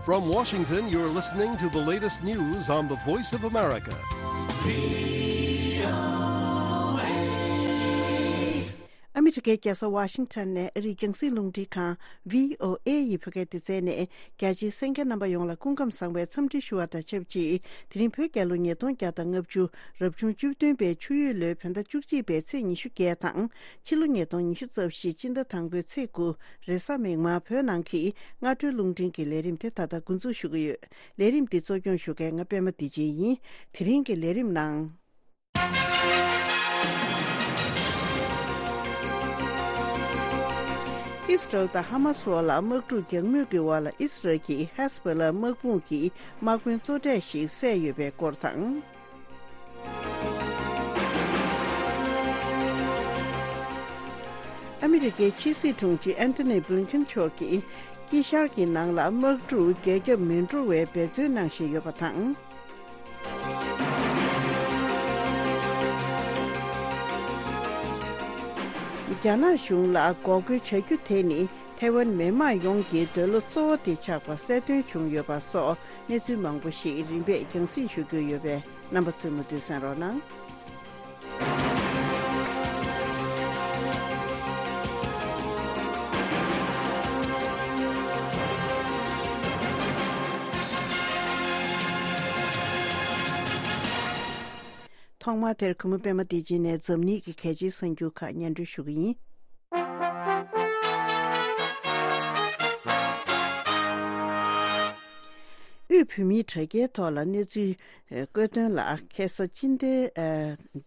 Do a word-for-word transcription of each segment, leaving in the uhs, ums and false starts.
From Washington, you're listening to the latest news on the Voice of America. ཨ་མི་རི་ཀའི་རྒྱལ་ས་ཝ་ཤིང་ཊོན་ནས་ཨ་རིའི་རྒྱང་སྲིང་རླུང་འཕྲིན་ཁང་བྷི་ཨོ་ཨེ་ཡི་བོད་སྐད་སྡེ་ཚན་ནས། རྒྱ་ཆེའི་གསན་མཁན་རྣམ་པ་ཡོངས་ལ་སྐུ་ཁམས་བཟང་བའི་འཚམས་འདྲི་ཞུ་བ་དང་ཆབས་ཅིག་དེ་རིང་བོད་རྒྱལ་ལོ་ཉིས་སྟོང་བརྒྱ་དང་ལྔ་བཅུ་རབ་བྱུང་བཅུ་བདུན་པའི་ཆུ་ཡོས་ལོའི་བོད་ཟླ་བཅུ་གཅིག་པའི་ཚེས་ཉི་ཤུ་བརྒྱད་དང་། ཕྱི་ལོ་ཉིས་སྟོང་ཉི་ཤུ་རྩ་བཞི་སྤྱི་ཟླ་དང་པོའི་ཚེས་དགུ་རེས་གཟའ་མིག་དམར་བོད་ནང་གི་སྔ་དྲོའི་རླུང་འཕྲིན་གྱི་ལས་རིམ་དེ་ད་ལྟ་འགོ་འཛུགས་ཞུ་གི་ཡོད། ལས་རིམ་འདི་གཙོ་སྐྱོང་ཞུ་མཁན་ང་པད་མ་བདེ་ཆེན་ཡིན། དེ་རིང་གི་ལས་རིམ་ནང་། ཨིས་རལ་དང་ཧ་མ་སི་བར་ལ་དམག་འཁྲུག་རྒྱག་མུས་ཀྱི་བར་ལ་ཨིས་རལ་གྱིས་ཧེ་ཟ་བྷོ་ལ་དམག་དཔུང་གི་དམག་དཔོན་གཙོ་གྲས་ཤིག་བསད་ཡོད་པའི་སྐོར་དང་། ཨ་མི་རི་ཀའི་ཕྱི་སྲིད་དྲུང་ཆེ་ཨན་ཐོ་ནི་བྷི་ལིན་ཁིན་མཆོག་གིས་དཀྱིལ་ཤར་གྱི་ནང་ལ་དམག་འཁྲུག་རྒྱ་ཁྱབ་མི་འགྲོ་བའི་འབད་བརྩོན་གནང་བཞིན་ཡོད་པ་དང་། རྒྱ་ནག་གཞུང་ལ་འགོག་རྒོལ་བྱ་རྒྱུ་དེ་ནི་ཐའེ་ཝན་མི་དམངས་ཡོངས་ཀྱི་འདོད་བློ་གཙོ་བོ་དེ་ཆགས་པ་གསལ་སྟོན་བྱུང་ཡོད་པ་སོགས་གནས་ཚུལ་མང་པོ་ཞིག་རིམ་པས་རྒྱང་སྲིང་ཞུ་རྒྱུ་ཡོད་པས། རྣམ་པ་ཚོས་མུ་མཐུད་གསན་རོགས་གནང་། ཐོག་མར་དེར་གུས་མོ་པད་མ་བདེ་ཆེན་ནས་འཛམ་གླིང་གི་གལ་ཆེའི་གསར་འགྱུར་ཁག་སྙན་སྒྲོན་ཞུ་གི་ཡིན། དབུས་བོད་མིའི་དྲ་རྒྱའི་ཐོག་ལ་གནས་ཚུལ་བཀོད་དོན་ལ། ཁ་སང་སྤྱི་ཟླ་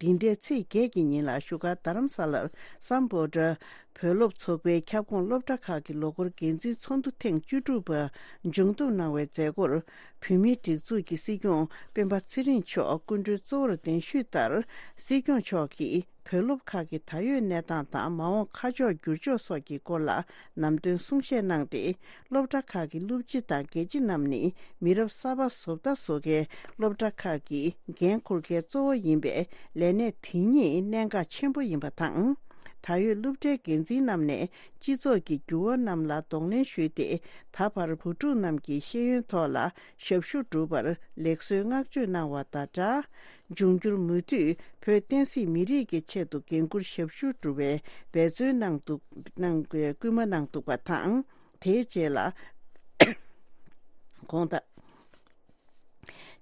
འདི་ཟླའི་ཚེས་བརྒྱད་ཀྱི་ཉིན་ལ་བཞུགས་སྒར་རྡ་རམ་ས་ལར་སམ་བྷོ་ཊ་བོད་སློབ་ཚོགས་པའི་ཁྱབ་ཁོངས་སློབ་གྲྭ་ཁག་གི་ལོ་འཁོར་འགན་འཛིན་ཚོགས་འདུ་ཐེངས་བཅུ་དྲུག་པ་མཇུག་བསྡོམས་གནང་བའི་མཛད་སྒོར། བོད་མིའི་སྒྲིག་འཛུགས་ཀྱི་སྲིད་སྐྱོང་སྤེན་པ་ཚེ་རིང་མཆོག་སྐུ་མགྲོན་གཙོ་བོར་གདན་ཞུས་ལྟར། སྲིད་སྐྱོང་མཆོག་གིས་བོད་སློབ་ཁག་གི་ད་ཡོད་གནས་སྟངས་དང་། མ་འོངས་ཁ་ཕྱོགས་འགྱུར་ཕྱོགས་སོགས་ཀྱི་སྐོར་ལ་ལམ་སྟོན་གསུང་བཤད་གནང་སྟེ། སློབ་གྲྭ་ཁག་གི་སློབ་སྤྱི་དང་དགེ་ཆེ་རྣམས་ནི་མི་རབས་གསར་པ་བཟོ་ལྟ་བཟོ་མཁན། སློབ་གྲྭ་ཁག་གི་འགན་འཁུར་མཁན་གཙོ་བོ་ཡིན་པས། ལས་གནས་དེ་ཉིད་གནད་འགག་ཆེན་པོ་ཡིན་པ་དང་། ད་ཡོད་སློབ་གྲྭའི་འགན་འཛིན་རྣམས་ནས་སྤྱི་ཚོགས་ཀྱི་འགྱུར་བ་རྣམས་ལ་གདོང་ལེན་ཞུས་ཏེ། ད་བར་བུ་ཕྲུག་རྣམས་ཀྱི་ཤེས་ཡོན་ཐོག་ལ་ཞབས་ཞུ་སྒྲུབ་པར་ལེགས་གསོའི་བསྔགས་བརྗོད་གནང་བ་དང་སྦྲགས། འབྱུང་འགྱུར་མུ་མཐུད་བོད་བསྟན་སྲིད་མི་རིགས་ཀྱི་ཆེད་དུ་འགན་འཁུར་ཞབས་ཞུ་སྒྲུབ་པའི་འབད་བརྩོན་གནང་འདུག་གནང་དགོས་སྐུལ་མ་གནང་འདུག་པ་དང་། དེའི་རྗེས་ལ། དགོངས་དག་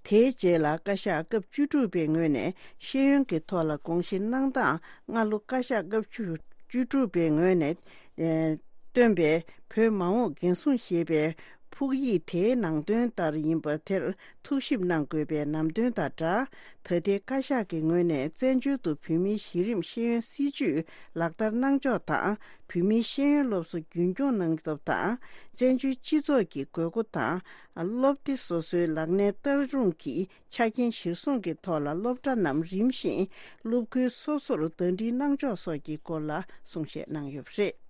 དེའི་རྗེས་ལ་བཀའ་ཤག་སྐབས་བཅུ་དྲུག་པའི་ངོས་ནས་ཤེས་ཡོན་གྱི་ཐོག་ལ་དགོངས་བཞེས་གནང་སྟངས། སྔ་ལོ་བཀའ་ཤག་སྐབས་བཅུ་བཅུ་དྲུག་པའི་ངོས་ནས་ཨེ་བཏོན་པའི་བོད་མ་འོངས་འགན་སྲུང་ཞེས་པའི་ཕུགས་ཡིག་དེའི་ནང་དོན་ལྟར་ཡིན་པ་དེར་ཐུགས་ཞིབ་གནང་དགོས་པའི་ལམ་སྟོན་དང་སྦྲགས། ད་ལྟའི་བཀའ་ཤག་གི་ངོས་ནས་བཙན་བྱོལ་དུ་བོད་མིའི་གཞི་རིམ་ཤེས་ཡོན་སྲིད་བྱུས་ལག་བསྟར་གནང་ཕྱོགས་དང་། བོད་མིའི་ཤེས་ཡོན་སློབ་གསོ་རྒྱུན་འཁྱོངས་གནང་སྟངས་དང་། བཙན་བྱོལ་སྤྱི་ཚོགས་ཀྱི་དགོས་མཁོ་དང་། སློབ་སྡེ་སོ་སོའི་ལག་ལེན་བསྟར་རུང་གི་ཆ་རྐྱེན་གཞིར་བཟུང་གི་ཐོག་ལ་སློབ་གྲྭ་རྣམས་རིམ་བཞིན་སློབ་ཁུལ་སོ་སོར་ཟླ་སྒྲིལ་གནང་ཕྱོགས་སོགས་ཀྱི་སྐོར་ལ་གསུང་བཤད་གནང་ཡོད་པ་རེད།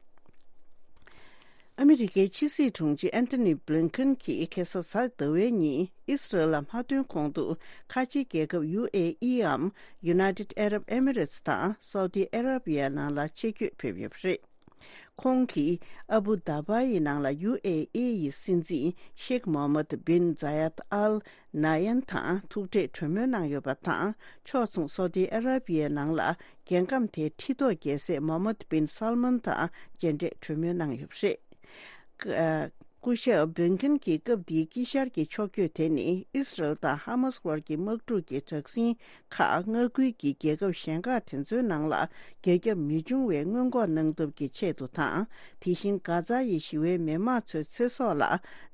ཨ་མི་རི་ཀའི་ཕྱི་སྲིད་དྲུང་ཆེ་ཨན་ཐོ་ནི་བྷི་ལིན་ཁིན་གྱིས་ཁ་སང་གཟའ་ཟླ་བའི་ཉིན་ཨི་སི་རལ་ལ་མ་ཐོན་གོང་དུ། ཁ་ཆེའི་རྒྱལ་ཁབ་ཡུ་ཨེ་ཨི་འམ། United Arab Emirates དང་སའུ་ཏི་ཨ་ར་བི་ཡ་ནང་ལ་ཆེད་བསྐྱོད་ཕེབས་ཡོད་པ་རེད། ཁོང་གིས་ཨ་བུ་དཱ་བྷ་ཡི་ནང་ལ་ཡུ་ཨེ་ཨི་ཡི་སྲིད་འཛིན་ཤེག་མོ་ཧམ་མད་བིན་ཛ་ཡད་ཨལ་ན་ཡན་དང་ཐུག་འཕྲད་གྲོས་མོལ་གནང་ཡོད་པ་དང་། ཕྱོགས་མཚུངས་སའུ་ཏི་ཨ་ར་བི་ཡའི་ནང་ལ་རྒྱལ་ཁམས་དེའི་ཁྲི་ཐོག་རྒྱལ་སྲས་མོ་ཧམ་མད་བིན་སལ་མན་དང་མཇལ་འཕྲད་གྲོས་མོལ་གནང་ཡོད་པ་རེད། ཨ། སྐུ་ཞབས་བྷི་ལིན་ཁིན་གྱིས་སྐབས་འདིའི་དཀྱིལ་ཤར་གྱི་ཕྱོགས་བསྐྱོད་དེ་ནི། ཨི་སི་རལ་དང་ཧ་མ་སི་དབར་གྱི་དམག་འཁྲུག་གི་དྲག་ཟིང་ཁག་མངའ་ཁུལ་གྱི་རྒྱལ་ཁབ་གཞན་ཁག་དེ་ཚོའི་ནང་ལ་རྒྱ་ཁྱབ་མི་འབྱུང་བའི་སྔོན་འགོག་གནང་ཐབས་ཀྱི་ཆེད་དུ་དང་། དེ་བཞིན་གྷ་ཛ་ཡི་ཞི་བའི་མི་མང་ཚོའི་ཚེ་སྲོག་ལ་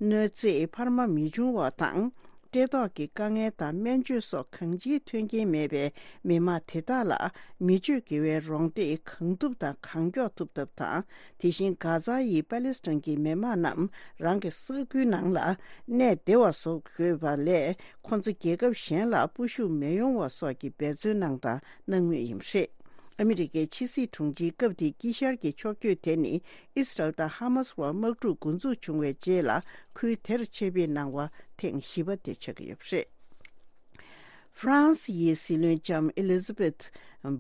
གནོད་འཚེ་འཕར་མ་མི་འབྱུང་བ་དང་། བཀྲེས་ལྟོགས་ཀྱི་དཀའ་ངལ་དང་སྨན་བཅོས་སོགས་གང་ཅིའི་མཐུན་རྐྱེན་མེད་པའི་མི་མང་དེ་དག་ལ་མི་སྤྱོད་དགེ་བའི་རོགས་འདེགས་གང་ཐུབ་དང་གང་མགྱོགས་ཐུབ་ཐབས་དང་། དེ་བཞིན་གྷ་ཛ་ཡི་པ་ལི་སི་ཐན་གྱི་མི་མང་རྣམས་རང་གི་ས་ཁུལ་ནང་ལ་གནས་བདེ་བ་བཟོ་དགོས་པ་ལས། ཁོང་ཚོ་རྒྱལ་ཁབ་གཞན་ལ་སྤོ་ཤུགས་མི་ཡོང་བ་སོགས་ཀྱི་འབད་བརྩོན་གནང་དང་གནང་མུས་ཡིན་པ་རེད། ཨ་མི་རི་ཀའི་ཕྱི་སྲིད་དྲུང་ཆེའི་སྐབས་དེའི་དཀྱིལ་ཤར་གྱི་ཕྱོགས་བསྐྱོད་དེ་ནི། ཨི་སི་རལ་དང་ཧ་མ་སི་བར་དམག་འཁྲུག་འགོ་འཛུགས་བྱུང་བའི་རྗེས་ལ་ཁུལ་དེར་ཆེད་ཕེབས་གནང་བ་ཐེངས་བཞི་པ་དེ་ཆགས་ཀྱི་ཡོད་པ་རེད། ཧྥ་རན་སི་ཡི་སྲིད་བློན་ལྕམ་ཨེ་ལི་ཛ་བེད་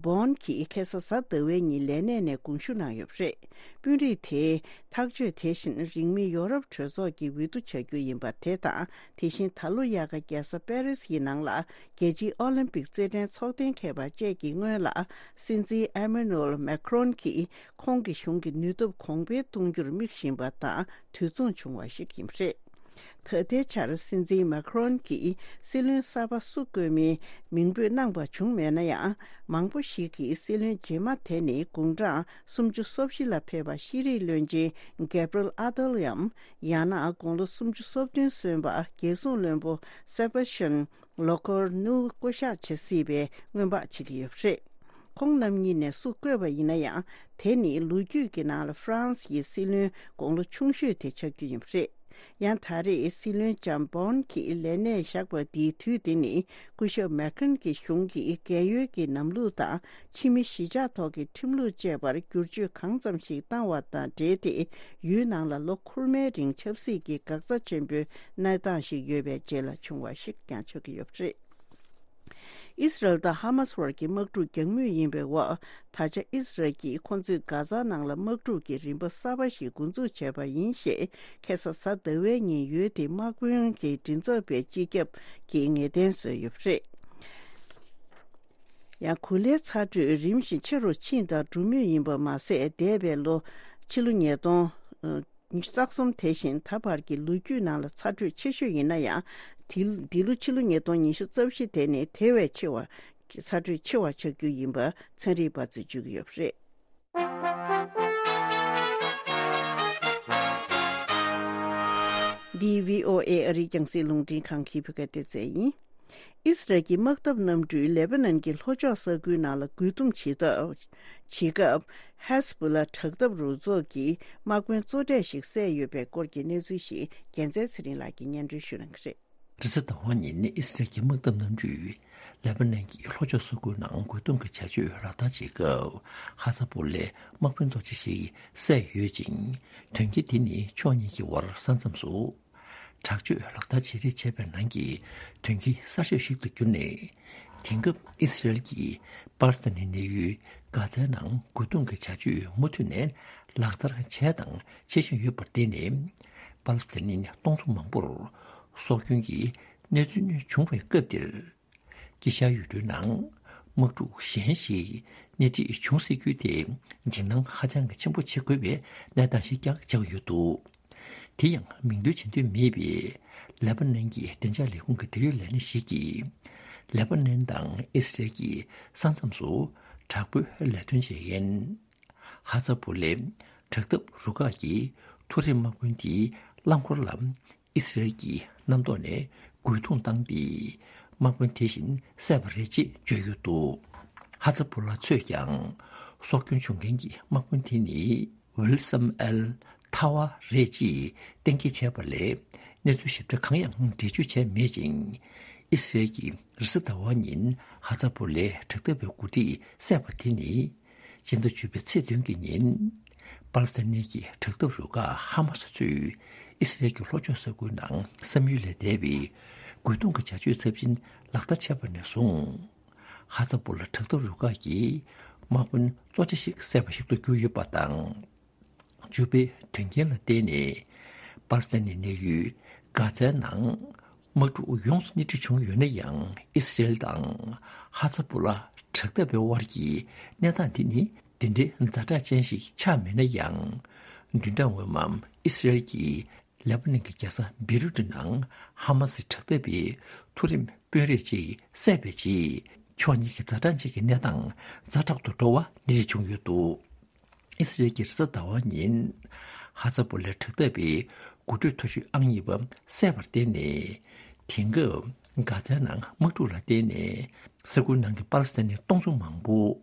བོན་གྱིས་ཁ་སང་གཟའ་ཟླ་བའི་ཉིན་ལས་གནས་ནས་དགོངས་ཞུ་གནང་ཡོད་པ་རེད། དཔོན་རིགས་དེས་ཐག་གཅོད་དེ་བཞིན་རིང་མིན་ཡོ་རོབ་གྲོས་ཚོགས་ཀྱི་འོས་བསྡུ་བྱ་རྒྱུ་ཡིན་པ་དེ་དང་། དེ་བཞིན་ད་ལོ་དབྱར་ཁ་རྒྱལ་ས་པེ་རི་སི་ཡི་ནང་ལ་རྒྱལ་སྤྱིའི་ཨོ་ལིམ་པིག་རྩེད་འགྲན་ཚོགས་གཏན་འཁེལ་བ་བཅས་ཀྱི་སྔོན་ལ། སྲིད་འཛིན་ཨེ་མེ་ནུ་ཨེལ་མེ་ཁྲོན་གྱིས་ཁོང་གི་གཞུང་གི་ནུས་སྟོབས་གོང་འཕེལ་གཏོང་རྒྱུར་དམིགས་བཞིན་པ་དང་དུས་མཚུངས་བྱུང་བ་ཞིག་ཡིན་པ་རེད། ད་ལྟའི་ཆར་སྲིད་འཛིན་མེ་ཁྲོན་གྱིས་སྲིད་བློན་གསར་པ་སུ་བསྐོ་མིན་མིང་འབོད་གནང་པ་བྱུང་མེད་ན་ཡང་། མང་པོ་ཞིག་གིས་སྲིད་བློན་རྗེས་མ་དེ་ནི་དགུང་གྲངས་སུམ་ཅུ་སོ་བཞི་ལ་ཕེབས་པ་ཤེས་རིག་བློན་ཆེན་གེབ་རེལ་ཨ་ཏལ་ཡམ། ཡང་ན་དགུང་ལོ་སུམ་ཅུ་སོ་བདུན་སོན་པ་རྒྱལ་སྲུང་བློན་པོ་སེ་བེ་སི་ཅན་ལོ་ཀོར་ནུ་བསྐོ་གཞག་བྱེད་སྲིད་པའི་སྔོན་དཔག་བྱེད་ཀྱི་ཡོད་པ་རེད། ཁོང་རྣམ་གཉིས་ནས་སུ་བསྐོས་པ་ཡིན་ན་ཡང་། དེ་ནི་ལོ་རྒྱུས་ཀྱི་ནང་ལ་ཧྥ་རན་སི་ཡི་སྲིད་བློན་དགུང་ལོ་ཆུང་ཤོས་དེ་ཆགས་རྒྱུ་ཡིན་པ་རེད། ཡང་ད་རེས་སྲིད་བློན་ལྕམ་བོན་གྱིས་ལས་གནས་བཞག་པ་འདིའི་དུས་དེ་ནི་སྐུ་ཞབས་མེ་ཁྲོན་གྱི་གཞུང་གིས་རྒས་ཡོལ་གྱི་ལམ་ལུགས་དང་། ཕྱི་མི་གཞིས་ཆགས་ཐོག་གི་ཁྲིམས་ལུགས་བཅས་པར་བསྒྱུར་བཅོས་གང་ཙམ་ཞིག་བཏང་བ་དང་འབྲེལ་ཏེ། ཡུལ་ནང་ལ་ལོ་འཁོར་མའི་རིང་ཆབ་སྲིད་ཀྱི་འགག་རྩ་ཆེན་པོའི་གནས་སྟངས་ཤིག་ཡོད་པའི་རྗེས་ལ་བྱུང་བ་ཞིག་ཀྱང་ཆགས་ཀྱི་ཡོད་པ་རེད། ཨིས་རལ་དང་ཧ་མ་སི་བར་གྱི་དམག་འཁྲུག་རྒྱག་མུས་ཡིན་པའི་འོག་ད་ཆ་ཨིས་རལ་གྱིས་ཁོ་ཚོས་གྷ་ཛ་ནང་ལ་དམག་འཁྲུག་གི་རིམ་པ་གསར་པ་ཞིག་འགོ་འཛུགས་བྱས་པ་ཡིན་ཞེས། ཁ་སང་གཟའ་ཟླ་བའི་ཉིན་ཡུལ་དེའི་དམག་དཔོན་གྱི་མགྲིན་ཚབ་པས་སྤྱི་ཁྱབ་ཀྱིས་ངེས་གཏན་བཟོས་ཡོད་པ་རེད། ཡང་གོ་ལའི་ཚ་དྲོད་རིམ་བཞིན་ཆེ་རུ་ཕྱིན་དང་འགྲོ་མུས་ཡིན་པ་མ་ཟད། འདས་པའི་ལོ་ཕྱི་ལོ་ཉིས་སྟོང་ཉི་ཤུ་རྩ་གསུམ་དེ་བཞིན་ད་བར་གྱི་ལོ་རྒྱུས་ནང་ལ་ཚ་དྲོད་ཆེ་ཤོས་ཡིན་ན་ཡང་། དེ་འདི་ལོ་ཕྱི་ལོ་ཉིས་སྟོང་ཉི་ཤུ་རྩ་བཞི་དེ་ནི་དེ་བས་ཆེ་བ་ཚ་དྲོད་ཆེ་བ་ཆགས་རྒྱུ་ཡིན་པ་ཚན་རིག་པ་ཚོས་བརྗོད་ཀྱི་ཡོད་པ་རེད། འདི་བྷི་ཨོ་ཨེ་ཨ་རིའི་རྒྱང་སྲིང་རླུང་འཕྲིན་ཁང་གི་བོད་སྐད་སྡེ་ཚན་ཡིན། ཨིས་རལ་གྱི་དམག་འཐབ་གནམ་གྲུས་ལེ་པ་ནན་གྱི་ལྷོ་ཕྱོགས་ས་ཁུལ་ནང་ལ་རྒོལ་རྡུང་བྱེད་སྟབས། བྱེད་སྐབས། ཧེ་ཟ་བྷོ་ལ་དྲག་འཐབ་རུ་ཚོགས་ཀྱི་དམག་དཔོན་གཙོ་གྲས་ཤིག་བསད་ཡོད་པའི་སྐོར་གྱི་གནས་ཚུལ་ཞིག་རྒྱལ་མཚན་ཚེ་རིང་ལགས་ཀྱིས་སྙན་སྒྲོན་ཞུ་གནང་གི་རེད། རེས་གཟའ་ཟླ་བ་ཉིན་ཨི་སི་རལ་གྱི་དམག་འཐབ་གནམ་གྲུས་ལེ་པ་ནན་གྱི་ལྷོ་ཕྱོགས་ས་ཁུལ་ནང་རྒོལ་རྡུང་གི་བྱ་སྤྱོད་ལག་བསྟར་བྱེད་སྐབས། ཧ་ཛ་བྷོ་ལའི་དམག་དཔོན་གཙོ་ཆེ་ཞིག་བསད་ཡོད་ཅིང་། དོན་རྐྱེན་དེ་ནི་ཕྱོགས་གཉིས་ཀྱི་དབར་ས་མཚམས་སུ་དྲག་སྤྱོད་ལག་བསྟར་བྱེད་རེས་བྱས་པའི་ནང་གི་དོན་རྐྱེན་གསར་ཤོས་ཤིག་ཏུ་གྱུར་ནས། དེང་སྐབས་ཨི་སི་རལ་གྱིས་པ་ལི་སི་ཐན་ནི་གནས་ཡུལ་གྷ་ཛའི་ནང་རྒོལ་རྡུང་གི་བྱ་སྤྱོད་མུ་མཐུད་ནས་ལག་བསྟར་བྱས་དང་བྱེད་བཞིན་ཡོད་པར་བརྟེན་ནས། པ་ལི་སི་ཐན་ནི་སྟོང་ཚོ་མང་པོར་སྲོག་སྐྱོན་གྱི་གནས་ཚུལ་བྱུང་བའི་སྐབས་འདིར། དཀྱིལ་ཤར་ཡུལ་གྲུའི་ནང་དམག་འཁྲུག་གཞན་ཞིག་སྣེ་ཁྲིད་བྱུང་སྲིད་རྒྱུ་དེ་འཇིགས་སྣང་ཧ་ཅང་གི་ཆེན་པོ་བྱེད་དགོས་པའི་གནས་སྟངས་ཤིག་ཀྱང་ཆགས་ཡོད་འདུག་དེ་ཡང་མིང་འདོན་བྱེད་འདོད་མེད་པའི་ལེ་པ་ནན་གྱི་བདེ་འཇགས་ལས་ཁུངས་ཀྱི་འབྲེལ་ཡོད་ལས་སྣེ་ཞིག་གིས། ལེ་པ་ནན་དང་ཨི་སི་རལ་གྱི་ས་མཚམས་སུ་དྲག་པོའི་ལས་དོན་བྱེད་མཁན་ཧ་ཛ་བྷོ་ལའི་དྲག་འཐབ་རུ་ཁག་གི་མཐོ་རིམ་དམག་དཔོན་དེའི་རླངས་འཁོར་ལ་ཨི་སི་རལ་གྱི་གནམ་ཐོག་ནས་རྒོལ་རྡུང་བཏང་སྟེ། དམག་དཔོན་དེ་བཞིན་བསད་པ་རེད་ཅེས་བརྗོད་ཡོད་འདུག་ཧ་ཛ་བྷོ་ལ་ཚོས་ཀྱང་སྲོག་སྐྱོན་བྱུང་མཁན་གྱི་དམག་དཔོན་དེ་ནི་ཝིལ་སམ་ཨེལ་ཐ་ཝ་རེད་ཅེས་གཏན་འཁེལ་བྱས་པ་ལས། གནས་ཚུལ་ཞིབ་ཕྲ་གང་ཡང་འགྲེལ་བརྗོད་བྱས་མེད་ཅིང་། ཨི་སི་རལ་གྱིས་རེས་གཟའ་ཟླ་བ་ཉིན་ཧ་ཛ་བྷོ་ལའི་དྲག་འཐབ་པའི་འགོ་ཁྲིད་བསད་པ་དེ་ནི། སྤྱི་ཟླ་བཅུ་པའི་ཚེས་བདུན་གྱི་ཉིན། པ་ལི་སི་ཐན་གྱི་དྲག་འཐབ་རུ་ཁག་ཧ་མ་སི་ཚོས་ཨི་སི་རལ་གྱི་ལྷོ་ཕྱོགས་ས་ཁུལ་ནང་བསམ་ཡུལ་ལས་འདས་པའི་རྒོལ་རྡུང་གི་བྱ་སྤྱོད་ཚབས་ཆེན་ལག་བསྟར་བྱས་པ་ནས་བཟུང་། ཧ་ཛ་བྷོ་ལ་དྲག་འཐབ་རུ་ཁག་གི་དམག་དཔོན་གཙོ་ཆེ་ཞིག་བསད་པ་ཞིག་ཏུ་གྱུར་ཡོད་པ་དང་། བཅུ་པའི་དོན་རྐྱེན་ལ་བརྟེན་ནས། པ་ལི་སི་ཐན་ནི་གནས་ཡུལ་གྷ་ཛའི་ནང་དམག་འཁྲུག་ཡོངས་སུ་སྣེ་ཁྲིད་བྱུང་ཡོད་ན་ཡང་། ཨི་སི་རལ་དང་ཧ་ཛ་བྷོ་ལ་དྲག་འཐབ་པའི་དབར་གྱི་གནས་སྟངས་འདི་ནི་འདི་འདྲའི་ཛ་དྲག་ཅན་ཞིག་ཆགས་མེད་ན་ཡང་། བདུན་ཕྲག་སྔོན་མ་ཨི་སི་རལ་གྱིས་ལེ་པ་ནན་གྱི་རྒྱལ་ས་བེ་རུ་ཏི་ནང་ཧ་མ་སི་དྲག་འཐབ་པའི་མཐོ་རིམ་དཔོན་རིགས་ཅིག་བསད་པའི་རྗེས། ཕྱོགས་གཉིས་ཀྱི་ཛ་དྲག་ཅན་གྱི་གནས་སྟངས་ཛ་དྲག་ཏུ་འགྲོ་བ་སྣེ་ཁྲིད་བྱུང་ཡོད་འདུག་ཨི་སི་རལ་གྱིས་རེས་གཟའ་ཟླ་བ་ཉིན་ཧ་ཛ་བྷོ་ལའི་དྲག་འཐབ་པའི་འགོ་ཁྲིད་མཐོ་ཤོས་ཨང་གཉིས་པ་བསད་པར་བརྟེན་ནས། དེང་སྐབས་གྷ་ཛའི་ནང་དམག་འཁྲུག་ལ་བརྟེན་ནས་ས་ཁུལ་ནང་གི་པ་ལི་སི་ཐན་ནི་སྟོང་ཚོ་མང་པོ་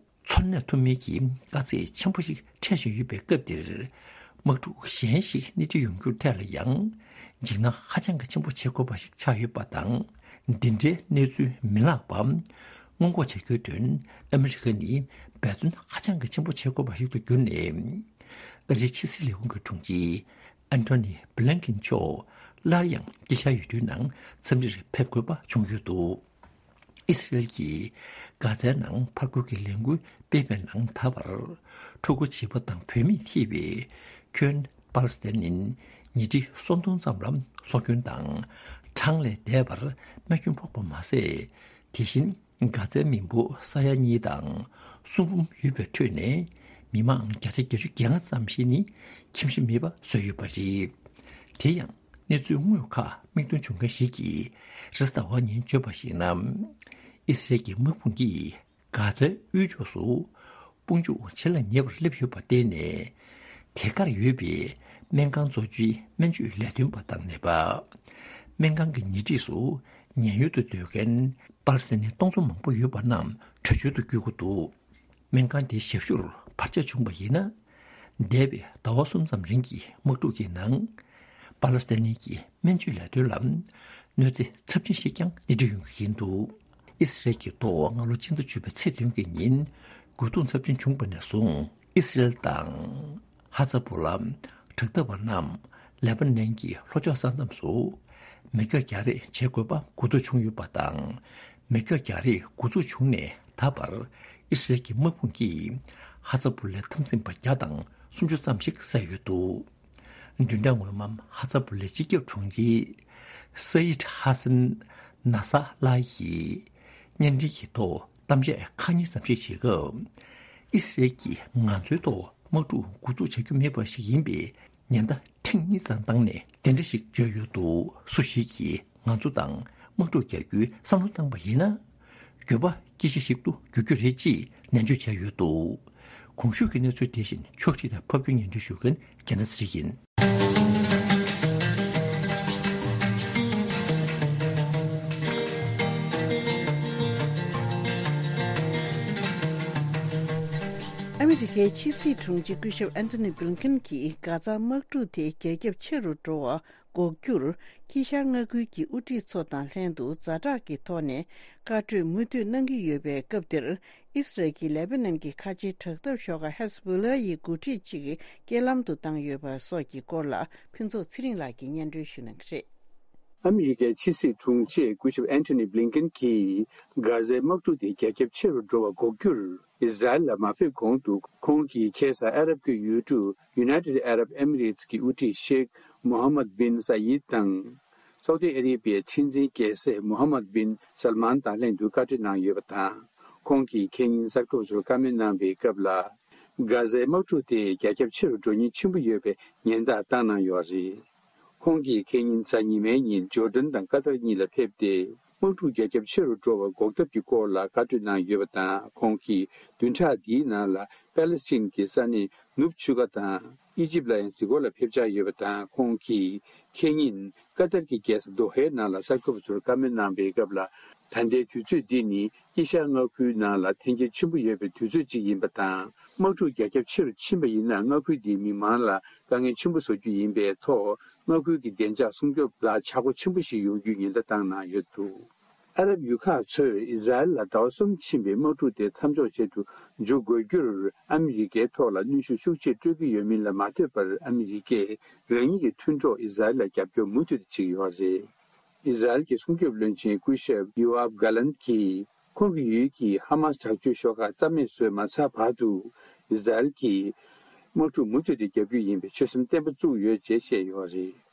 འཚོ་གནས་ཐུབ་མིན་གྱི་དཀའ་ཚེགས་ཆེན་པོ་ཞིག་འཕྲད་བཞིན་ཡོད་པའི་སྐབས་འདིར། དམག་འཁྲུག་གཞན་ཞིག་སྣེ་ཁྲིད་ཡོང་རྒྱུར་ཐད་ལ་ཡང་འཇིགས་སྣང་ཧ་ཅང་གི་ཆེན་པོ་བྱེད་དགོས་པ་ཞིག་ཆགས་ཡོད་པ་དང་། འདི་འདྲའི་གནས་ཚུལ་མི་ལྷག་པ་སྔོན་འགོག་བྱ་རྒྱུའི་དོན་ཨ་མི་རི་ཀ་ནི་འབད་བརྩོན་ཧ་ཅང་གི་ཆེན་པོ་བྱེད་དགོས་པ་ཞིག་ཏུ་གྱུར་ནས། ཨ་རིའི་ཕྱི་སྲིད་ལས་ཁུངས་ཀྱི་དྲུང་ཆེ་ཨན་ཐོ་ནི་བྷི་ལན་ཀིན་མཆོག་སླར་ཡང་དཀྱིལ་ཤར་ཡུལ་གྲུའི་ནང་འཚམས་འདྲིར་ཕེབས་དགོས་པ་བྱུང་ཡོད་འདུག་ཨི་སི་རེལ་གྱིས་གྷ་ཛའི་ནང་ཕར་རྒོལ་གྱི་ལས་འགུལ་སྤེལ་བའི་ནང་ད་བར་ཕྲུ་གུ་བྱིས་པ་དང་བུད་མེད་ཐེ་བའི་ཁྱོན་པ་ལི་སི་ཐན་ནི་ཉིས་ཁྲི་སུམ་སྟོང་ཙམ་ལ་སྲོག་སྐྱོན་དང་གྲངས་ལས་འདས་པར་རྨས་སྐྱོན་ཕོག་པ་མ་ཟད། དེ་བཞིན་གྷ་ཛའི་མི་འབོར་ས་ཡ་གཉིས་དང་སུམ་འབུམ་ཡོད་པའི་ཁྲོད་ནས་མི་མང་བརྒྱ་ཆ་བརྒྱད་ཅུ་གྱ་ལྔ་ཙམ་ཞིག་ནི་ཁྱིམ་གཞིས་མེད་པ་བཟོས་ཡོད་པ་རེད། དེ་ཡང་གནས་ཚུལ་དངོས་ཁག་མིག་མཐོང་བྱུང་མཁན་ཞིག་གིས་རེས་གཟའ་ཟླ་བ་ཉིན་བརྗོད་པར་གཞིགས་ན། ཨི་སི་རེལ་གྱི་དམག་དཔུང་གིས་གྷ་ཛའི་དབུས་ཕྱོགས་སུ་དཔུང་འཇུག་བྱེད་ལ་ཉེ་བར་སླེབས་ཡོད་པར་བརྟེན་ནས། དེ་གར་ཡོད་པའི་སྨན་ཁང་གཙོ་ཆེའི་སྨན་བཅོས་ལས་དོན་པ་དང་ནད་པ། སྨན་ཁང་གི་ཉེ་འཁྲིས་སུ་ཉེན་གཡོལ་དུ་སྡོད་མཁན་པ་ལི་སི་ཐན་ནི་སྟོང་ཚོ་མང་པོ་ཡོད་པ་རྣམས་བྲོས་བྱོལ་དུ་བསྐྱོད་དགོས་འདུག་སྨན་ཁང་དེའི་ཞབས་ཞུར་བར་ཆད་བྱུང་བ་ཡིན་ན། འདས་པའི་ཟླ་བ་གསུམ་ཙམ་རིང་གི་དམག་འཁྲུག་གི་ནང་། པ་ལི་སི་ཐན་གྱི་སྨན་བཅོས་ལས་དོན་ལ་གནོད་འཚེ་ཚབས་ཆེན་ཞིག་ཀྱང་སྣེ་ཁྲིད་ཡོང་གི་ཡིན་འདུག་ཨི་སི་རེལ་གྱི་ཐོག་སྔ་ལོ་ཕྱི་ཟླ་བཅུ་པའི་ཚེས་བདུན་གྱི་ཉིན་རྒོལ་རྡུང་ཚབས་ཆེན་བྱུང་བ་ནས་བཟུང་ཨི་སི་རེལ་དང་། ཧ་ཛ་བུ་ལ་དྲག་འཐབ་པ་རྣམས་ལེ་པ་ནན་གྱི་ལྷོ་ཕྱོགས་ས་མཚམས་སུ་མེ་སྒྱོགས་རྒྱག་རེས་བྱེད་དགོས་པ་འགོ་ཐུག་བྱུང་ཡོད་པ་དང་། མེ་སྒྱོགས་རྒྱག་རེས་འགོ་འཛུགས་བྱུང་ནས་ད་བར་ཨི་སི་རེལ་གྱི་དམག་དཔུང་གིས་ཧ་ཛ་བུ་ལའི་འཐབ་འཛིང་པ་བརྒྱ་དང་སུམ་ཅུ་ཙམ་ཞིག་བསད་ཡོད་འདུག་བདུན་ཕྲག་སྔོན་མ་ཧ་ཛ་བུ་ལའི་སྤྱི་ཁྱབ་དྲུང་ཆེ་སཱ་ཡིད་ཧ་སན་ན་ས་ལ་ཡིས་བརྙན་འཕྲིན་གྱི་ཐོག་གཏམ་བཤད་ཁག་གཉིས་ཙམ་ཞིག་བྱེད་སྐབས། ཨི་སི་རེལ་གྱིས་ང་ཚོའི་ཐོག་དམག་འཁྲུག་འགོ་འཛུགས་བྱ་རྒྱུ་མེད་པ་ཞིག་ཡིན་པས། ཉེན་བརྡ་ཐེངས་གཉིས་ཙམ་བཏང་ནས་དེ་འདྲ་ཞིག་བརྗོད་ཡོད་འདུག་སུ་ཞིག་གིས་ང་ཚོ་དང་དམག་འཁྲུག་རྒྱག་རྒྱུའི་བསམ་བློ་བཏང་པ་ཡིན་ན། འགྱོད་པ་སྐྱེ་གཞི་ཞིག་ཏུ་འགྱུར་རྒྱུ་རེད་ཅེས་ནན་བརྗོད་བྱས་ཡོད་འདུག་གོང་ཞུས་ཀྱི་གནས་ཚུལ་དེ་བཞིན་ཕྱོགས་སྒྲིག་དང་ཕབ་སྒྱུར་སྙན་སྒྲོན་ཞུ་མཁན་རྒྱལ་ན་ཚེ་རིང་ཡིན། ཨ་མི་རི་ཀའི་ཕྱི་སྲིད་དྲུང་ཆེ་སྐུ་ཞབས་ཨན་ཐོ་ནི་བྷི་ལིན་ཀེན་གྱིས་གྷ་ཛ་དམག་འཁྲུག་དེ་རྒྱ་ཁྱབ་ཆེ་རུ་འགྲོ་བ་འགོག་རྒྱུར། དཀྱིལ་ཤར་མངའ་ཁུལ་གྱི་དབུ་ཁྲིད་ཚོ་དང་ལྷན་དུ་ཛ་དྲག་གི་ཐོག་ནས་བཀའ་གྲོས་མུ་མཐུད་གནང་གི་ཡོད་པའི་སྐབས་འདིར། ཨི་སི་རལ་གྱིས་ལེ་པ་ནན་གྱི་ཁ་ཆེའི་དྲག་འཐབ་ཤོག་ཁག་ཧེ་ཟ་བྷོ་ལ་ཡི་འགོ་ཁྲིད་ཅིག་རྐྱེན་ལམ་དུ་བཏང་ཡོད་པ་སོགས་ཀྱི་སྐོར་ལ་ཕུན་ཚོགས་ཚེ་རིང་ལགས་ཀྱིས་སྙན་སྒྲོན་ཞུ་གནང་གི་རེད། ཨ་མི་རི་ཀའི་ཕྱི་སྲིད་དྲུང་ཆེ་སྐུ་ཞབས་ཨན་ཐོ་ནི་བྷི་ལིན་ཀེན་གྱིས་གྷ་ཟའི་དམག་འཁྲུག་དེ་རྒྱ་ཁྱབ་ཆེ་རུ་འགྲོ་བ་འགོག་རྒྱུར། ཨི་ཟ་རེལ་ལ་མ་ཕེབས་གོང་དུ་ཁོང་གིས་ཁ་སང་ཨ་རབ་ཀྱི་ཡུལ་གྲུ་United Arab Emirates གི་དབུ་ཁྲིད་ཤེག་མོ་ཧམ་མད་བིན་ས་ཡིད་དང་། སའུ་ཏི་ཨ་རི་བའི་ཁྲི་འཛིན་རྒྱལ་སྲས་མོ་ཧམ་མད་བིན་སལ་མཱན་དང་ལྷན་དུ་བཀའ་འཁྲོལ་གནང་ཡོད་པ་དང་། ཁོང་གིས་ཁེ་ཉིན་གསར་འགོད་པ་ཚོར་བཀའ་མོལ་གནང་བའི་སྐབས་ལ། གྷ་ཟའི་དམག་འཁྲུག་དེ་རྒྱ་ཁྱབ་ཆེ་རུ་འགྲོ་ཉེན་ཆེན་པོ་ཡོད་པའི་ཉེན་བརྡ་བཏང་གནང་ཡོད་པ་རེད། ཁོང་གིས་ཁེ་ཉིན་གཟའ་ཉི་མའི་ཉིན་ཇོར་ཌན་དང་ཀ་ཏར་གཉིས་ལ་ཕེབས་ཏེ། དམག་འཁྲུག་རྒྱ་ཁྱབ་ཆེ་རུ་འགྲོ་བ་འགོག་ཐབས་ཀྱི་སྐོར་ལ་བཀའ་འཁྲོལ་གནང་ཡོད་པ་དང་། ཁོང་གིས་བདུན་ཕྲག་འདིའི་ནང་ལ་པེ་ལེ་སི་ཐན་གྱི་ས་གནས་ནུབ་ཆུ་ཁ་དང་ཨི་ཇིབ་ལ་ཡང་གཟིགས་སྐོར་ལ་ཕེབས་འཆར་ཡོད་པ་དང་། ཁོང་གིས་ཁེ་ཉིན་ཀ་ཏར་གྱི་རྒྱལ་ས་དོ་ཧའི་ནང་ལ་གསར་འགོད་པ་ཚོར་བཀའ་མོལ་གནང་བའི་སྐབས་ལ། ད་ལྟའི་དུས་ཚོད་འདི་ནི་དཀྱིལ་ཤར་མངའ་ཁུལ་ནང་ལ་འཐེན་འཁྱེར་ཆེན་པོ་ཡོད་པའི་དུས་ཚོད་ཅིག་ཡིན་པ་དང་། དམག་འཁྲུག་རྒྱ་ཁྱབ་ཆེ་རུ་ཕྱིན་པ་ཡིན་ན། མངའ་ཁུལ་འདིའི་མི་མང་ལ་དཀའ་ངལ་ཆེན་པོ་བཟོ་རྒྱུ་ཡིན་པའི་ཐོག་མངའ་ཁུལ་གྱི་བདེ་འཇགས་སྲུང་སྐྱོབ་ལ་ཆག་སྒོ་ཆེན་པོ་ཞིག་ཡོང་རྒྱུའི་ཉེན་བརྡ་བཏང་གནང་ཡོད་འདུག་ཨ་རབ་ཡུལ་ཁག་ཚོས་ཨི་ཟ་རེལ་ལ་ཟླ་བ་གསུམ་ཕྱིན་པའི་དམག་འཁྲུག་དེ་མཚམས་འཇོག་བྱེད་དུ་འཇུག་དགོས་རྒྱུར་ཨ་མི་རི་ཀའི་ཐོག་ལ་གནོན་ཤུགས་ཤུགས་ཆེ་སྤྲོད་ཀྱི་ཡོད་མིན་ལ་མ་ལྟོས་པར། ཨ་མི་རི་ཀས་རང་ཉིད་ཀྱི་མཐུན་གྲོགས་ཨི་ཟ་རེལ་ལ་རྒྱབ་སྐྱོར་མུ་མཐུད་དུ་བྱེད་ཀྱི་ཡོད་པ་རེད། ཨི་ཟ་རེལ་གྱི་སྲུང་སྐྱོབ་བློན་ཆེན་སྐུ་ཞབས་ཡོ་ཨབ་གྷ་ལན་གྱིས། ཁོང་གི་ཡུལ་གྱི་ཧ་མཱ་སི་དྲག་སྤྱོད་ཤོག་ཁག་རྩ་མེད་བཟོས་མ་ཚར་བར་དུ། ཨི་ཟ་རེལ་གྱིས་དམག་འཁྲུག་མུ་མཐུད་དུ་རྒྱག་རྒྱུ་ཡིན་པའི་ཆོད་སེམས་བརྟན་པོ་བཙུགས་ཡོད་ཅེས་བཤད་ཡོད་པ་རེད།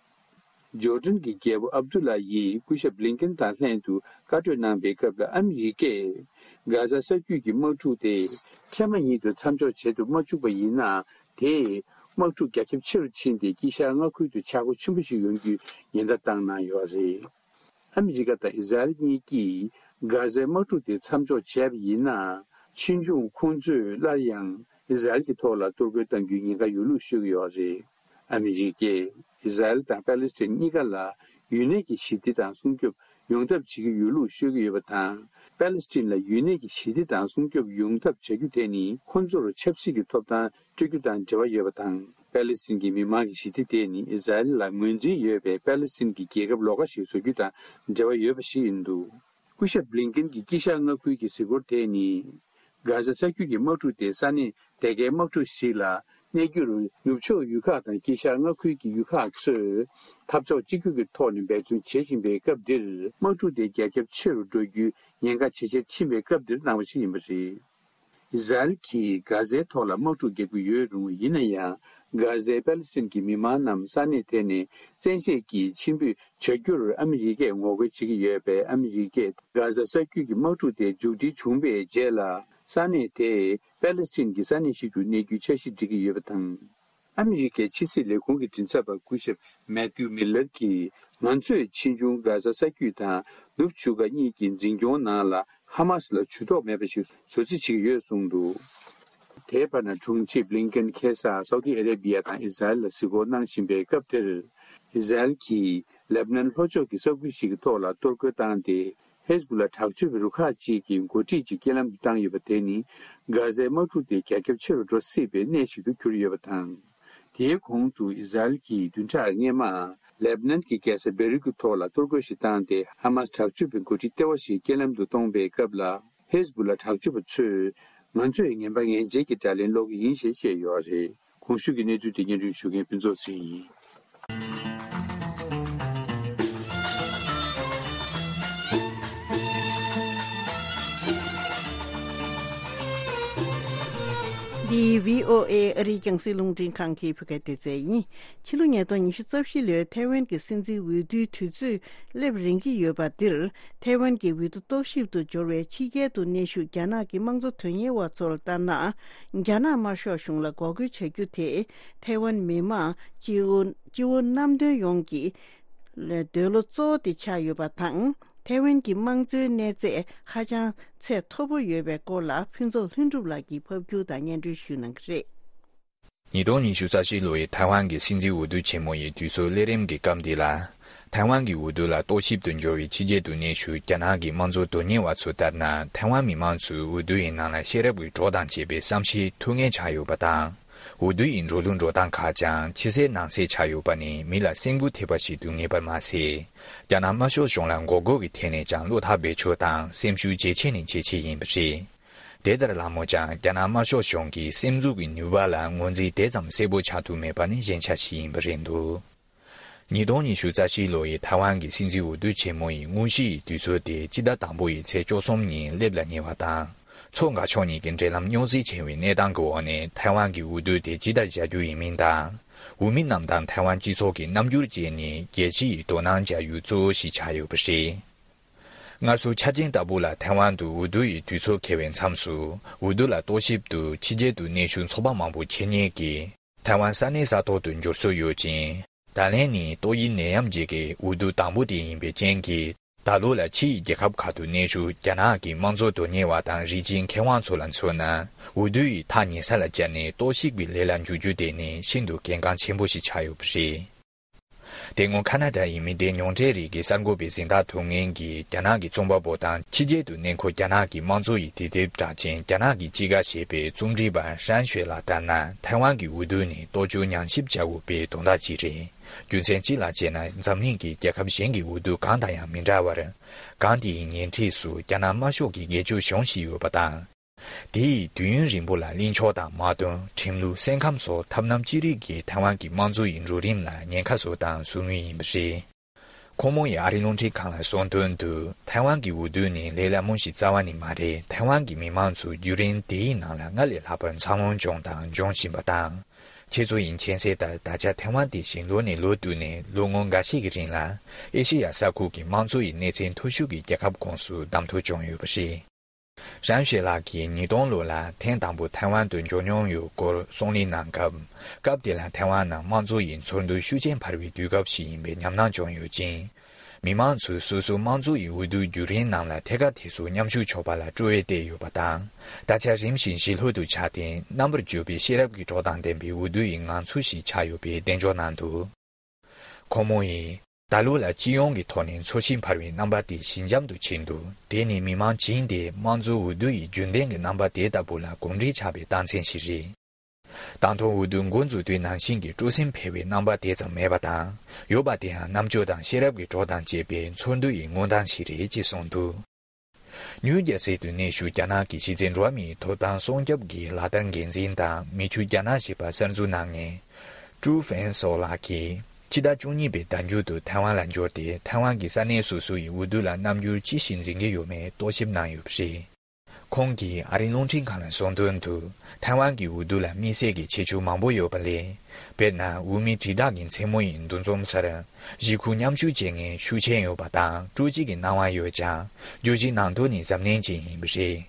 ཇོར་ཌན་གྱི་རྒྱལ་པོ་ཨབ་དུ་ལ་ཡིས་སྐུ་ཞབས་བྷི་ལིན་ཀེན་དང་ལྷན་དུ་བཀའ་གྲོས་གནང་པའི་སྐབས་ལ། ཨ་མི་རི་ཀས་གྷ་ཟ་ས་རྒྱུད་ཀྱི་དམག་འཁྲུག་དེ་ཐེངས་མ་ཉིད་དུ་མཚམས་འཇོག་བྱེད་དུ་མ་བཅུག་པ་ཡིན་ན། དེས་དམག་འཁྲུག་རྒྱ་ཁྱབ་ཆེ་རུ་ཕྱིན་ཏེ། དཀྱིལ་ཤར་མངའ་ཁུལ་དུ་ཆག་སྒོ་ཆེན་པོ་ཞིག་ཡོང་རྒྱུའི་ཉེན་བརྡ་བཏང་གནང་ཡོད་པ་རེད། ཨ་མི་རི་ཀ་དང་ཨི་ཟ་རེལ་གཉིས་ཀྱིས་གྷ་ཟའི་དམག་འཁྲུག་དེ་མཚམས་འཇོག་བྱས་པ་ཡིན་ན། ཕྱིས་འབྱུང་ཁོང་ཚོས་སླར་ཡང་ཨི་ཟ་རེལ་གྱི་ཐོག་ལ་གཏོར་རྒོལ་གཏང་རྒྱུའི་ཉེན་ཁ་ཡོད་ལུགས་ཤོད་ཀྱི་ཡོད་པ་རེད། ཨ་མི་རི་ཀས་ཨི་ཟ་རེལ་དང་པེ་ལེ་སི་ཐན་གཉིས་ཀ་ལ་ཡུན་གནས་ཀྱི་ཞི་བདེ་དང་སྲུང་སྐྱོབ་ཡོང་ཐབས་བྱེད་ཀྱི་ཡོད་ལུགས་ཤོད་ཀྱི་ཡོད་པ་དང་། པེ་ལེ་སི་ཐན་ལ་ཡུན་གནས་ཀྱི་ཞི་བདེ་དང་སྲུང་སྐྱོབ་ཡོང་ཐབས་བྱ་རྒྱུ་དེ་ནི་ཁོང་ཚོར་ཆབ་སྲིད་ཀྱི་ཐོབ་ཐང་སྤྲོད་རྒྱུ་དང་འབྲེལ་བ་ཡོད་པ་དང་། པེ་ལེ་སི་ཐན་གྱི་མི་མང་གི་ཞི་བདེ་དེ་ནི་ཨི་ཟ་རེལ་ལ་ངོས་འཛིན་ཡོད་པའི་པེ་ལེ་སི་ཐན་གྱི་རྒྱལ་ཁབ་ལོགས་ཀ་ཞིག་བཟོ་རྒྱུ་དང་འབྲེལ་བ་ཡོད་པ་ཞིག་ཡིན་འདུག་སྐུ་ཞབས་བྷི་ལིན་ཀེན་གྱི་དཀྱིལ་ཤར་མངའ་ཁུལ་གྱི་གཟིགས་སྐོར་དེ་ནི། གྷ་ཟ་ས་རྒྱུད་ཀྱི་དམག་འཁྲུག་དེ་ས་གནས་དེ་གའི་དམག་འཁྲུག་ཞིག་ལ་ གནས་རྒྱུར་ནུབ་ཕྱོགས་ཡུལ་ཁག་དང་དཀྱིལ་ཤར་མངའ་ཁུལ་གྱི་ཡུལ་ཁག་ཚོས་འཐབ་ཕྱོགས་གཅིག་གྱུར་གྱི་ཐོག་ནས་འབད་བརྩོན་བྱེད་བཞིན་པའི་སྐབས་འདིར། དམག་འཁྲུག་དེ་རྒྱ་ཁྱབ་ཆེ་རུ་འགྲོ་རྒྱུའི་ཉེན་ཁ་ཇེ་ཆེར་ཕྱིན་པའི་སྐབས་འདིར་གནང་བ་ཞིག་ཡིན་པ་རེད། ཨི་ཟ་རེལ་གྱིས་གྷ་ཟའི་ཐོག་ལ་དམག་འཁྲུག་རྒྱག་གི་ཡོད་རུང་། ཡིན་ན་ཡང་། གྷ་ཟའི་པེ་ལེ་སི་ཐན་གྱི་མི་མང་རྣམས་ས་གནས་དེ་ནས་བཙན་ཤེད་ཀྱིས་ཕྱིར་འབུད་བྱ་རྒྱུར་ཨ་མི་རི་ཀས་ངོ་རྒོལ་བྱེད་ཀྱི་ཡོད་པས། ཨ་མི་རི་ཀས་གྷ་ཟ་ས་རྒྱུད་ཀྱི་དམག་འཁྲུག་དེ་མཇུག་སྒྲིལ་བྱུང་བའི་རྗེས་ལ། ས་གནས་དེ་པེ་ལེ་སི་ཐན་གྱི་ས་གནས་ཤིག་ཏུ་གནས་རྒྱུའི་འཆར་གཞི་སྒྲིག་གི་ཡོད་པ་དང་། ཨ་མི་རི་ཀའི་ཕྱི་སྲིད་ལས་ཁུངས་ཀྱི་མགྲིན་ཚབ་པ་སྐུ་ཞབས་མེ་ཐིའུ་མི་ལར་གྱིས། ང་ཚོས་ཕྱིས་འབྱུང་གྷ་ཟ་ས་རྒྱུད་དང་ནུབ་ཆུ་ཁ་གཉིས་ཀྱི་འཛིན་སྐྱོང་ནང་ལ་ཧ་མ་སི་ལ་ཇུས་གཏོགས་མེད་པ་ཞིག་བཟོ་རྩིས་བྱེད་ཀྱི་ཡོད་གསུངས་འདུག། དེའི་བར་ན། དྲུང་ཆེ་བྷི་ལིན་ཀེན་ཁ་སང་སའུ་ཏི་ཨ་རེ་བྷི་ཡ་དང་ཨི་ཟ་རེལ་ལ་གཟིགས་སྐོར་གནང་བཞིན་པའི་སྐབས་དེར། ཨི་ཟ་རེལ་གྱིས་ལེབ་ནན་ལྷོ་ཕྱོགས་ཀྱི་ས་ཁུལ་ཞིག་གི་ཐོག་ལ་གཏོར་རྒོལ་བཏང་སྟེ། ཧེ་ཟ་བུ་ལ་དྲག་སྤྱོད་པའི་རུ་ཁག་ཅིག་གི་འགོ་ཁྲིད་ཅིག་རྐྱེན་ལམ་དུ་བཏང་ཡོད་པ་དེ་ནི། གྷ་ཟའི་དམག་འཁྲུག་དེ་རྒྱ་ཁྱབ་ཆེ་རུ་འགྲོ་སྲིད་པའི་གནས་ཤིག་ཏུ་གྱུར་ཡོད་པ་དང་། དེའི་གོང་དུ་ཨི་ཟ་རེལ་གྱིས་བདུན་ཕྲག་སྔོན་མ། ལེབ་ནན་གྱི་རྒྱལ་ས་བེ་རུད་ཀྱི་ཐོག་ལ་གཏོར་རྒོལ་ཞིག་བཏང་སྟེ། ཧ་མ་སི་དྲག་སྤྱོད་པའི་འགོ་ཁྲིད་ལྟེ་བ་ཞིག་རྐྱེན་ལམ་དུ་གཏོང་པའི་སྐབས་ལ། ཧེ་ཟ་བུ་ལ་དྲག་སྤྱོད་པ་ཚོས། ང་ཚོས་ངན་པ་ངན་འཇལ་གྱི་དགྲ་ལན་སློག་གི་ཡིན་ཞེས་བཤད་ཡོད་རེད། གོང་ཞུས་ཀྱི་གནས་ཚུལ་དེ་སྙན་སྒྲོན་ཞུ་མཁན་ཕུན་ཚོགས་ཚེ་རིང་ཡིན། འདི་བྷི་ཨོ་ཨེ་ཨ་རིའི་རྒྱང་སྲིང་རླུང་འཕྲིན་ཁང་གི་བོད་སྐད་སྡེ་ཚན་ཡིན། ཕྱི་ལོ་ཉིས་སྟོང་ཉི་ཤུ་རྩ་བཞི་ལོའི་ཐའེ་ཝན་གྱི་སྲིད་འཛིན་འོས་བསྡུའི་དུས་ཚོད་སླེབས་རན་གྱི་ཡོད་པ་འདིར། ཐའེ་ཝན་གྱི་འོས་བསྡུ་རྟོག་ཞིབ་ཏུ་འབྱོར་བའི་ཕྱི་རྒྱལ་དུ་གནས་བཞུགས་རྒྱ་ནག་གི་དམངས་གཙོ་དོན་གཉེར་བ་ཚོར་ལྟར་ན། རྒྱ་ནག་དམར་ཤོག་གཞུང་ལ་འགོག་རྒོལ་བྱ་རྒྱུ་དེ། ཐའེ་ཝན་མི་དམངས་སྤྱི་བོ་སྤྱི་བོ་གནམ་དོན་ཡོངས་ཀྱི་འདོད་བློ་གཙོ་བོ་དེ་ཆགས་ཡོད་པ་དང་། ཐའེ་ཝན་གྱི་དམངས་གཙོའི་གནས་ཚད་ཧ་ཅང་ཚད་མཐོ་པོ་ཡོད་པའི་སྐོར་ལ། ཕུན་ཚོགས་ལྷུན་གྲུབ་ལགས་ཀྱིས་ཕབ་སྒྱུར་དང་སྙན་སྒྲོན་ཞུ་གནང་གི་རེད། ཉིས་སྟོང་ཉི་ཤུ་རྩ་བཞི་ལོའི་ཐའེ་ཝན་གྱི་སྲིད་འཛིན་འོས་བསྡུ་ཆེན་མོ་ཡི་དུས་ཚོད་སླེབས་རན་གྱི་སྐབས་འདི་ལ། ཐའེ་ཝན་གྱི་འོས་བསྡུ་ལ་རྟོག་ཞིབ་ཏུ་འབྱོར་བའི་ཕྱི་རྒྱལ་དུ་གནས་བཞུགས་རྒྱ་ནག་གི་དམངས་གཙོ་དོན་གཉེར་བ་ཚོ་ལྟར་ན། ཐའེ་ཝན་མི་མང་ཚོས་འོས་བསྡུ་ཡི་ནང་ལ་ཤེས་རབ་ཀྱི་གྲོགས་དང་བཅས་པའི་བསམ་ཤེས་ཐུགས་ངལ་ཆགས་ཡོད་པ་དང་། འོས་བསྡུ་ཡི་འགྲོ་ལུགས་འགྲོ་སྟངས་ཁག་ཀྱང་ཕྱི་གསལ་ནང་གསལ་ཆགས་ཡོད་པ་ནི་མི་ལ་སེམས་འགུལ་ཐེབས་པ་ཞིག་ཏུ་ངེས་པར་མ་ཟད། རྒྱ་ནག་དམར་ཤོག་གཞུང་ལ་འགོག་རྒོལ་གྱི་ཐད་ནས་ཀྱང་བློ་ཐག་རྦད་ཆོད་དང་སེམས་ཤུགས་ཇེ་ཆེ་ནས་ཇེ་ཆེ་ཡིན་པ་རེད། དེ་ལྟར་ལགས་མོད་ཀྱང་། རྒྱ་ནག་དམར་ཤོག་གཞུང་གིས་སེམས་འགུལ་གྱི་ནུས་པ་ལ་ངོས་འཛིན་དེ་ཙམ་གསལ་པོ་ཆགས་ཐུབ་མེད་པ་ནི་ཞན་ཆ་ཞིག་ཡིན་པ་རེད་འདུག། ཉིས་སྟོང་ཉི་ཤུ་རྩ་བཞི་ལོ་ཡི་ཐའེ་ཝན་གྱི་སྲིད་འཛིན་འོས་བསྡུ་ཆེན་མོ་ཡི་དངོས་གཞི་ཡི་དུས་ཚོད་དེ་སྤྱི་ཟླ་དང་པོ་ཡི་ཚེས་བཅུ་གསུམ་ཉིན་སླེབས་ལ་ཉེ་བ་དང་། མཚོ་འགག་ཕྱོགས་གཉིས་ཀྱི་འབྲེལ་ལམ་རྙོག་ཟིང་ཆེ་བའི་གནས་སྟངས་ཀྱི་འོག་ནས་ཐའེ་ཝན་གྱི་འོས་བསྡུ་དེ་ཇི་ལྟར་བྱ་རྒྱུ་ཡིན་མིན་དང་། འོས་མི་རྣམས་དང་ཐའེ་ཝན་སྤྱི་ཚོགས་ཀྱི་རྣམ་འགྱུར་བཅས་ནི་རྒྱལ་སྤྱི་ཡི་དོ་སྣང་བྱ་ཡུལ་གཙོ་བོ་ཞིག་ཆགས་ཡོད་པ་རེད། སྔར་སྲོལ་ཆ་ཅན་ལྟ་བུ་ལ་ཐའེ་ཝན་དུ་འོས་བསྡུ་ཡི་དུས་ཚོད་འཁེལ་བའི་མཚམས་སུ། འོས་བསྡུ་ལ་རྟོག་ཞིབ་ཏུ་ཕྱི་རྒྱལ་དུ་གནས་བཞུགས་ཚོགས་པ་མང་པོ་འཁྱེར་ཉེན་གྱིས་ཐའེ་ཝན་ས་གནས་ས་ཐོག་ཏུ་འབྱོར་སྲོལ་ཡོད་ཅིང་། ད་ལན་ནི་ཏོག་དབྱིབས་ནད་ཡམས་རྗེས་ཀྱི་འོས་བསྡུ་དང་པོ་དེ་ཡིན་པའི་རྐྱེན་གྱིས། ད་ལོ་ལ་ཕྱི་ཡི་རྒྱལ་ཁབ་ཁག་ཏུ་གནས་བཞུགས་རྒྱ་ནག་གི་དམངས་གཙོ་དོན་གཉེར་བ་དང་རིགས་གཅིག་མཁས་དབང་ཚོ་ལ་མཚོན་ན། འོས་བསྡུ་ཡི་ཐག་ཉེ་ས་ལ་བཅར་ནས་རྟོག་ཞིབ་ཀྱི་ལས་ལ་འཇུག་རྒྱུ་དེ་ནི་ཤིན་ཏུ་གལ་འགངས་ཆེན་པོ་ཞིག་ཆགས་ཡོད་པ་རེད། དེ་སྔོན་ཁ་ན་ཌ་ཡི་མི་སྡེ་མྱོང་འབྲེལ་རིགས་ཀྱི་གསར་འགོད་པའི་གཟེངས་རྟགས་ཐོབ་མཁན་གྱི་རྒྱ་ནག་གི་རྩོམ་པ་པོ་དང་ཕྱི་རྒྱལ་དུ་གནས་འཁོད་རྒྱ་ནག་གི་དམངས་གཙོ་ཡི་དུས་དེབ་གྲགས་ཅན་རྒྱ་ནག་གི་དཔྱིད་ཀ་ཞེས་པའི་རྩོམ་སྒྲིག་པ་ཧྲན་ཤོས་ལགས་ལྟར་ན། ཐའེ་ཝན་གྱི་འོས་བསྡུ་ནི་ལྟོ་ཆུ་ཉམས་ཞིབ་བྱ་དགོས་པའི་དོན་དག་ཅིག་རེད། རྒྱུ་མཚན་གཅིག་ལ་བྱས་ན། འཛམ་གླིང་གི་རྒྱལ་ཁབ་གཞན་གྱི་འོས་བསྡུ་གང་དང་ཡང་མི་འདྲ་བར། སྒང་དེའི་ཉེ་འཁྲིས་སུ་རྒྱ་ནག་དམར་ཤོག་གི་སྒེར་གཅོད་གཞུང་ཞིག་ཡོད་པ་དང་། དེ་ཡིས་དུས་ཡུན་རིང་པོ་ལ་གླེང་ཕྱོགས་དང་དམག་དོན། ཁྲིམས་ལུགས། སེམས་ཁམས་སོགས་ཐབས་རྣམ་ཅི་རིགས་ཀྱིས་ཐའེ་ཝན་གྱི་དམངས་གཙོ་ཡི་འགྲོ་རིམ་ལ་ཉེན་ཁ་བཟོ་དང་བཟོ་མུས་ཡིན་པ་རེད། ཁོང་མོ་ཡིས་ཨ་རིའི་རླུང་འཕྲིན་ཁང་ལ་གསུངས་དོན་དུ། ཐའེ་ཝན་གྱི་འོས་བསྡུ་ནི་ལས་སླ་མོ་ཞིག་རྩ་བ་ནས་མ་རེད། ཐའེ་ཝན་གྱི་མི་མང་ཚོས་བརྒྱུད་རིམ་དེའི་ནང་ལ་སྔར་ལས་ལྷག་པར་འཚར་ལོངས་བྱུང་དང་འབྱུང་བཞིན་པ་དང་། ཁྱེད་ཚོ་ཡིས་མཁྱེན་གསལ་ལྟར། ད་ཆ་ཐའེ་ཝན་དེ་བཞིན་ལོ་ནས་ལོ་བསྟུད་ནས་ལོ་ངོ་འགའ་ཤས་ཀྱི་རིང་ལ། ཨེ་ཤེ་ཡ་ས་ཁུལ་གྱི་དམངས་གཙོ་ཡི་གནས་ཚད་མཐོ་ཤོས་ཀྱི་རྒྱལ་ཁབ་ཁོངས་སུ་བདམས་ཐོན་བྱུང་ཡོད་པ་རེད། ཧྲན་ཤོས་ལགས་ཀྱིས་ཉིས་སྟོང་ལོ་ལ་ཐེངས་དང་པོ་ཐའེ་ཝན་དུ་འབྱོར་མྱོང་ཡོད་སྐོར་གསུང་གླེང་གནང་སྐབས། སྐབས་དེ་ལ་ཐའེ་ཝན་ནང་དམངས་གཙོ་ཡི་ཚོར་འདུ་ཤུགས་ཆེན་འཕར་བའི་དུས་སྐབས་ཤིག་ཡིན་པའི་ཉམས་སྣང་བྱུང་ཡོད་ཅིང་། མི་མང་ཚོས་སོ་སོའི་དམངས་གཙོ་ཡི་འོས་བསྡུ་བརྒྱུད་རིམ་ནང་ལ་ཐད་ཀར་དེ་ཚོ་མཉམ་ཞུགས་ཆོག་པ་ལ་སྤྲོ་བས་བརྟས་ཡོད་པ་དང་། ད་ཆ་རིམ་བཞིན་ཞི་ལྷོད་དུ་ཆགས་ཏེ། རྣམ་པར་འགྱུར་བའི་ཤེས་རབ་ཀྱི་གྲོགས་དང་ལྡན་པའི་འོས་བསྡུ་ཡི་ངང་ཚུལ་ཞིག་ཆགས་ཡོད་པའི་གདེང་འཇོག་གནང་འདུག། ཁོང་མོ་ཡིས། ད་ལོ་ལ་སྤྱི་ཡོངས་ཀྱི་ཐོག་ནས་འཚོ་ཞིང་འཕར་བའི་རྣམ་པ་དེ་ཞི་འཇམ་དུ་ཕྱིན་འདུག། དེ་ནི་མི་མང་བྱིངས་དེ་དམངས་གཙོའི་འོས་བསྡུ་ཡི་རྒྱུན་ལྡན་གྱི་རྣམ་པ་དེ་ལྟ་བུ་ལ་གོམས་འདྲིས་ཆགས་པའི་རྟགས་མཚན་ཞིག་རེད། དང་ཐོག་འོས་བསྡུ་འགོ་འཛུགས་དུས་ནང་བཞིན་གྱི་སྤྲོ་སེམས་འཕེལ་བའི་རྣམ་པ་དེ་ཙམ་མེད་པ་དང་། ཡོད་པ་དེའང་རྣམ་དཔྱོད་དང་ཤེས་རབ་ཀྱི་གྲོགས་དང་བཅས་པའི་ཚོར་འདུ་ཡི་མངོན་སྟངས་ཤིག་རེད་ཅེས་གསུངས་འདུག། ནིའུ་ཇར་སི་དུ་གནས་བཞུགས་རྒྱ་ནག་གི་གཞི་རྩའི་འགྲོ་བ་མིའི་ཐོབ་ཐང་སྲུང་སྐྱོབ་ཀྱི་ལག་བསྟར་འགན་འཛིན་དང་མི་ཆོས་རྒྱ་ནག་ཞེས་པ་གསར་འཛུགས་གནང་མཁན་ཀྲུའུ་ཧྥེང་སོ་ལགས་ཀྱིས་ཕྱི་ཟླ་བཅུ་གཉིས་པའི་ཟླ་མཇུག་ཏུ་ཐའེ་ཝན་ལ་འབྱོར་ཏེ། ཐའེ་ཝན་གྱི་ས་གནས་སོ་སོ་ཡི་འོས་བསྡུ་ལ་རྣམ་འགྱུར་ཅི་ཞིག་འཛིན་གྱི་ཡོད་མེད་རྟོག་ཞིབ་གནང་ཡོད་པ་རེད། ཁོང་གིས་ཨ་རིའི་རླུང་འཕྲིན་ཁང་ལ་གསུངས་དོན་དུ། ཐའེ་ཝན་གྱི་འོས་བསྡུ་ལ་དམིགས་བསལ་གྱི་ཁྱད་ཆོས་མང་པོ་ཡོད་པ་ལས། དཔེར་ན། འོས་མི་དྲིལ་བསྒྲགས་ཀྱི་མཚན་མོ་ཡི་འདུ་འཛོམས་སར་གཞིས་ཁུལ་མཉམ་ཞུགས་བྱེད་མཁན་ཤུགས་ཆེན་ཡོད་པ་དང་སྤྲོ་སྐྱིད་ཀྱི་སྣང་བ་ཡོད་ཀྱང་། བརྗོད་གཞི་ནང་དོན་ནི་གཟབ་ནན་ཅན་ཡིན་པ་རེད།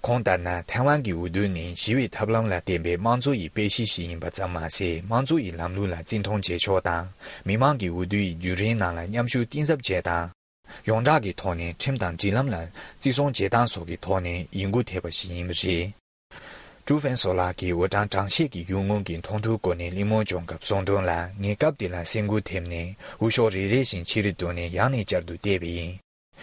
ཁོང་ལྟར་ན། ཐའེ་ཝན་གྱི་འོས་བསྡུ་ནི་ཞི་བའི་ཐབས་ལམ་ལ་བརྟེན་པའི་དམངས་གཙོ་ཡི་དཔེ་གཞི་ཞིག་ཡིན་པ་ཙམ་མ་ཟད། དམངས་གཙོ་ཡི་ལམ་ལུགས་ལ་བརྩི་མཐོང་བྱེད་ཕྱོགས་དང་། མི་མང་གི་འོས་བསྡུ་ཡི་བརྒྱུད་རིམ་ནང་ལ་མཉམ་ཞུགས་གཏིང་ཟབ་བྱེད་སྟངས། ཡོངས་གྲགས་ཀྱི་ཐོག་ནས་ཁྲིམས་དང་སྒྲིག་ལམ་ལ་བརྩི་སྲུང་བྱེད་སྟངས་སོགས་ཀྱི་ཐོག་ནས་ཡིད་མགུ་ཐེབས་པ་ཞིག་ཡིན་པ་རེད། ཀྲུའུ་ཧྥེང་སོ་ལགས་ཀྱིས་འོས་གྲངས་གྲངས་བཤེར་གྱི་ཡུལ་དངོས་ཀྱི་མཐོང་ཐོས་སྐོར་ནས་གླེང་མོལ་བྱུང་སྐབས་གསུངས་དོན་ལ། ངས་སྐབས་དེ་ལ་སེམས་འགུལ་ཐེབས་ནས་འོས་ཤོག་རེ་རེ་བཞིན་ཕྱི་རུ་བསྡུས་ནས་ཡང་ནས་བསྐྱར་དུ་བལྟས་པ་ཡིན།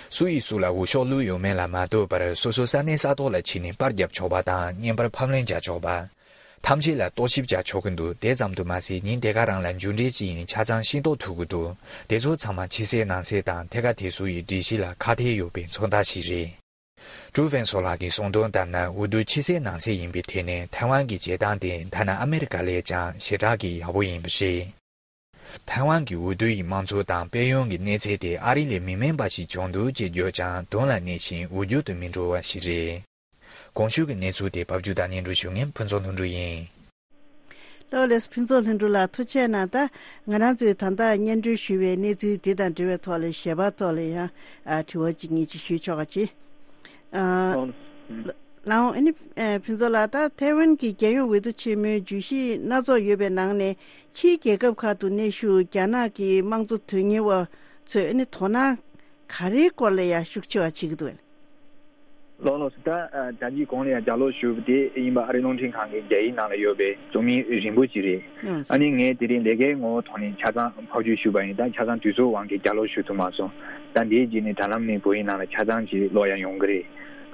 སུ་ཡིས་སུ་ལ་འོས་ཤོག་བླུགས་ཡོད་མེད་ལ་མ་ལྟོས་པར། སོ་སོའི་ས་གནས་ས་ཐོག་ལ་ཕྱིན་ནས་པར་བརྒྱབ་ཆོག་པ་དང་བརྙན་པར་ཕབ་ལེན་བྱ་ཆོག་པ། ཐམས་ཅད་ལ་རྟོག་ཞིབ་བྱ་ཆོག་གི་འདུག་དེ་ཙམ་དུ་མ་ཟད། ཉིན་དེ་ག་རང་ལ་མཇུག་འབྲས་ཅི་ཡིན་ཆ་ཚང་ཤེས་རྟོགས་ཐུབ་ཀྱི་འདུག་དེ་ཚོ་ཚང་མ་ཕྱི་གསལ་ནང་གསལ་དང་ཐད་ཀར་དེ་ཚོ་ཡི་སྒྲིག་གཞི་ལ་ཁ་གཏད་ཡོད་པའི་མཚོན་རྟགས་ཤིག་རེད། ཀྲུའུ་ཧྥེང་སོ་ལགས་ཀྱིས་གསུངས་དོན་ལྟར་ན། འོས་བསྡུ་ཕྱི་གསལ་ནང་གསལ་ཡིན་པའི་ཐད་ནས་ཐའེ་ཝན་གྱི་བྱེད་སྟངས་དེ་ཐ་ན་ཨ་མེ་རི་ཀ་ལས་ཀྱང་ཞེ་དྲག་གི་ཡག་པོ་ཡིན་པ་རེད། ཐའེ་ཝན་གྱི་འོས་བསྡུ་ཡི་དམངས་གཙོ་དང་དཔལ་ཡོན་གྱི་གནས་ཚད་དེ་ཨ་རི་ལས་མི་དམན་པ་ཞིག་བྱུང་འདུག་ཅེས་བརྗོད་ཀྱང་དོན་ལ་གནས་ཤིང་འོས་བསྡུ་དུ་མི་འགྲོ་བ་ཞིག་རེད། གོང་ཞུས་ཀྱི་གནས་ཚུལ་དེ་ཕབ་སྒྱུར་དང་སྙན་སྒྲོན་ཞུ་མཁན་ཕུན་ཚོགས་ལྷུན་གྲུབ་ཡིན། ལགས་ལགས། ཕུན་ཚོགས་ལྷུན་གྲུབ་ལགས་ཐུགས་རྗེ་གནང་། ད་ང་རང་ཚོས་ད་ལྟ་སྙན་སྒྲོན་ཞུས་པའི་གནས་ཚུལ་འདི་དང་འབྲེལ་བའི་ཐོག་ལ་ཞལ་པར་ཐོག་ལ་ཡང་ཨ་དྲི་བ་གཅིག་གཉིས་ཅིག་ཞུས་ཆོག་ག་ཅེས། ཨ་ལགས་འོང་། ཨ་ནི་ཨ་ཕུན་ཚོགས་ལགས། ད་ཐའེ་ཝན་གྱི་རྒྱལ་ཡོངས་འོས་བསྡུ་ཆེན་མོའི་བརྗོད་གཞི་སྣ་ཚོགས་ཡོད་པའི་ནང་ནས། ཕྱིའི་རྒྱལ་ཁབ་ཁག་ཏུ་གནས་བཞུགས་རྒྱ་ནག་གི་དམངས་གཙོ་དོན་གཉེར་བ་ཚོས་ཨ་ནི་དོ་སྣང་ག་རེའི་སྐོར་ལ་ཡང་ཤུགས་ཆེ་བ་བྱེད་ཀྱི་འདུག་ལགས་ལགས་སོ། ད་ཨ་ད་ཅི་གོང་ལ་ཡང་ལྗགས་ཀློག་ཞུས་པ་དེ་ཡིན་པ་ཨ་རིའི་རླུང་འཕྲིན་ཁང་གི་རྒྱ་ཡིག་ནང་ལ་ཡོད་པའི་རྩོམ་ཡིག་རིང་པོ་ཅིག་རེད། ཨ་ནི་ངས་དེ་རིང་ལས་ཀའི་ངོ་བོ་ཐོག་ནས་ཆ་ཚང་ཕབ་བསྒྱུར་ཞུས་པ་ཡིན། ད་ཆ་ཚང་དུས་ཚོད་དབང་གིས་ལྗགས་ཀློག་ཞུ་ཐུབ་མ་སོང་། ད་འདིའི་རྗེས་ནས་དྲ་ལམ་ནས་བོད་ཡིག་ནང་ལ་ཆ་ཚང་ཅིག་ཀློག་ཡ་ཡོང་གི་རེད།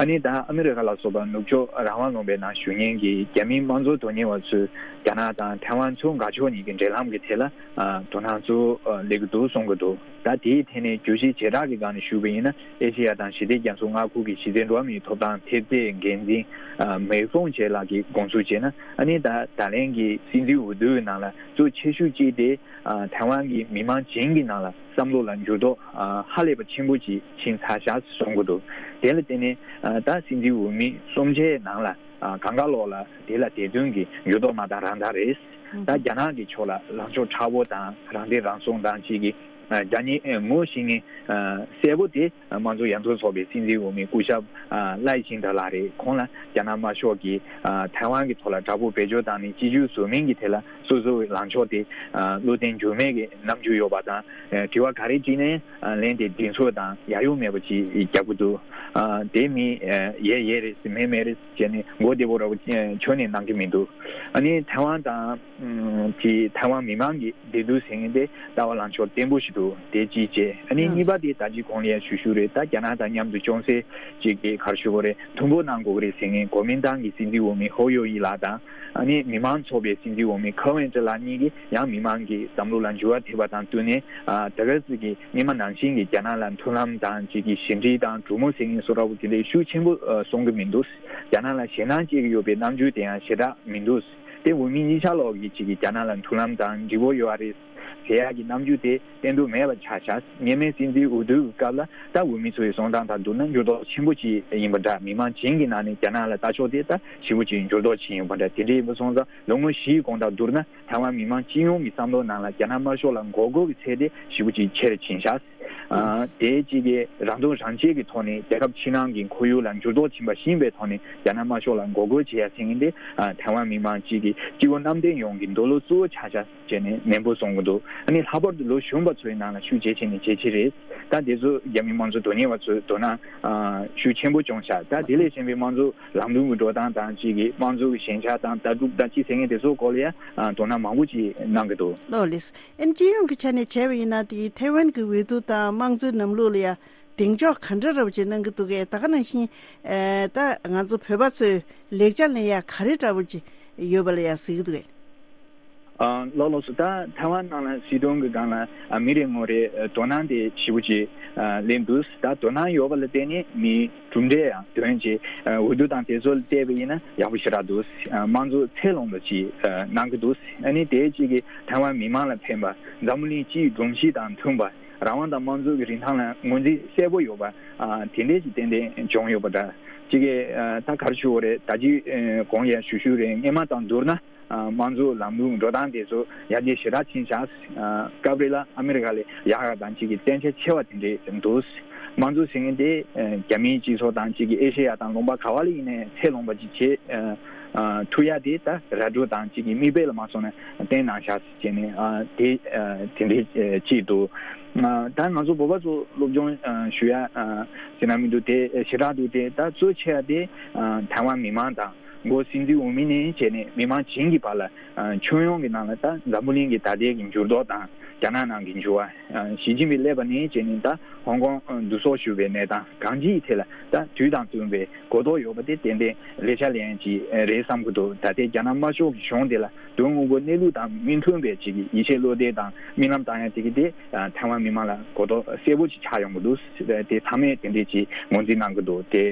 ཨ་ནི་ད་ཨ་མི་རི་ཀ་ལ་སོགས་པ་ནུབ་ཕྱོགས་རང་དབང་ལུང་པའི་ནང་བཞུགས་མཁན་གྱི་རྒྱ་མིའི་དམངས་གཙོ་དོན་གཉེར་བ་ཚོས་རྒྱ་ནག་དང་ཐའེ་ཝན་ཚོ་དགའ་ཕྱོགས་གཉིས་ཀྱི་འབྲེལ་ལམ་གྱི་ཐད་ལ་ཨ་དོ་སྣང་གཙོ་བོ་ཨ་སླེབས་ཀྱི་འདུག་གསུང་གི་འདུག་ད་དེའི་ཐད་ནས་བརྗོད་གཞི་བྱེ་བྲག་གི་སྒང་ནས་ཞུས་པ་ཡིན་ན། ཨེ་ཤེ་ཡ་དང་ཞི་བདེ་རྒྱ་མཚོ་མངའ་ཁུལ་གྱི་གཞི་རྩའི་འགྲོ་བ་མིའི་ཐོབ་ཐང་ཐེབས་རྩའི་འགན་འཛིན་ཨ་མེ་ཧྥུང་ཆེ་ལགས་ཀྱིས་དགོངས་ཚུལ་བྱས་ན། ཨ་ནི་ད་ད་ལན་གྱི་སྲིད་འཛིན་འོས་བསྡུའི་ནང་ལ་གཙོ་ཆེ་ཤོས་གཅིག་དེ་ཨ་ཐའེ་ཝན་གྱི་མི་མང་བྱིངས་ཀྱི་ནང་ལ་བསམ་བློ་ལ་འགྱུར་ལྡོག་ཨ་ཧ་ལས་པ་ཆེན་པོ་ཅིག་ཕྱིན་ཚར་ཤག་གསུང་གི་འདུག་དེ་ལ་བརྟེན་ནས་ཨ་ད་སྲིད་འཛིན་འོས་མི་གསུམ་ཆའི་ནང་ལ་ཨ་གང་ག་ལོག་ལ་དེ་ལ་དེ་དོན་གྱི་འགྱུར་ལྡོག་མ་དང་རང་དག་རེད། ད་རྒྱ་ནག་གི་ཕྱོགས་ལ་ལངས་ཕྱོགས་མཁྲེགས་པོ་དང་རང་བདེན་རང་སྲུང་དང་བཅས་ཀྱི་ཨ་རྒྱ་ནག་ངོ་ཤེས་མཁན་ཨ་གསལ་པོ་དེ། དམངས་གཙོ་ཡར་ཐོན་ཚོགས་པའི་སྲིད་འཛིན་འོས་མི་སྐུ་ཞབས་ཨ་ལའེ་ཆིང་ཏེ་ལགས་རེད། ཁོང་ལ་རྒྱ་ནག་དམར་ཤོག་གིས་ཨ་ཐའེ་ཝན་གྱི་ཐོག་ལ་དྲག་པོ་བེད་སྤྱོད་བཏང་ནས་གཅིག་གྱུར་བཟོ་མིན་གྱི་ཐད་ལ་སོ་སོའི་ལངས་ཕྱོགས་དེ་ཨ་བློ་བརྟན་འགྱུར་མེད་ཀྱི་རྣམ་འགྱུར་ཡོད་པ་དང་། ཨ་དྲི་བ་ག་རེ་དྲིས་ནའི་ཨ་ལན་དེ་གདེང་ཚོད་དང་ཡ་ཡོ་མེད་པ་ཅིག་རྒྱག་གི་འདུག་ཨ་དེ་མིན་ཨ་ཡས་ཡས་རེད་ཟེར་མས་མས་རེད་ཟེར་བྱས་ནས་མགོ་བདེ་པོ་ར་བོ་ཨ་ཁྱོན་ནས་གནང་གི་མི་འདུག་ཨ་ནི་ཐའེ་ཝན་དང་། ཨུམ་དེ་ཐའེ་ཝན་མི་མང་གི་བདེ་སྡུག་ཟེར་མཁན་དེ་ལྟ་བ་ལངས་ཕྱོགས་བརྟན་པོ་ཞིག་འདུག་དེ་གཅིག་བྱས། ཨ་ནི་གཉིས་པ་དེ་ད་ཅི་གོང་ལ་ཡང་ཞུ་ཞུ་རེད། ད་རྒྱ་ནག་དང་མཉམ་དུ་ཅུང་ཟད་ཅིག་གི་ག་རེ་ཞུ་དགོས་རེད། མཐུན་པོ་གནང་དགོས་ཀྱི་རེད་ཟེར་མཁན་གོ་མིན་ཏང་གི་སྲིད་འཛིན་འོས་མི་ཧོ་ཡོ་ཡི་ལགས་དང་། ཨ་ནི་མི་མང་ཚོགས་པའི་སྲིད་འཛིན་འོས་མི་ཁ་ཝན་ཀྲི་ལགས་གཉིས་ཀྱིས་ཡང་མི་མང་གི་བསམ་བློ་ལ་འགྱུར་བ་ཐེབས་པ་དང་བསྟུན་ནས། ཨ་ད་ག་ཟེ་གི་སྔོན་མ་ནང་བཞིན་གྱི་རྒྱ་ནག་ལ་མཐུན་ལམ་དང་ཅིག་གི་ཞི་འགྲིག་དང་གྲོས་མོལ་ཟེར་མཁན་བཟོ་འདྲ་བོ་དེ་འདྲའི་ཤུགས་ཆེན་པོ་ཨ་གསུང་གི་མི་འདུག་རྒྱ་ནག་ལ་ཞེད་སྣང་སྐྱེ་གི་ཡོད་པའི་རྣམ་འགྱུར་དེ་ཡང་ཞེ་དྲག་མི་འདུག་དེ་འོས་མི་གཉིས་ཆ་ལོག་གི་ཅིག་གི་རྒྱ་ནག་ལ་མཐུན་ལམ་དང་འགྲིག་པོ་ཡོད་རེད་ཟེར་ཡག་གི་རྣམ་འགྱུར་དེ་བསྟན་འདུག་མེད་པ་ཆགས་ཤག་སྔོན་མའི་སྲིད་འཛིན་འོས་བསྡུ་གི་སྐབས་ལ་ད་འོས་མི་ཚོ་ཡི་གསུང་སྟངས་དང་བསྡུར་ན་འགྱུར་ལྡོག་ཆེན་པོ་ཅིག་ཡིན་པ་འདྲ། མི་མང་བྱིངས་ཀྱི་ནང་ནས་རྒྱ་ནག་ལ་ལྟ་ཕྱོགས་དེ་ད་ཞེ་པོ་ཅིག་འགྱུར་ལྡོག་ཕྱིན་ཡོད་པ་འདྲ། དེ་འདྲ་ཡིན་པ་སོང་ཙང་ལོ་ངོ་བཞིའི་གོང་དང་བསྡུར་ན་ཐའེ་ཝན་མི་མང་སྤྱི་ཡོངས་ཀྱི་བསམ་བློ་ནང་ལ་རྒྱ་ནག་དམར་ཤོག་ལ་མགོ་སྐོར་གྱི་ཚད་དེ་ཞེ་པོ་ཅིག་ཆེ་རུ་ཕྱིན་ཤག་ཨ་དེ་གཅིག་གིས་རང་དོན་རང་གཅེས་ཀྱི་ཐོག་ནས་རྒྱལ་ཁབ་ཕྱི་ནང་གི་ཁོར་ཡུག་ལ་འགྱུར་ལྡོག་ཕྱིན་པ་ཤེས་པའི་ཐོག་ནས་རྒྱ་ནག་དམར་ཤོག་ལ་མགོ་སྐོར་བྱེད་ཡ་ཟེར་མཁན་དེ་ཨ་ཐའེ་ཝན་མི་མང་གཅིག་གི་སྤྱི་བོ་གནམ་བསྟན་ཡོངས་ཀྱི་འདོད་བློ་གཙོ་བོ་ཆགས་ཤག་བྱས་ནས་ནན་པོ་གསུང་གི་འདུག་ཨ་ནི་ལྷག་པར་དུ་ལོ་གཞོན་པ་ཚོའི་ནང་ལ་ཤུགས་ཇེ་ཆེ་ནས་ཇེ་ཆེ་རེད། ད་དེ་ཚོ་རྒྱ་མི་དམངས་གཙོ་དོན་གཉེར་བ་ཚོས་དོ་སྣང་ཨ་ཤུགས་ཆེན་པོ་བྱུང་ཤག་ད་དེ་ལས་གཞན་པའི་དམངས་གཙོ་ལམ་ལུགས་ཀྱི་འགྲོ་སྟངས་དང་གཅིག་གི་དམངས་གཙོ་གི་ཞན་ཆ་དང་ལྟ་གྲུབ་དང་གཅིག་ཟེར་མཁན་དེ་ཚོའི་སྐོར་ལ་ཡང་ཨ་དོ་སྣང་མང་པོ་ཅིག་གནང་གི་འདུག་ལགས་ལགས། ཨན་སྤྱི་ཡོངས་ཀྱི་ཆ་ནས་བྱས་པ་ཡིན་ན། དེ་ཐའེ་ཝན་གྱི་འོས་བསྡུ་དང་དམངས་གཙོའི་ལམ་ལུགས་ལ་ཡང་གདེང་འཇོག་ག་འདྲ་འདྲ་བོ་ཅིག་གནང་གི་འདུག་གས། ད་ག་ནང་བཞིན་ཨེ་ད་ང་ཚོ་བོད་པ་ཚོས་ལེགས་ཆ་ལེན་ཡ་ག་རེ་འདྲ་བོ་ཅིག་ཡོད་པ་ལ་ཡང་གཟིགས་ཀྱི་འདུག་གས། ཨ་ལགས་ལགས་སོ། ད་ཐའེ་ཝན་ནང་ལ་སྲིད་དོན་གྱི་སྒང་ལ་ཨ་མི་རེ་ངོ་རེ་ཨ་དོ་སྣང་དེ་ཞེ་པོ་ཅིག་ཨ་སླེབས་འདུག་ད་དོ་སྣང་ཡོད་པ་ལ་བརྟེན་ནས་མི་གྲུབ་འབྲས་ཡང་ཐོན་ཅིག་ཨ་འོས་བསྡུ་དང་དེ་ཚོ་ལ་བལྟས་པ་ཡིན་ན་ཡག་པོ་ཞེ་དྲག་འདུག་ཨ་དམངས་གཙོ་ཚད་ལོངས་པ་ཅིག་ཨ་གནང་གི་འདུག་ཨ་ནི་དེ་གཅིག་གིས་ཐའེ་ཝན་མི་མང་ལ་ཕན་པ། འཛམ་བུ་གླིང་སྤྱིའི་སྒྲོམ་གཞི་དང་མཐུན་པ། རང་དབང་དང་དམངས་གཙོ་གི་རིན་ཐང་ལ་ངོས་འཛིན་གསལ་པོ་ཡོད་པ། ཨ་དེ་འདྲས་ཅིག་ཏན་ཏན་བྱུང་ཡོད་པ་འདྲ། གཅིག་གིས་ཨ་ད་ག་རེ་ཞུ་དགོས་རེད། ད་ཅི་ཨ་གོང་ཡང་ཞུ་ཞུས་རེད། སྔོན་མ་དང་བསྡུར་ན་ཨ་དམངས་གཙོ་ལམ་ལུགས་འགྲོ་སྟངས་དེ་ཚོ་ཡར་རྒྱས་ཞེ་དྲག་ཕྱིན་ཤག་ཨ་སྐབས་རེ་ལ་ཨ་མི་རི་ཀ་ལས་ཡག་ཡག་དང་གཅིག་གིས་བརྟན་ཆ་ཆེ་བ་དེ་འདྲས་འདུག་དམངས་གཙོ་ཟེར་མཁན་དེ་ཨ་རྒྱ་མིའི་སྤྱི་ཚོགས་དང་གཅིག་གིས་ཨེ་ཤེ་ཡ་དང་ལུང་པ་ག་བ་ལ་ཡིན་ནའི་ཚད་ལོངས་པ་ཅིག་བྱེད་ཨ་ཨ་ཐུབ་ཡ་དེ་ད་ར་སྤྲོད་དང་གཅིག་གིས་མིག་དཔེ་ལ་མ་སོང་ན་བསྟན་གནང་ཤག་བྱས་ནས་ཨ་དེ་ཨ་དེ་འདྲའི་ཨ་ཅིག་འདུག་ཨ་ད་ང་ཚོ་བོད་པ་ཚོ་སློབ་སྦྱོང་ཨ་ཞུ་ཡ་ཨ་ཟེར་ན་མི་འདུག་དེ་ཞེ་དྲག་འདུག་དེ་ད་གཙོ་ཆེ་བ་དེ་ཨ་ཐའེ་ཝན་མི་མང་དང་འགོ་སྲིད་འཛིན་འོས་མི་ནས་བྱས་ནས་མི་མང་བྱིངས་ཀྱི་བར་ལ་ཨ་ཁྱོན་ཡོངས་ཀྱི་ནང་ལ་ད་འཛམ་བུ་གླིང་གི་ད་ལྟའི་གི་འགྱུར་ལྡོག་དང་རྒྱ་ནག་ནང་གི་འགྱུར་བ། ཨ་ཞི་ཅིན་ཕིང་སླེབས་པ་ནས་བྱས་ནས་ད་ཧོང་ཀོང་ཨ་བསྡུ་གསོག་ཞུ་བའི་གནས་སྟངས་གང་ཅིའི་ཐད་ལ་ད་དུས་དང་བསྟུན་པའི་གོ་རྟོགས་ཡོད་པ་དེ་ཏན་ཏན་ལེགས་ཆ་ལེན་ཡ་ཅིག་རེད་བསམ་གྱི་འདུག་ད་ལྟའི་རྒྱ་ནག་དམར་ཤོག་གི་གཞུང་དེ་ལ་དོན་དངོས་པོ་གནས་ལུགས་དང་མི་མཐུན་པའི་ཅིག་ཡིད་ཆེས་བློ་གཏད་དང་རྨི་ལམ་བཏང་ཡ་དེ་གི་དེ་ཐའེ་ཝན་མི་མང་ལ་གོ་རྟོགས་གསལ་པོ་ཅིག་ཆགས་ཡོང་གི་འདུག་དེ་ཚང་མས་དེ་འདྲས་ཅིག་ངོས་འཛིན་གནང་གི་འདུག་དེ་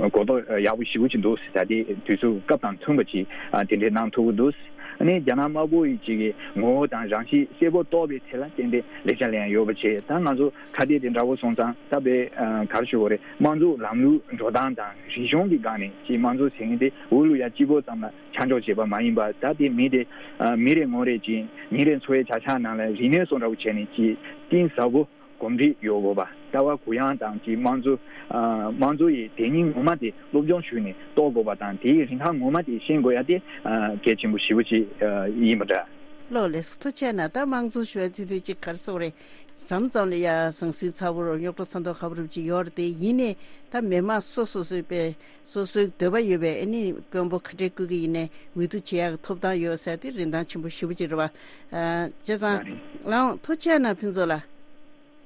གོ་རྟོགས་ཡག་པོ་ཞེ་པོ་ཅིག་འདུག་ད་ལྟའི་དུས་ཚོད་སྐབས་དང་མཐུན་པ་ཅིག་དེ་འདྲས་གནང་ཐུབ་ཀྱི་འདུག་ཨ་ནི་རྒྱ་ནག་དམར་པོ་ཡི་ཅིག་གི་ངོ་བོ་དང་རང་གཤིས་གསལ་པོ་རྟོགས་པའི་ཐད་ལ་ཏན་ཏན་ལེགས་ཆ་ལེན་ཡ་ཡོད་པ་བྱས། ད་ང་ཚོ་ཁ་གཏད་དེ་འདྲ་བོ་སོང་ཙང་ད་དཔེ་ཨ་ག་རེ་ཞུ་དགོས་རེད། དམངས་གཙོ་ལམ་ལུགས་འགྲོ་སྟངས་དང་རིག་གཞུང་གི་སྒང་ནས་ཅིག་དམངས་གཙོ་ཟེར་མཁན་དེ་འོས་བླུག་ཡ་གཅིག་པོ་ཙམ་ལ་ཆ་འཇོག་བྱེད་པ་མ་ཡིན་པར་ད་དེ་མི་དེ་ཨ་མི་རེ་ངོ་རེ་ཅིག་ཉིན་རེ་འཚོ་བའི་བྱ་གཞག་ནང་ལ་རིག་གནས་སོགས་འདྲ་བོ་བྱས་ནས་ཅིག་གཏིང་ཟབ་པོ་གོམས་འདྲིས་ཡོད་དགོས་པ། ལྟ་བ་གུ་ཡངས་དང་གཅིག་དམངས་གཙོ་ཨ་དམངས་གཙོ་ཡི་དེ་ཉིད་ངོ་མ་དེ་སློབ་སྦྱོང་ཞུས་ནས་རྟོགས་དགོས་པ་དང་དེའི་རིན་ཐང་ངོ་མ་དེ་ཤེས་དགོས་ཡ་དེ་ཨ་གལ་ཆེན་པོ་ཞེ་པོ་ཅིག་ཨ་ཡིན་པ་འདྲ། ལགས་ལགས་སོ། ཐུགས་རྗེ་གནང་། ད་དམངས་གཙོ་ཞུ་བ་ཚིག་དོན་གཅིག་ག་རེ་ཟེར་དགོས་རེད། མཚམས་མཚམས་ལ་ཡ་ཟང་ཟིང་ཚ་པོ་རུ་རྙོག་དྲ་ཚ་མདོག་ཁ་པོ་རུ་ཅིག་ཡོད་རེད་དེ། ཡིན་ནའི་ད་མི་མང་སོ་སོ་སོའི་དཔེ་སོ་སོའི་འདོད་པ་ཡོད་པའི་ཨ་ནི་དཔོན་པོ་ག་འདྲས་བསྐོ་གི་ཡིན་ནའི་འོས་བསྡུ་བྱེད་ཡག་གི་ཐོབ་ཐང་ཡོད་ཟེར་དེ་རིན་ཐང་ཆེན་པོ་ཞེ་པོ་ཅིག་རེད་བ། ཨ་བྱས་ཙང་ལགས་འོང་། ཐུགས་རྗེ་གནང་ཕུན་ཚོགས་ལགས།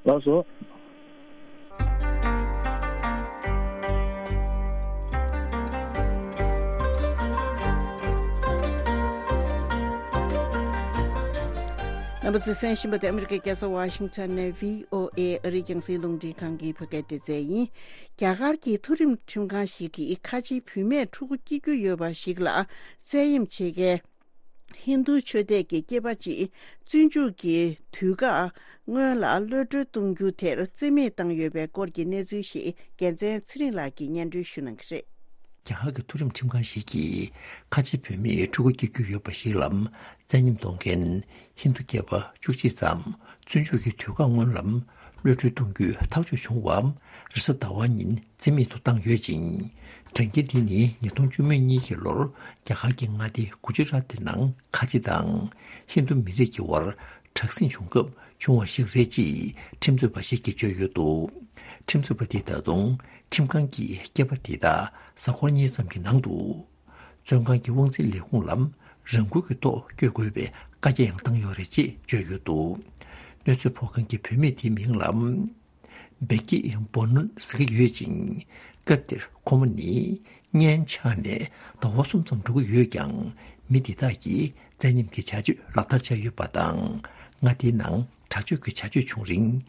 ལགས་སོ། རྣམ་པ་ཚོས་གསན་བཞིན་པ་དེ་ཨ་མི་རི་ཀའི་རྒྱལ་ས་ཝ་ཤིང་ཊོན་ནས་བྷི་ཨོ་ཨེ་ཨ་རིའི་རྒྱང་སྲིང་རླུང་འཕྲིན་ཁང་གི་བོད་སྐད་སྡེ་ཚན་ཡིན། རྒྱ་གར་གྱི་མཐོ་རིམ་ཁྲིམས་ཁང་ཞིག་གིས་ཁ་ཆེའི་བུད་མེད་ཕྲུ་གུ་སྐྱེ་རྒྱུ་ཡོད་པ་ཞིག་ལ་བཙན་གཡེམ་བྱེད་མཁན་ཧིན་རྡུ་ཆོས་དད་ཀྱི་སྐྱེས་པ་གཅིག་བཙོན་འཇུག་གི་དུས་བཀག་སྔོན་ལ་གློད་གྲོལ་གཏོང་རྒྱུ་དེར་རྩིས་མེད་བཏང་ཡོད་པའི་སྐོར་གྱི་གནས་ཚུལ་ཞིག་རྒྱལ་མཚན་ཚེ་རིང་ལགས་ཀྱིས་སྙན་སྒྲོན་ཞུ་གནང་གི་རེད། རྒྱ་གར་གྱི་མཐོ་རིམ་ཁྲིམས་ཁང་ཞིག་གིས་ཁ་ཆེ་བུད་མེད་ཕྲུ་གུ་སྐྱེ་རྒྱུ་ཡོད་པ་ཞིག་ལ་བཙན་གཡེམ་གཏོང་མཁན་ཧིན་རྡུ་སྐྱེས་པ་བཅུ་གཅིག་ཙམ་བཙོན་འཇུག་གི་དུས་བཀག་སྔོན་ལ་གློད་གྲོལ་གཏོང་རྒྱུའི་ཐག་གཅོད་བྱུང་བ་རེས་གཟའ་ཟླ་བ་ཉིན་རྩིས་མེད་དུ་བཏང་ཡོད་ཅིང་། དོན་རྐྱེན་འདི་ནི་ཉིས་སྟོང་བཅུ་མེད་གཉིས་ཀྱི་ལོར་རྒྱ་གར་གྱི་མངའ་སྡེ་གུ་ཇི་རཱཏ་ནང་ཁ་ཆེ་དང་ཧིན་རྡུ་མི་རིགས་ཀྱི་དབར་དྲག་ཟིང་བྱུང་སྐབས་བྱུང་བ་ཞིག་རེད་ཅེས་ཁྲིམས་རྩོད་པ་ཞིག་གིས་བརྗོད་ཡོད་འདུག་ཁྲིམས་རྩོད་པ་དེས་ད་དུང་ཁྲིམས་ཁང་གིས་སྐྱེས་པ་དེ་དག་གཟའ་འཁོར་གཉིས་ཙམ་གྱི་ནང་དུ་བཙོན་ཁང་གི་དབང་འཛིན་ལས་ཁུངས་ལ་རང་འགུལ་གྱི་ཐོག་བསྐྱོད་དགོས་པའི་བཀའ་རྒྱ་ཡང་བཏང་ཡོད་རེད་ཅེས་བརྗོད་ཡོད་འདུག་གནོད་འཚེ་ཕོག་མཁན་གྱི་བུད་མེད་དེའི་མིང་ལ་བེ་ཀི་བོ་ནོན་ཟེར་གྱི་ཡོད་ཅིང་། སྐབས་དེར་ཁོ་མོ་ནི་གཉེན་ཆགས་ནས་ཟླ་བ་གསུམ་ཙམ་འགྲོ་གི་ཡོད་ཀྱང་། མི་འདི་དག་གིས་བཙན་གཡེམ་གྱི་བྱ་སྤྱོད་ལག་བསྟར་བྱས་ཡོད་པ་དང་། མངའ་སྡེའི་ནང་དྲག་སྤྱོད་ཀྱི་བྱ་སྤྱོད་བྱུང་རིང་།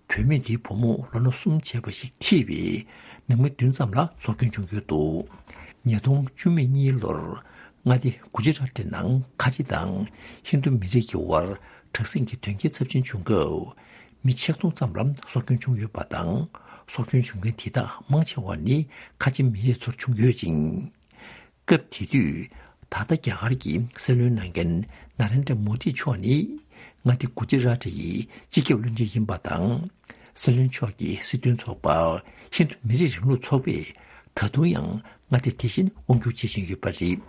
བུད་མེད་འདིའི་བུ་མོ་ལོ་ན་གསུམ་བྱས་པ་ཞིག་ཐེ་བའི་ནང་མི་བདུན་ཙམ་ལ་སྲོག་སྐྱོན་བྱུང་ཡོད་འདུག་ཉིས་སྟོང་བཅུ་མེད་གཉིས་ལོར་མངའ་སྡེ་གུ་ཇི་རཱཏ་ནང་ཁ་ཆེ་དང་ཧིན་རྡུ་མི་རིགས་ཀྱི་དབར་དྲག་ཟིང་གི་དོན་རྐྱེན་ཚབས་ཆེན་བྱུང་སྐབས། མི་ཆིག་སྟོང་ཙམ་ལ་སྲོག་སྐྱོན་བྱུང་ཡོད་པ་དང་། སྲོག་སྐྱོན་བྱུང་མཁན་དེ་དག་མང་ཆེ་བ་ནི་ཁ་ཆེ་མི་རིགས་ཚོར་བྱུང་ཡོད་ཅིང་། སྐབས་དེ་དུས་ད་ལྟ་རྒྱ་གར་གྱི་སྲིད་བློན་གནང་མཁན་ན་རེན་དྲ་མོ་དི་མཆོག་ནི་མངའ་སྡེ་གུ་ཇི་རཱཏ་ཡི་སྤྱི་ཁྱབ་བློན་ཆེན་ཡིན་པ་དང་། སྲིད་བློན་མཆོག་གི་སྲིད་དོན་ཚོགས་པ་ཧིན་རྡུ་མི་རིགས་རིང་ལུགས་ཚོགས་པས་ད་དུང་ཡང་མངའ་སྡེ་དེ་བཞིན་དབང་སྒྱུར་བྱེད་བཞིན་ཡོད་པ་རེད།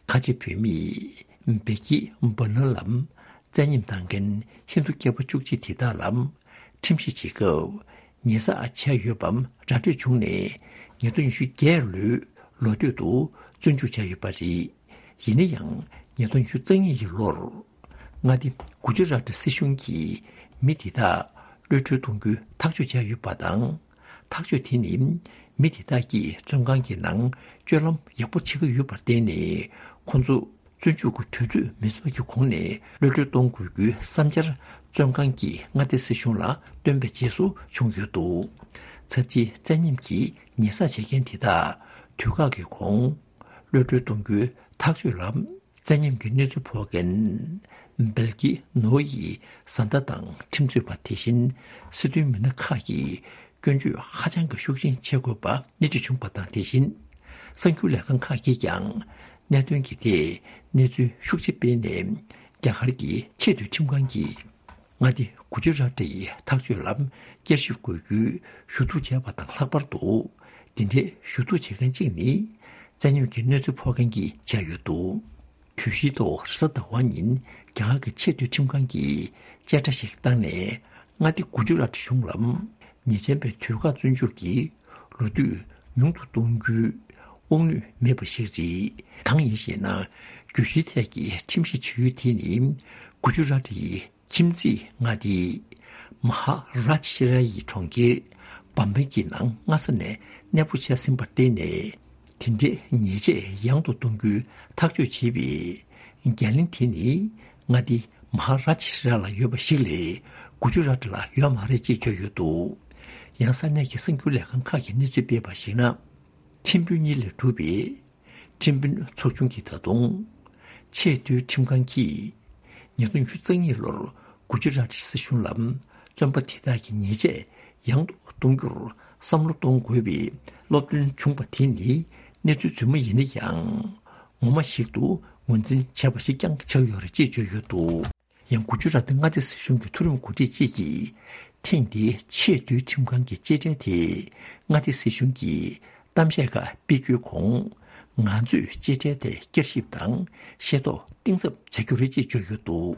ཁ་ཆེ་བུད་མེད་བེ་ཀི་བྷ་ནར་ལམ་བཙན་གཡེམ་བཏང་མཁན་ཧིན་རྡུ་སྐྱེས་པ་བཅུ་གཅིག་དེ་དག་ལ་ཁྲིམས་ཞིབ་བྱེད་སྐབས་ཉེས་བསགས་བྱས་ཡོད་པའམ་ར་སྤྲོད་བྱུང་ནས་ཉིས་སྟོང་ཉི་ཤུ་བརྒྱད་ལོའི་ལོ་སྟོད་དུ་བཙོན་འཇུག་བྱས་ཡོད་པ་རེད། ཡིན་ན་ཡང་ཉིས་སྟོང་ཉི་ཤུ་རྩ་གཉིས་ཀྱི་ལོར་མངའ་སྡེ་གུ་ཇི་རཱཏ་སྲིད་གཞུང་གིས་མི་དེ་དག་གློད་གྲོལ་གཏོང་རྒྱུའི་ཐག་གཅོད་བྱས་ཡོད་པ་དང་། ཐག་གཅོད་དེ་ནི་མི་དེ་དག་གིས་བཙོན་ཁང་གི་ནང་སྤྱོད་ལམ་ཡག་པོ་བྱེད་ཀྱི་ཡོད་པར་བརྟེན་ནས་ཁོང་ཚོ་ བཙོན་འཇུག་གི་དུས་ཚོད་མི་རྫོགས་ཀྱི་གོང་ནས་གློད་གྲོལ་གཏོང་དགོས་རྒྱུའི་བསམ་འཆར་བཙོན་ཁང་གི་མངའ་སྡེ་སྲིད་གཞུང་ལ་བཏོན་པའི་རྗེས་སུ་བྱུང་ཡོད་འདུག་ཚབས་ཆེའི་བཙན་ཉམས་ཀྱི་ཉེས་བསགས་བྱེད་མཁན་དེ་དག་དུས་བཀག་གི་གོང་གློད་གྲོལ་གཏོང་རྒྱུའི་ཐག་གཅོད་ལ། བཙན་ཉམས་ཀྱི་གནས་ཚུལ་ཕོག་མཁན་སྦེལ་ཀི་ནོ་ཡི་བཟའ་ཟླ་དང་ཁྲིམས་རྩོད་པ། དེ་བཞིན་སྲིད་དོན་མི་སྣ་ཁག་གིས་སྐྱོན་བརྗོད་ཧ་ཅང་གི་ཤུགས་ཆེན་བྱེད་དགོས་པ་སྣེ་ཁྲིད་བྱུང་བ་དང་། དེ་བཞིན་གསར་འགྱུར་ལས་ཁང་ཁག་གིས་ཀྱང་གནད་དོན་གྱི་ཐད་གནས་ཚུལ་ཤུགས་ཆེ་སྤེལ་ནས། རྒྱ་གར་གྱི་ཆེས་མཐོའི་ཁྲིམས་ཁང་གིས་མངའ་སྡེ་གུ་ཇུ་རཱ་ཏི་ཡི་ཐག་གཅོད་ལ་བསྐྱར་ཞིབ་དགོས་རྒྱུའི་ཞུ་གཏུག་བྱས་པ་དང་། ལྷག་པར་དུ་འདི་འདྲའི་ཞུ་གཏུག་བྱེད་མཁན་གཅིག་ནི་བཙན་ཉམས་ཀྱི་གནས་ཚུལ་ཕོག་མཁན་གྱིས་བྱས་ཡོད་འདུག་གྱོད་གཞིའི་ཐོག་རེས་གཟའ་ཟླ་བ་ཉིན་རྒྱ་གར་གྱི་ཆེས་མཐོའི་ཁྲིམས་ཁང་གིས་བཅད་ཁྲ་ཞིག་བཏང་ནས། མངའ་སྡེ་གུ་ཇུ་རཱཏ་གཞུང་ལ་ཉེས་ཅན་པའི་དུས་བཀག་བཙོན་འཇུག་གི་ལོ་དུས་ཉུང་དུ་གཏོང་རྒྱུའི་དབང་ནུས་མེད་པ་ཞིག་རེད། གང་ཡིན་ཞེ་ན། གྱོད་གཞིའི་ཐད་ཀྱི་ཁྲིམས་གཞི་བྱེད་ཡུལ་དེ་ནི་གུ་ཇུ་རཱཏ་ཡི་ཁྱིམ་མཚེས་མངའ་སྡེ་མ་ཧ་རཱ་ཇ་ཤི་ར་ཡི་གྲོང་ཁྱེར་བམ་བེ་གི་ནང་སྔ་ས་ནས་གནས་སྤོ་བྱས་ཟིན་པར་བརྟེན་ནས། དེ་འདྲའི་ཉེས་ཆད་ཡང་དུ་གཏོང་རྒྱུའི་ཐག་གཅོད་བྱས་པའི་འགན་ལེན་དེ་ནི་མངའ་སྡེ་མ་ཧ་རཱ་ཇ་ཤི་ར་ལ་ཡོད་པ་ཞིག་ལས་གུ་ཇུ་རཱཏ་ལ་ཡོད་མ་རེད་ཅེས་བརྗོད་ཡོད་འདུག་ཡང་ས་གནས་ཀྱི་གསར་འགྱུར་ལས་ཁང་ཁག་གིས་གནས་ཚུལ་སྤེལ་བར་གཞིགས་ན། ཁྲིམས་དཔོན་གཉིས་ལས་གྲུབ་པའི་ཁྲིམས་དཔོན་ཚོགས་ཆུང་གིས་ད་དུང་ཆེས་མཐོའི་ཁྲིམས་ཁང་གིས་ཉིས་སྟོང་ཉི་ཤུ་རྩ་གཉིས་ལོར་གུ་ཇུ་རཱཏ་སྲིད་གཞུང་ལ་བཙོན་པ་དེ་དག་གི་ཉེས་ཆད་ཡང་དུ་གཏོང་རྒྱུར་བསམ་བློ་གཏོང་དགོས་པའི་སློབ་སྟོན་བྱུང་བ་དེ་ནི་གནས་ཚུལ་རྫུན་མ་ཡིན་ན་ཡང་ངོ་མ་ཞིག་ཏུ་ངོས་འཛིན་བྱས་པ་ཞིག་ཀྱང་ཆགས་ཡོད་རེད་ཅེས་བརྗོད་ཡོད་འདུག་ཡང་གུ་ཇུ་རཱཏ་མངའ་སྡེ་སྲིད་གཞུང་གི་མཐོ་རིམ་འགོ་ཁྲིད་ཅིག་གིས་ཐེངས་འདིའི་ཆེས་མཐོའི་ཁྲིམས་ཁང་གི་བཅད་ཁྲའི་ཐད་མངའ་སྡེ་སྲིད་གཞུང་གིས་གཏམ་བཤད་ཁག་སྤེལ་རྒྱུའི་གོང་། ང་ཚོས་བཅད་ཁྲའི་ཐད་བསྐྱར་ཞིབ་དང་ཤེས་རྟོགས་གཏིང་ཟབ་བྱ་རྒྱུ་རེད་ཅེས་བརྗོད་ཡོད་འདུག་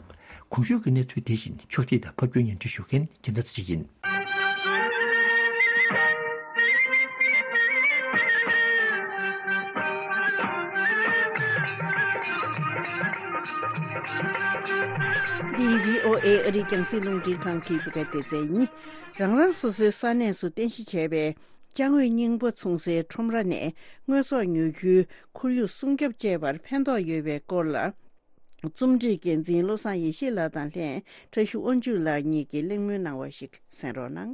གོང་ཞུས་ཀྱི་གནས་ཚུལ་དེ་བཞིན་ཕྱོགས་སྒྲིག་དང་ཕབ་སྒྱུར་སྙན་སྒྲོན་ཞུ་མཁན་རྒྱལ་མཚན་ཚེ་རིང་ཡིན། འདི་བྷི་ཨོ་ཨེ་ཨ་རིའི་རྒྱང་སྲིང་རླུང་འཕྲིན་ཁང་གི་བོད་སྐད་སྡེ་ཚན་ཡིན། རང་རང་སོ་སོའི་ས་གནས་སུ་རྟེན་གཞི་བྱས་པའི་ཅ་དངོས་རྙིང་པ་འཚོང་སའི་ཁྲོམ་ར་ནས་དངོས་ཟོག་ཉོ་རྒྱུའི་ཁོར་ཡུག་སྲུང་སྐྱོབ་བཅས་པར་ཕན་ཐོགས་ཡོད་པའི་སྐོར་ལ། རྩོམ་སྒྲིག་འགན་འཛིན་བློ་བཟང་ཡེ་ཤེས་ལགས་དང་ལྷན་བཀྲ་ཤིས་དབང་ཕྱུག་ལགས་གཉིས་ཀྱིས་གླེང་མོལ་གནང་བ་ཞིག་གསན་རོགས་གནང་།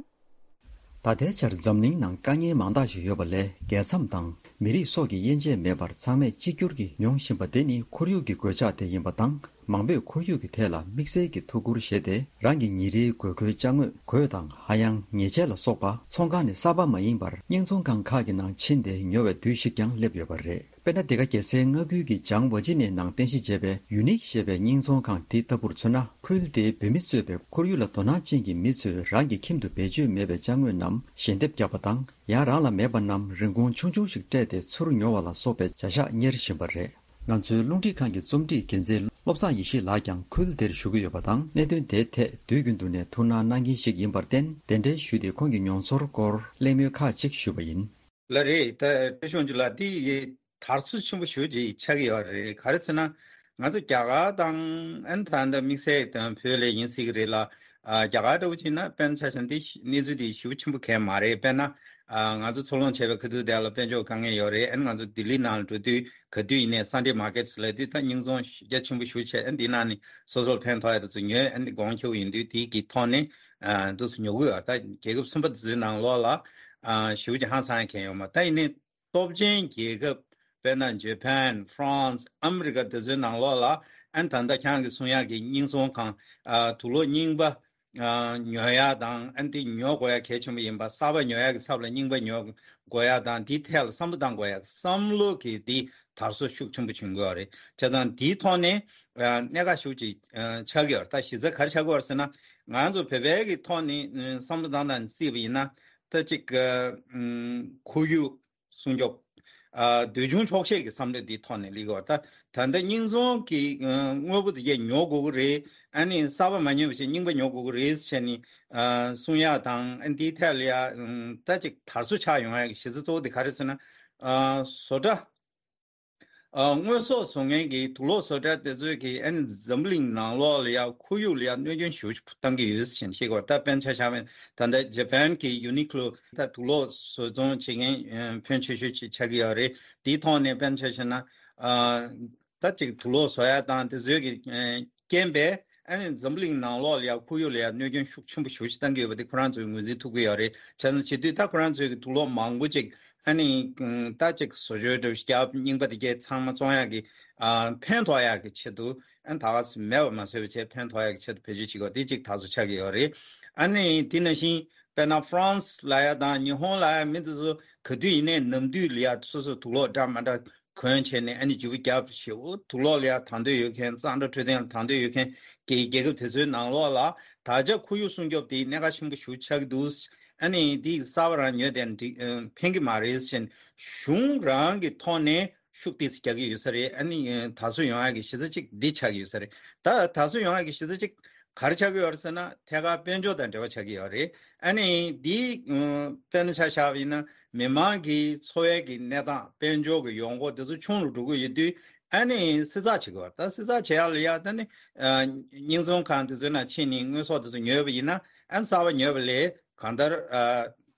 ད་ལྟའི་ཆར་འཛམ་གླིང་ནང་དཀའ་ངལ་མང་དག་ཞིག་ཡོད་པ་ལས། རྒྱལ་མཚམས་དང་མི་རིགས་སོགས་ཀྱི་དབྱེ་འབྱེད་མེད་པར་ཚང་མས་གཅིག་གྱུར་གྱིས་མྱོང་བཞིན་པ་དེ་ནི་ཁོར་ཡུག་གི་གོད་ཆག་དེ་ཡིན་པ་དང་། མང་པོས་ཁོར་ཡུག་གི་ཐད་ལ་དམིགས་བསལ་གྱི་ཐུགས་ཁུར་བཞེས་ཏེ། རང་གི་ཉིན་རེའི་དགོས་མཁོའི་ཅ་དངོས། གོས་དང་ཧ་ཡང་། ཉལ་ཆས་ལ་སོགས་པ་ཚོང་ཁང་ནས་གསར་པ་མ་ཡིན་པར་རྙིང་ཚོང་ཁང་ཁག་གི་ནང་ཕྱིན་ཏེ་ཉོ་བའི་དུས་ཤིག་ཀྱང་སླེབས་ཡོད་པ་རེད། དཔེར་ན། འདི་ག་རྒྱལ་སའི་མངའ་ཁུལ་གྱི་ཇང་ཝ་ཅི་ནན་ནང་རྟེན་གཞི་བྱས་པའི་ཡུ་ནིག་ཞེས་པའི་རྙིང་ཚོང་ཁང་དེའི་ལྟ་བུར་མཚོན་ན། ཁུལ་དེའི་བོད་མི་གཙོས་པའི་ཁོར་ཡུག་ལ་དོ་སྣང་ཅན་གྱི་མི་ཚོས་རང་གི་ཁྱིམ་དུ་བེད་སྤྱོད་མེད་པའི་ཅ་དངོས་རྣམས་ཞལ་འདེབས་བརྒྱབ་པ་དང་། ཡང་རང་ལ་མེད་པ་རྣམས་རིན་གོང་ཆུང་ཆུང་ཞིག་སྤྲད་དེ་ཚུར་ཉོ་བ་ལ་སོགས་པའི་བྱ་གཞག་གཉེར་བཞིན་པ་རེད། ང་ཚོའི་རླུང་འཕྲིན་ཁང་གི་རྩོམ་སྒྲིག་འགན་འཛིན་བློ་བཟང་ཡེ་ཤེས་ལགས་ཀྱང་ཁུལ་དེར་བཞུགས་ཀྱི་ཡོད་པ་དང་། གནད་དོན་དེའི་ཐད་དུས་རྒྱུན་དུ་ནས་ཐུགས་སྣང་གནང་མཁན་ཞིག་ཡིན་པར་བརྟེན། གདན་འདྲེན་ཞུས་ཏེ་ཁོང་གི་མྱོང་ཚོར་སྐོར་གླེང་མོལ་ཁག་ཅིག་ཞུས་པ་ཡིན། ལགས་རེད། ད་བཀྲ་ཤིས་དབང་ཕྱུག་ལགས། འདི་ཡི་དར་སྲོལ་ཆེན་པོ་ཞེ་པོ་ཅིག་ཆགས་ཀྱི་ཡོད་རེད། ག་རེ་ཟེར་ན། ང་ཚོ་རྒྱ་གར་དང་ཨ་ནི་ད་ལྟ་དམིགས་བསལ་དང་བོད་ལ་ཡིན་སྲིད་ཀྱི་རེད་ལ། ཨ། རྒྱ་གར་འདྲ་བོ་བྱས་ན་དཔེར་ན་ཆ་བཞག་ན་འདི་གནས་ཚུལ་འདི་ཞེ་པོ་ཆེན་པོ་གང་ཡང་མ་རེད། དཔེར་ན། ཨ། ང་ཚོ་ཚོགས་ལངས་བྱས་པའི་ཁ་ཐུག་དེ་ལ་དཔལ་འབྱོར་དཀའ་ངལ་ཡོད་རེད། ཨ་ནི་ང་ཚོ་ལྡི་ལི་ནང་ལ་འགྲོ་དུས་ག་དུས་ཡིན་ནའི་སན་ཌེ་མར་ཀེ་ཊི་ལབ་དུས་ད་རྙིང་ཚོང་རྒྱ་ཆེན་པོ་ཞེ་པོ་བྱས། ཨ་ནི་འདི་ནང་ནས་སོ་སོར་ཕན་ཐོགས་ཡ་དེ་ཚོ་ཉོས། ཨ་ནི་གོང་ཁེ་པོ་ཡིན་དུས་དེ་གི་ཐོག་ནས། ཨ། འདུག་སེ་ཉོ་གི་ཡོད། ད་རྒྱལ་ཁབ་གསུམ་པ་དེ་ཚོའི་ནང་ལོགས་ལ། ཨ། ཞེ་པོ་ཅིག་ཧང་སང་ཡ་གང་ཡང་ཡོད་མ་རེད། ད་ཡིན་ནའི། སྟོབས་ཆེན་རྒྱལ་ཁབ། དཔེར་ན་ཇ་པན། ཧྥ་རན་སི། ཨ་མི་རི་ཀ་དེ་ཚོའི་ནང་ལོགས་ལ། ཨ་ནི་ད་ལྟ་ཁྱེད་རང་གིས་གསུང་ཡག་གི་རྙིང་ཚོང་ཁང་། ཨ། དུག་ལོག་རྙིང་པ། ཨ། ཉོ་ཡག་དང་། ཨ་ནི་དེ་ཉོ་དགོས་ཡག་གལ་ཆེན་པོ་ཡིན་པ། གསར་པ་ཉོ་ཡག་གི་ཚབ་ལ་རྙིང་པ་ཉོ་དགོས་ཡག་དང་། དེའི་ཐད་ལ་བསམ་བློ་གཏང་དགོས་ཡག་བསམ་བློ་གི་དེ་དར་སྲོལ་ཤུགས་ཆེན་པོ་བྱུང་དགོས་པ་རེད། བྱས་ཙང་དེའི་ཐོག་ནས། ཨ། གནད་འགག་ཤུགས་ཅིག་ཨ། ཆགས་ཀྱི་ཡོད་རེད། ད་གཞི་རྩ་ག་རེ་ཆགས་ཀྱི་ཡོད་རེད་ཟེར་ན། ང་ཚོ་བོད་པའི་གི་ཐོག་ནས་བསམ་བློ་བཏང་སྟངས་བརྩིས་པ་ཡིན་ན། ད་ཅིག་ཨ། ཁོར་ཡུག་སྲུང་སྐྱོབ། ཨ། འདོད་ཆུང་ཆོག་ཤེས་ཀྱི་བསམ་བློ་འདིའི་ཐོག་ནས་སླེབས་ཀྱི་ཡོད་རེད། ད་ད་ལྟ་རྙིང་ཚོང་གི་ཨ། དངོས་པོ་དེ་གས་ཉོ་དགོས་ཀྱི་རེད། ཨ་ནི་གསར་པ་མ་ཉོས་པ་བྱས་རྙིང་པ་ཉོ་དགོས་ཀྱི་རེད་ཟེར་ནས། ཨ། གསུང་ཡག་དང་། ཨ། འདིའི་ཐད་ལ་ཡ། ཨ། ད་ཅིག་དར་སྲོལ་ཆགས་ཡོང་ཡག་གི་གཞི་རྩ་གཙོ་བོ་དེ་ག་རེ་ཟེར་ན། ཨ། བཟོ་གྲྭ། ཨ། དངོས་ཟོག་བཟོ་མཁན་གྱི་དུག་ལོག་བཟོ་གྲྭ་དེ་ཚོས་ཀྱིས་ཨ་ནི་འཛམ་བུ་གླིང་ནང་ལོགས་ལ་ཡ་ཁོར་ཡུག་ལ་ཡ་གནོད་སྐྱོན་ཞེ་པོ་ཅིག་བཏང་གི་ཡོད་ཟེར་ནས་བཤད་ཀྱི་ཡོད་རེད། ད་དཔེར་ན་ཆ་བཞག་པ་ཡིན་ན། ད་ལྟ་ཇ་པན་གྱི་ཡུ་ནི་ཀློ། ད་དུག་ལོག་བཟོ་ཚོང་བྱེད་མཁན་ཕོན་ཆེ་ཤོས་ཅིག་ཆགས་ཀྱི་ཡོད་རེད། དེའི་ཐོག་ནས་དཔེར་ན་ཆ་བཞག་ན། ཨ། ད་ཅིག་དུག་ལོག་བཟོ་ཡ་དང་དེ་ཚོའི་གི་ཨ་རྐྱེན་པས་ཨ་ནི་འཛམ་བུ་གླིང་ནང་ལོགས་ལ་ཡ་ཁོར་ཡུག་ལ་ཡ་གནོད་སྐྱོན་ཤུགས་ཆེན་པོ་ཞེ་པོ་ཅིག་བཏང་གི་ཡོད་པ་དེ་ཁོ་རང་ཚོས་ངོས་འཛིན་ཐུབ་ཀྱི་ཡོད་རེད། བྱས་ཙང་བྱེད་དུས་ད་ཁོ་རང་ཚོའི་གི་དུག་ལོག་མང་པོ་ཅིག་ཨ་ནི་ད་ཅིག་བཟོ་བཅོས་འདྲ་བོ་ཞིག་རྒྱབ། རྙིང་པ་དེ་གས་ཚང་མ་བཙོང་ཡག་གི་ཨ་ཕན་ཐོགས་ཡག་གི་ཆེད་དུ་ཨ་ནི་ད་ག་སེ་མེད་པ་མ་བཟོས་པ་བྱས་ཕན་ཐོགས་ཡག་གི་ཆེད་དུ་བེད་སྤྱོད་བྱེད་དགོས་དེ་ཅིག་ད་གཟོད་ཆགས་ཀྱི་ཡོད་རེད། ཨ་ནི་དེ་ནང་བཞིན་དཔེར་ན་ཧྥ་རན་སི་ལ་ཡ་དང་ཉི་ཧོང་ལ་ཡ་མི་དེ་ཚོ་ག་དུས་ཡིན་ནའི་ནམ་དུས་ལ་ཡ་སོ་སོ་དུག་ལོག་འདྲ་མ་འདྲ་གོན་བྱས་ནས་ཨ་ནི་བརྗེ་པོ་རྒྱབ་ཞེ་པོ་དུག་ལོག་ལ་ཡ་དང་འདོད་ཡོད་མཁན། གཙང་སྦྲ་འཕྲོད་བསྟེན་ལ་དང་འདོད་ཡོད་མཁན་གྱི་རྒྱལ་ཁབ་དེ་ཚོའི་ནང་ལོགས་ལ་ད་ཆ་ཁོར་ཡུག་སྲུང་སྐྱོབ་དེ་གནད་འགག་ཆེན་པོ་ཞེ་པོ་ཆགས་ཀྱི་འདུག་ཨ་ནི་དེ་གསར་པ་རང་ཉོས་ཏེ་འགྲིག་ཨ་ཕན་གྱི་མ་རེད་ཟེར་ནས་གཞུང་རང་གི་ཐོག་ནས་ཤུགས་ཏོག་ཙམ་རྒྱག་གི་ཡོད་ས་རེད། ཨ་ནི་ད་གཟོད་ཡོང་ཡག་གི་གཞི་རྩ་གཅིག་འདི་ཆགས་ཀྱི་ཡོད་ས་རེད། ད་ད་གཟོད་ཡོང་ཡག་གི་གཞི་རྩ་གཅིག་ག་རེ་ཆགས་ཀྱི་ཡོད་རེད་ཟེར་ན་ཐད་ཀར་དཔལ་འབྱོར་དང་འབྲེལ་བ་ཆགས་ཀྱི་ཡོད་རེད། ཨ་ནི་འདི་ཨ་དཔེར་ན་ཆ་བཞག་པ་ཡིན་ན་མི་མང་གི་འཚོ་བའི་གི་གནས་སྟངས་དཔལ་འབྱོར་གི་ཡོང་སྒོ་དེ་ཚོ་ཆུང་རུ་འགྲོ་གི་ཡོད་དུས་ཨ་ནི་བསྲི་ཚགས་བྱེད་དགོས་རེད། ད་བསྲི་ཚགས་བྱེད་ཡག་ལ་ཡ་ད་ནི་ཨ་རྙིང་ཚོང་ཁང་དེ་ཚོའི་ནང་ཕྱིན་ནས་དངོས་ཟོག་དེ་ཚོ་ཉོས་པ་ཡིན་ན་ཨ་ནི་གསར་པ་ཉོས་པ་ལས་གང་ལྟར་ཨ་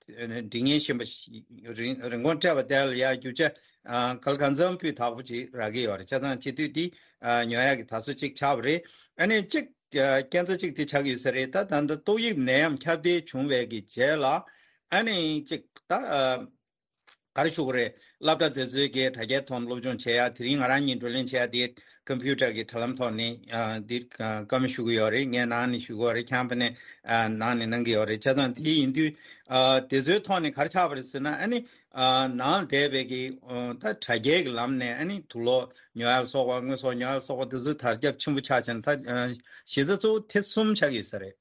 སྒྲིག་ཉེན་ཞན་པ་ཞིག་རིན་རིན་གོང་སྤྲད་པ་དེ་ལ་ཡ་རྒྱུ་ཆ་ཨ་ག་ལ་གང་འཚམ་སྤུས་དག་པོ་ཅིག་རག་གི་ཡོད་རེད། བྱས་ཙང་བྱེད་དུས་འདི་ཨ་ཉོ་ཡག་གི་དུས་ཚོད་ཅིག་ཆགས་པ་རེད། ཨ་ནི་གཅིག་ཨ་རྐྱེན་རྩ་གཅིག་དེ་ཆགས་ཀྱི་ཡོད་ས་རེད། ད་ད་ལྟ་ཏོག་དབྱིབས་ནད་ཡམས་ཁྱབ་གདལ་བྱུང་བའི་གི་རྗེས་ལ་ཨ་ནི་གཅིག་ད་ཨ་ག་རེ་ཞུ་དགོས་རེད། སློབ་གྲྭ་དེ་ཚོའི་གི་དྲ་རྒྱའི་ཐོག་སློབ་སྦྱོང་བྱེད་ཡ། དེ་རིང་ང་རང་གཉིས་བགྲོ་གླེང་བྱེད་ཡ་དེ་ཀམ་པུ་ཊར་གི་དྲ་ལམ་ཐོག་ནས་ཨ་འདི་ཨ་བཀའ་མོལ་ཞུ་གི་ཡོད་རེད། ངས་ནང་ནས་ཞུ་གི་ཡོད་རེད། ཁྱེད་རྣམ་པ་ནས་ཨ་ནང་ནས་གནང་གི་ཡོད་རེད། བྱས་ཙང་དེ་ཡིན་དུས་ཨ་དེ་ཚོའི་ཐོག་ནས་ག་རེ་ཆགས་པ་རེད་ཟེར་ན་ཨ་ནི་ཨ་ནང་བསྡད་པའི་གི་ཨ་ད་དྲ་རྒྱའི་གི་ལམ་ནས་ཨ་ནི་དུག་ལོག་ཉོ་ཡ་ལ་སོགས་པ་དངོས་ཟོག་ཉོ་ཡ་ལ་སོགས་པ་དེ་ཚོ་དར་ཁྱབ་ཆེན་པོ་ཆགས་བྱས་ན་ད་ཨ་གཞི་རྩ་གཙོ་བོ་དེ་གསུམ་ཆགས་ཀྱི་ཡོད་ས་རེད།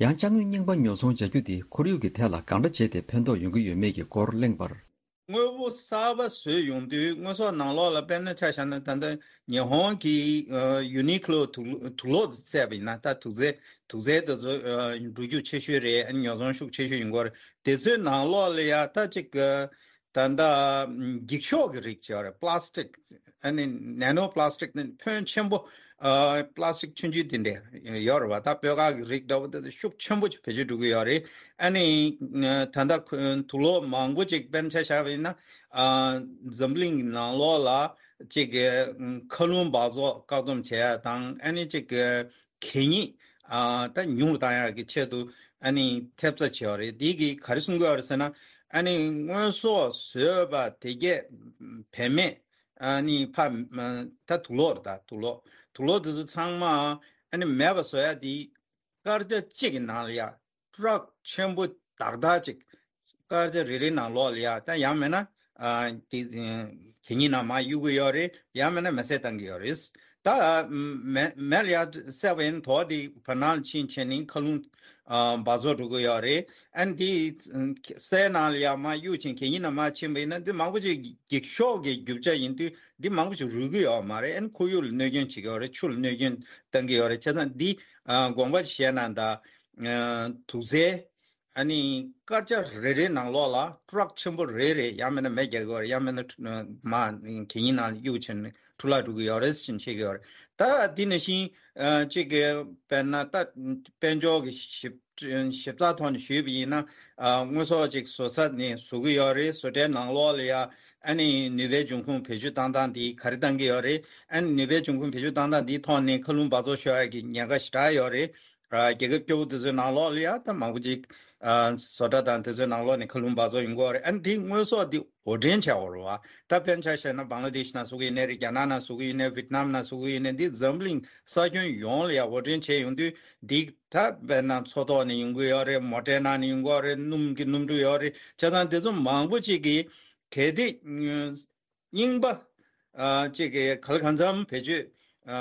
ཡང་ཅ་དངོས་རྙིང་པ་ཉོ་ཚོང་བྱ་རྒྱུ་དེ་ཁོར་ཡུག་གི་ཐད་ལ་གང་འདྲ་བྱས་ཏེ་ཕན་ཐོགས་ཡོང་གི་ཡོད་མེད་ཀྱི་སྐོར་གླེང་བར། དངོས་པོ་གསར་པ་བཟོས་ཡོང་དུས་དངོས་ཟོག་ནང་ལོགས་ལ་དཔེར་ན་ཆ་བཞག་ན་ད་ལྟ་ཉི་ཧོང་གི་ཨ་ཡུ་ནི་ཀློ་དུག་དུག་ལོག་བཙལ་བ་ཡིན་ན་ད་དུག་རྫས་དུག་རྫས་དེ་ཚོ་ཨ་འགྲོ་རྒྱུ་ཆེ་ཤོས་རེད། ཨ་ཉོ་ཚོང་ཤུགས་ཆེ་ཤོས་ཡོང་གི་ཡོད་རེད། དེ་ཚོའི་ནང་ལོགས་ལ་ཡ་ད་ཅིག་ཨ་ད་ལྟ་འགྱིག་ཤོག་གི་རིགས་ཅིག་ཡོད་རེད། པ་ལ་སི་ཊིག་ཨ་ནི་ནེ་ནོ་པ་ལ་སི་ཊིག་ནི་ཕོན་ཆེན་པོ་ཨ་པ་ལ་སི་ཊིག་ཆུང་ཆུང་དེ་འདྲ་ཡོད་རེད་བ། ད་སྤོས་དཀར་གྱི་རིགས་འདྲ་བོ་དེ་ཤུགས་ཆེན་པོ་ཅིག་བེད་སྤྱོད་འགྲོ་གི་ཡོད་རེད། ཨ་ནི་ད་ལྟ་ཁོ་དུག་ལོག་མང་པོ་ཅིག་དཔེར་ན་ཆ་བཞག་པ་ཡིན་ན་ཨ་འཛམ་གླིང་གི་ནང་ལོགས་ལ་ཅིག་གི་མཁའ་རླུང་འབག་བཙོག་བཀག་སྡོམ་བྱེད་ཡ་དང་ཨ་ནི་ཅིག་གི་གད་སྙིགས་ཨ་ད་ཉུང་རུ་བཏང་ཡག་གི་ཆེད་དུ་ཨ་ནི་ཐེབས་རྩ་བྱས་པ་རེད། འདི་གིས་ག་རེ་གསུང་གི་ཡོད་རེད་ཟེར་ན་ཨ་ནི་དངོས་ཟོག་བཟོས་པ་དེ་གས་བེད་མེད་ཨ་ནི་ཕ་ད་དུག་ལོག་རེད། ད་དུག་ལོག་དུག་ལོག་དེ་ཚོ་ཚང་མ་ཨ་ནི་མེད་པ་བཟོ་ཡ་དེ་སྐར་ཆ་གཅིག་གི་ནང་ལ་ཡ་ཊ་རག་ཆེན་པོ་དག་དག་ཅིག་སྐར་ཆ་རེ་རེའི་ནང་ལོགས་ལ་ཡ་ད་ཡང་མིན་ན་ཨ་དེ་གད་སྙིགས་ནང་མར་གཡུག་གི་ཡོད་རེད། ཡང་མིན་ན་མེ་བསྲེགས་བཏང་གི་ཡོད་རེད། ད་མེ་མེ་ལ་ཡ་བསྲེགས་པ་ཡིན་དོ་དེ་བར་སྣང་ལ་ཕྱིན་བྱས་ནས་མཁའ་རླུང་ཨ་འབག་བཙོག་འགྲོ་གི་ཡོད་རེད། ཨ་ནི་དེ་སའི་ནང་ལ་ཡ་མར་གཡུག་ཅིང་གད་སྙིགས་ནང་མར་ཕྱིན་པ་ཡིན་ན་འདི་མང་པོ་ཅིག་འགྱིག་ཤོག་གི་རྒྱུ་ཆ་ཡིན་དུས་འདི་མང་པོ་ཅིག་རུལ་གི་ཡོད་མ་རེད། ཨ་ནི་ཁོར་ཡུག་ལ་གནོད་སྐྱོན་བྱེད་ཀྱི་ཡོད་རེད། ཆུ་ལ་གནོད་སྐྱོན་བཏང་གི་ཡོད་རེད། བྱས་ཙང་འདི་ཨ་དགོངས་པ་བཞེས་གནང་དང་། ཨ་དུག་རྫས་ཨ་ནི་སྐར་ཆ་རེ་རེའི་ནང་ལོགས་ལ་ཊ་རག་ཆེན་པོ་རེ་རེ་ཡང་མིན་ན་མེ་རྒྱག་གི་ཡོད་རེད། ཡང་མིན་ན་མར་གད་སྙིགས་ནང་ལ་གཡུག་བྱས་ནས་འཕྲོ་བརླག་འགྲོ་གི་ཡོད་རེད་ཟེར་བཤད་ཀྱི་ཡོད་རེད། ད་འདི་ནང་བཞིན་ཨ་གཅིག་གི་དཔེར་ན་ད་དཔལ་འབྱོར་གྱི་ཞིབ་ཞིབ་ཚགས་ཐོག་ནས་ཞུས་པ་ཡིན་ན་ཨ་དངོས་ཟོག་ཅིག་བཟོ་ས་ནས་བཟོ་གི་ཡོད་རེད། བཟོ་གྲྭའི་ནང་ལོགས་ལ་ཡ་ཨ་ནི་ནུས་པའི་འབྱུང་ཁུངས་བེད་སྤྱོད་བཏང་སྟངས་འདི་ག་རེ་བཏང་གི་ཡོད་རེད། ཨ་ནི་ནུས་པའི་འབྱུང་ཁུངས་བེད་སྤྱོད་བཏང་སྟངས་འདིའི་ཐོག་ནས་མཁའ་རླུང་འབག་བཙོག་ཤོར་ཡ་གི་ཉེན་ཁ་ཞེ་དྲག་ཡོད་རེད། རྒྱལ་ཁབ་སྐྱོ་བོ་དེ་ཚོའི་ནང་ལོགས་ལ་ཡ་ད་མང་པོ་ཅིག་ཨ་བཟོ་གྲྭ་དང་དེ་ཚོའི་ནང་ལོགས་ནས་མཁའ་རླུང་འབག་བཙོག་ཡོང་གི་ཡོད་རེད། ཨ་ནི་དེ་དངོས་ཟོག་འདི་དབོར་འདྲེན་བྱས་ཡོད་རེད་བ། ད་དཔེར་ན་ཆ་བཞག་ན་བང་ལ་དེཤ་ནང་བཟོ་གི་ཡིན་ནའི་རེད། རྒྱ་ནག་ནང་བཟོ་གི་ཡིན་ནའི་ཝི་ཏི་ནམ་ནང་བཟོ་གི་ཡིན་ནའི་འདི་འཛམ་གླིང་ས་ཁྱོན་ཡོངས་ལ་ཡ་དབོར་འདྲེན་བྱས་ཡོང་དུས་འདི་ད་དཔེར་ན་མཚོ་ཐོག་ནས་ཡོང་གི་ཡོད་རེད། མོ་ཊའི་ནང་ནས་ཡོང་གི་ཡོད་རེད། སྣུམ་གྱི་སྣུམ་འཁྲུག་ཡོད་རེད། བྱས་ཙང་དེ་ཚོ་མང་པོ་ཅིག་གིས་གལ་ཏེ་རྙིང་པ་ཨ་ཅིག་གི་ག་ལ་གང་འཚམ་བེད་སྤྱོད་ཨ་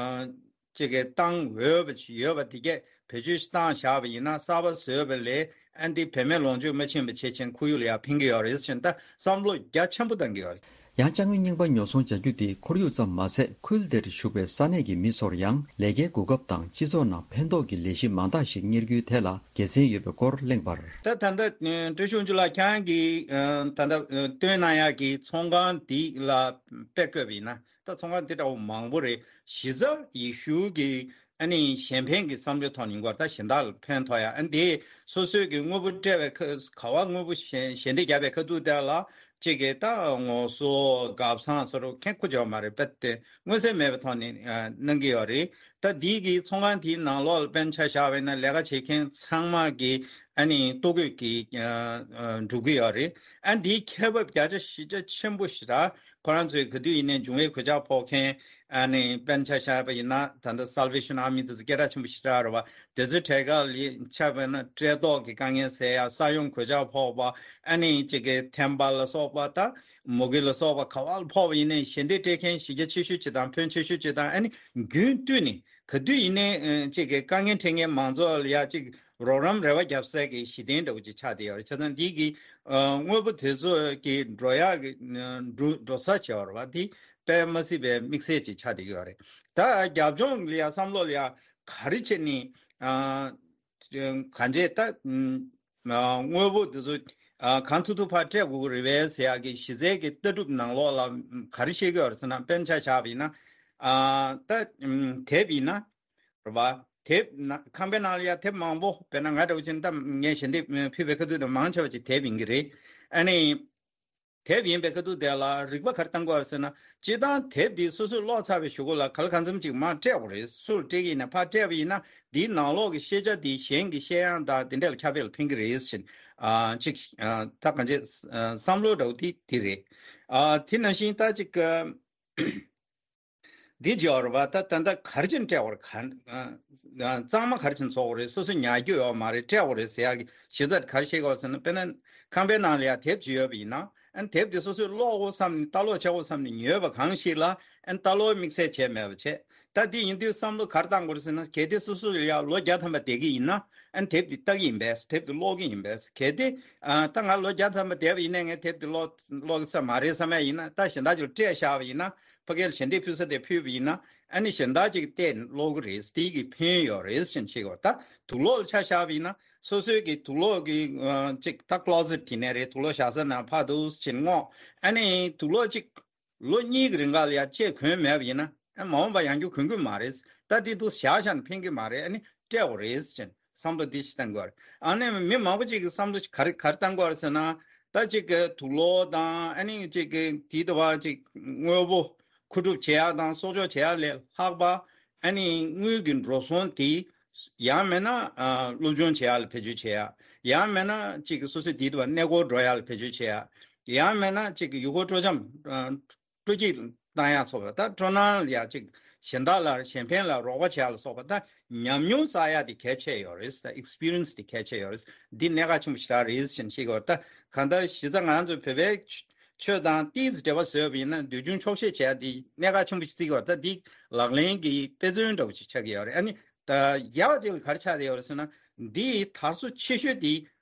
ཅིག་གི་བཏང་འོས་པ་ཅིག་ཡོད་པ་དེ་གས་བེད་སྤྱོད་བཏང་བཞག་པ་ཡིན་ན་གསར་པ་བཟོས་པ་ལས་ཨ་འདི་བེད་མེད་ལོངས་སྤྱོད་མ་ཕྱིན་པ་བྱེད་ཕྱིན་ཁོར་ཡུག་ལ་ཡང་ཕན་གྱི་ཡོད་རེད་ཟེར་ད་བསམ་བློ་རྒྱ་ཆེན་པོ་བཏང་གི་ཡོད་རེད། ཡང་ཅ་དངོས་རྙིང་པ་ཉོ་ཚོང་བྱ་རྒྱུ་དེ་ཁོར་ཡུག་ཙམ་མ་ཟད་ཁུལ་དེར་བཞུགས་པའི་ས་གནས་ཀྱི་མི་ཚོར་ཡང་ལས་ཀའི་གོ་སྐབས་དང་སྤྱི་ཚོགས་ནང་ཕན་ཐོགས་ཀྱི་ལས་གཞི་མང་དག་ཞིག་གཉེར་རྒྱུའི་ཐད་ལ་དགེ་མཚན་ཡོད་པའི་སྐོར་གླེང་བར། ད་ད་ལྟ་ཨ་བཀྲ་ཤིས་དབང་ཕྱུག་ལགས་ཁྱེད་རང་གིས་ཨ་ད་ལྟ་ཨ་བཏོན་གནང་ཡག་གི་ཚོང་ཁང་འདི་ལ་དཔེ་བཀོད་པ་ཡིན་ན་ད་ཚོང་ཁང་འདི་འདྲ་བོ་མང་པོ་རེད། གཞི་རྩ་ཡེ་ཤུ་གི་ཨ་ནི་གཞན་ཕན་གྱི་བསམ་བློའི་ཐོག་ནས་ཡིན་སྐོར་ད་གཞན་དག་ལ་ཕན་ཐོགས་ཡ་ཨ་ནི་དེ་སོ་སོའི་གི་དངོས་པོ་སྤྲད་པའི་ཁ་ག་བ་དངོས་པོ་ཞལ་ཞལ་འདེབས་བརྒྱབ་པའི་ཁ་ཐུག་དེ་ལ་ གཅིག་གིས་ད་ངོ་སོ་སྒབ་ཚང་སོགས་ཁྱོན་ཁུར་ཆོག་མ་རེད། དཔེ་དེ་མངོན་གསལ་མེད་པའི་ཐོག་ནས་ཨ་གནང་གི་ཡོད་རེད། ད་འདི་གི་ཚོང་ཁང་དེའི་ནང་ལོགས་ལ་དཔེར་ན་ཆ་བཞག་པ་ཡིན་ན་ལས་ཀ་བྱེད་མཁན་ཚང་མ་གི་ཨ་ནི་ལྟོ་གོས་ཀྱི་ཨ་ཨ་སྒྲུབ་ཀྱི་ཡོད་རེད། ཨ་འདིའི་ཁེ་བབ་བརྒྱ་ཆ་བཞི་བརྒྱ་ཆེན་པོ་ཞེ་དྲག་ཁོ་རང་ཚོས་ག་དུས་ཡིན་ནའི་འབྱུང་བའི་གོད་ཆག་ཕོག་མཁན། ཨ་ནི་དཔེར་ན་ཆ་བཞག་པ་ཡིན་ན་ད་ལྟ་Salvation Army་དེ་ཚོ་སྐད་གྲགས་ཆེན་པོ་ཞེ་དྲག་རེད་བ། དེ་ཚོའི་གྲས་ཁ་ལ་ཆ་བཞག་ན་བཀྲེས་ལྟོགས་ཀྱི་དཀའ་ངལ་སེལ་ཡ། ས་ཡོམ་གོད་ཆག་ཕོག་པ། ཨ་ནི་གཅིག་གི་ཐན་པ་ལ་སོགས་པ་དང་མུ་གེ་ལ་སོགས་པ་ག་བ་ལ་ཕོག་པ་ཡིན་ནའི་ཞལ་འདེབས་སྤྲད་མཁན་གཞི་རྒྱ་ཆེ་ཤོས་ཅིག་དང་ཕོན་ཆེ་ཤོས་ཅིག་དང་། ཨ་ནི་རྒྱུན་བསྟུད་ནས་ག་དུས་ཡིན་ནའི་ཨ་གཅིག་གི་དཀའ་ངལ་འཕྲད་མཁན་མང་ཚོགས་ལ་ཡ་གཅིག་རོགས་རམ་རེ་བ་རྒྱབ་སའི་གི་གཞི་རྟེན་འདྲ་བོ་ཅིག་ཆགས་བསྡད་ཡོད་རེད། བྱས་ཙང་འདི་གི་ཨ་དངོས་པོ་དེ་ཚོ་གི་འགྲོ་ཡག་གི་ཨ་འགྲོ་འགྲོ་ས་བྱས་པ་རེད་བ། དེ་དཔེ་མ་སྲིད་པའི་དམིགས་བསལ་ཅིག་ཆགས་བསྡད་ཀྱི་ཡོད་རེད། ད་རྒྱབ་ལྗོངས་ལ་ཡ་བསམ་བློ་ལ་ཡ་ག་རེ་བྱས་ནས་ཨ་གང་བྱས་ད་ཨ་དངོས་པོ་དེ་ཚོ་ཨ་གང་ཐུབ་ཐུབ་ཕར་སྤྲད་དགོས་ཀྱི་རེད་པས་ཟེར་ཡག་གི་གཞི་རྩའི་གི་ལྟ་གྲུབ་ནང་ལོགས་ལ་ག་རེ་བཤད་ཀྱི་ཡོད་རེད་ཟེར་ན། དཔེར་ན་ཆ་བཞག་པ་ཡིན་ན་ཨ་ད་ཨ་དེབ་ཡིན་ན། རེད་བ། དེབ་ན་ཁང་པའི་ནང་ལ་ཡ་དེབ་མང་པོ། དཔེར་ན་ང་འདྲ་བོ་ཅིག་ད་ངས་ཞལ་འདེབས་ཕུལ་བའི་ཁ་ཐུག་དེ་མང་ཆེ་བ་ཅིག་དེབ་ཡིན་གྱི་རེད། ཨ་ནི་དེབ་ཡིན་པའི་ཁ་ཐུག་དེ་ལ་རིག་པ་ག་རེ་བཏང་དགོས་ཟེར་ན། སྤྱིར་བཏང་དེབ་འདི་སོ་སོས་ཀློག་ཚར་བའི་གཞུག་གུ་ལ་ག་ལ་གང་འཚམ་ཅིག་མར་སྤྲད་དགོས་རེད། སུ་ལ་སྤྲད་ཀྱི་ཡིན་ན་ཕར་སྤྲད་པ་ཡིན་ན་འདིའི་ནང་ལོགས་ཀྱི་ཤེས་བྱ་འདི་གཞན་གྱི་ཤེས་ཡོན་དང་དེ་འདྲ་ལ་ཁྱབ་སྤེལ་ལ་ཕན་གྱི་རེད་ཟེར། ཨ་ཅིག་ཨ་ད་གང་ཅི་ཨ་བསམ་བློ་འདྲ་བོ་དེ་དེ་རེད། ཨ་དེ་ནང་བཞིན་ད་ཅིག་ཨ། འདི་བརྗོད་རེད་པ། ད་ད་ལྟ་ག་རེ་བྱས་ནས་སྤྲད་པར་ག་ཨ་གཙང་མ་ག་རེ་བྱས་ནས་བཟོ་དགོས་རེད། སོ་སོ་ཉར་རྒྱུ་ཡོད་མ་རེད། སྤྲད་དགོས་རེད་ཟེར་ཡག་གི་གཞི་རྩ་ག་རེ་བཤད་དགོས་ཟེར་ན། དཔེར་ན་ཁང་པའི་ནང་ལ་ཡ་དེབ་ཅིག་ཡོད་པ་ཡིན་ན། ཨ་ནི་དེབ་དེ་སོ་སོས་ཀློག་དགོས་བསམ་ནས་ལྟ་ཀློག་བྱེད་དགོས་བསམ་ནས་ཉོས་པ་གང་ཞིག་ལ། ཨ་ནི་ལྟ་ཀློག་དམིགས་བསལ་བྱས་མེད་པ་བྱས། ད་འདི་ཡིན་དུས་བསམ་བློ་ག་རེ་བཏང་དགོས་རེད་ཟེར་ན། གལ་ཏེ་སོ་སོ་ལ་ཡ་ལོ་བརྒྱ་ཐམ་པ་བསྡད་ཀྱི་ཡིན་ན། ཨ་ནི་དེབ་འདི་ལྟ་གི་ཡིན་པས། དེབ་འདི་ཀློག་གི་ཡིན་པས། གལ་ཏེ་ཨ་ད་ང་ལོ་བརྒྱ་ཐམ་པ་བསྡད་པ་ཡིན་ནའི་ངས་དེབ་འདི་ཀློག་ཀློག་ས་མ་རེད་བསམ་ཡ་ཡིན་ན། ད་གཞན་དག་ཅིག་ལ་སྤྲད་བཞག་པ་ཡིན་ན། ཕ་གིར་ཞལ་འདེབས་ཕུལ་ས་དེ་ཕུལ་བ་ཡིན་ན། ཨ་ནི་གཞན་དག་ཅིག་བལྟས་ཀློག་གི་རེད། དེ་གི་ཕན་ཡོད་རེད་ཟེར་བཤད་ཀྱི་ཡོད། ད་དུག་ལོག་ལ་ཆ་བཞག་པ་ཡིན་ན། སོ་སོའི་གི་དུག་ལོག་གི་ཨ་ཅིག་ད་ཀློ་ཟེཊ་དེ་ནས་རེད། དུག་ལོག་བཞག་ས་ནང་ཕར་འདུག་ཟེར་བྱས་བསྔོག་ཨ་ནི་དུག་ལོག་ཅིག་ལོ་གཉིས་ཀྱི་རིང་ག་ལ་ཡ་ཅིག་གོན་མེད་པ་ཡིན་ན། ཨ་མ་འོངས་པ་ཡང་བསྐྱར་གོན་གྱི་མ་རེད། ད་འདི་འདུག་བཞག་བཞག་ན་ཕན་གྱི་མ་རེད། ཨ་ནི་སྤྲད་དགོས་རེད་ཟེར་བྱས་བསམ་བློ་འདི་ཞིག་བཏང་དགོས་རེད། ཨ་ནི་མི་མང་པོ་ཅིག་གི་བསམ་བློ་ག་རེ་ག་རེ་བཏང་དགོས་རེད་ཟེར་ན། ད་ཅིག་གི་དུག་ལོག་དང་། ཨ་ནི་ཅིག་གི་དེ་ལྟ་བུ་ཅིག་དངོས་པོ་མཁོ་སྒྲུབ་བྱེད་ཡག་དང་གསོག་འཇོག་བྱེད་ཡག་ལས་ལྷག་པ། ཨ་ནི་དངུལ་གྱི་འགྲོ་སོང་དེ་ཡང་མིན་ན་ཨ་སློབ་སྦྱོང་བྱེད་ཡག་ལ་བེད་སྤྱོད་བྱེད་ཡག་ཡང་མིན་ན་ཅིག་གི་སོ་སོའི་དེ་ལྟ་བུ་གནས་སྐོར་འགྲོ་ཡག་ལ་བེད་སྤྱོད་བྱེད་ཡག་ཡང་མིན་ན་ཅིག་གི་ཡུལ་སྐོར་སྤྲོ་འཆམ་ཨ་སྤྲོ་སྐྱིད་བཏང་ཡག་སོགས་པ། ད་སྤྲོ་སྣང་ལ་ཡ་ཅིག་གཞན་དག་ལ་གཞན་ཕན་ལ་རོགས་པ་བྱེད་ཡག་ལ་སོགས་པ། ད་ཉམས་མྱོང་བསགས་ཡག་དེ་གལ་ཆེ་ཡོད་རེད། ད་ཨེག་སི་པི་རི་ཡན་སི་དེ་གལ་ཆེ་ཡོད་རེད། འདི་གནད་འགག་ཆེན་པོ་ཞེ་དྲག་རེད་ཟེར་བཤད་ཀྱི་ཡོད་རེད། ད་གང་ལྟར་གཞི་རྩ་ང་རང་ཚོ་བོད་པའི་ཆོས་དང་ཏོག་ཙམ་འབྲེལ་བ་བཟོས་པ་ཡིན་ན། འདོད་ཆུང་ཆོག་ཤེས་བྱེད་ཡག་འདི་གནད་འགག་ཆེན་པོ་ཞིག་བརྩི་གི་ཡོད་རེད། ད་འདི་ལག་ལེན་གྱི་དཔེ་མཚོན་འདྲ་བོ་ཞིག་ཆགས་ཀྱི་ཡོད་རེད། ཨ་ནི་ད་ཡག་ཅིག་ལ་ག་རེ་ཆགས་བསྡད་ཡོད་རེད་ཟེར་ན། འདི་དར་སོ་ཆེ་ཤོས་དེ་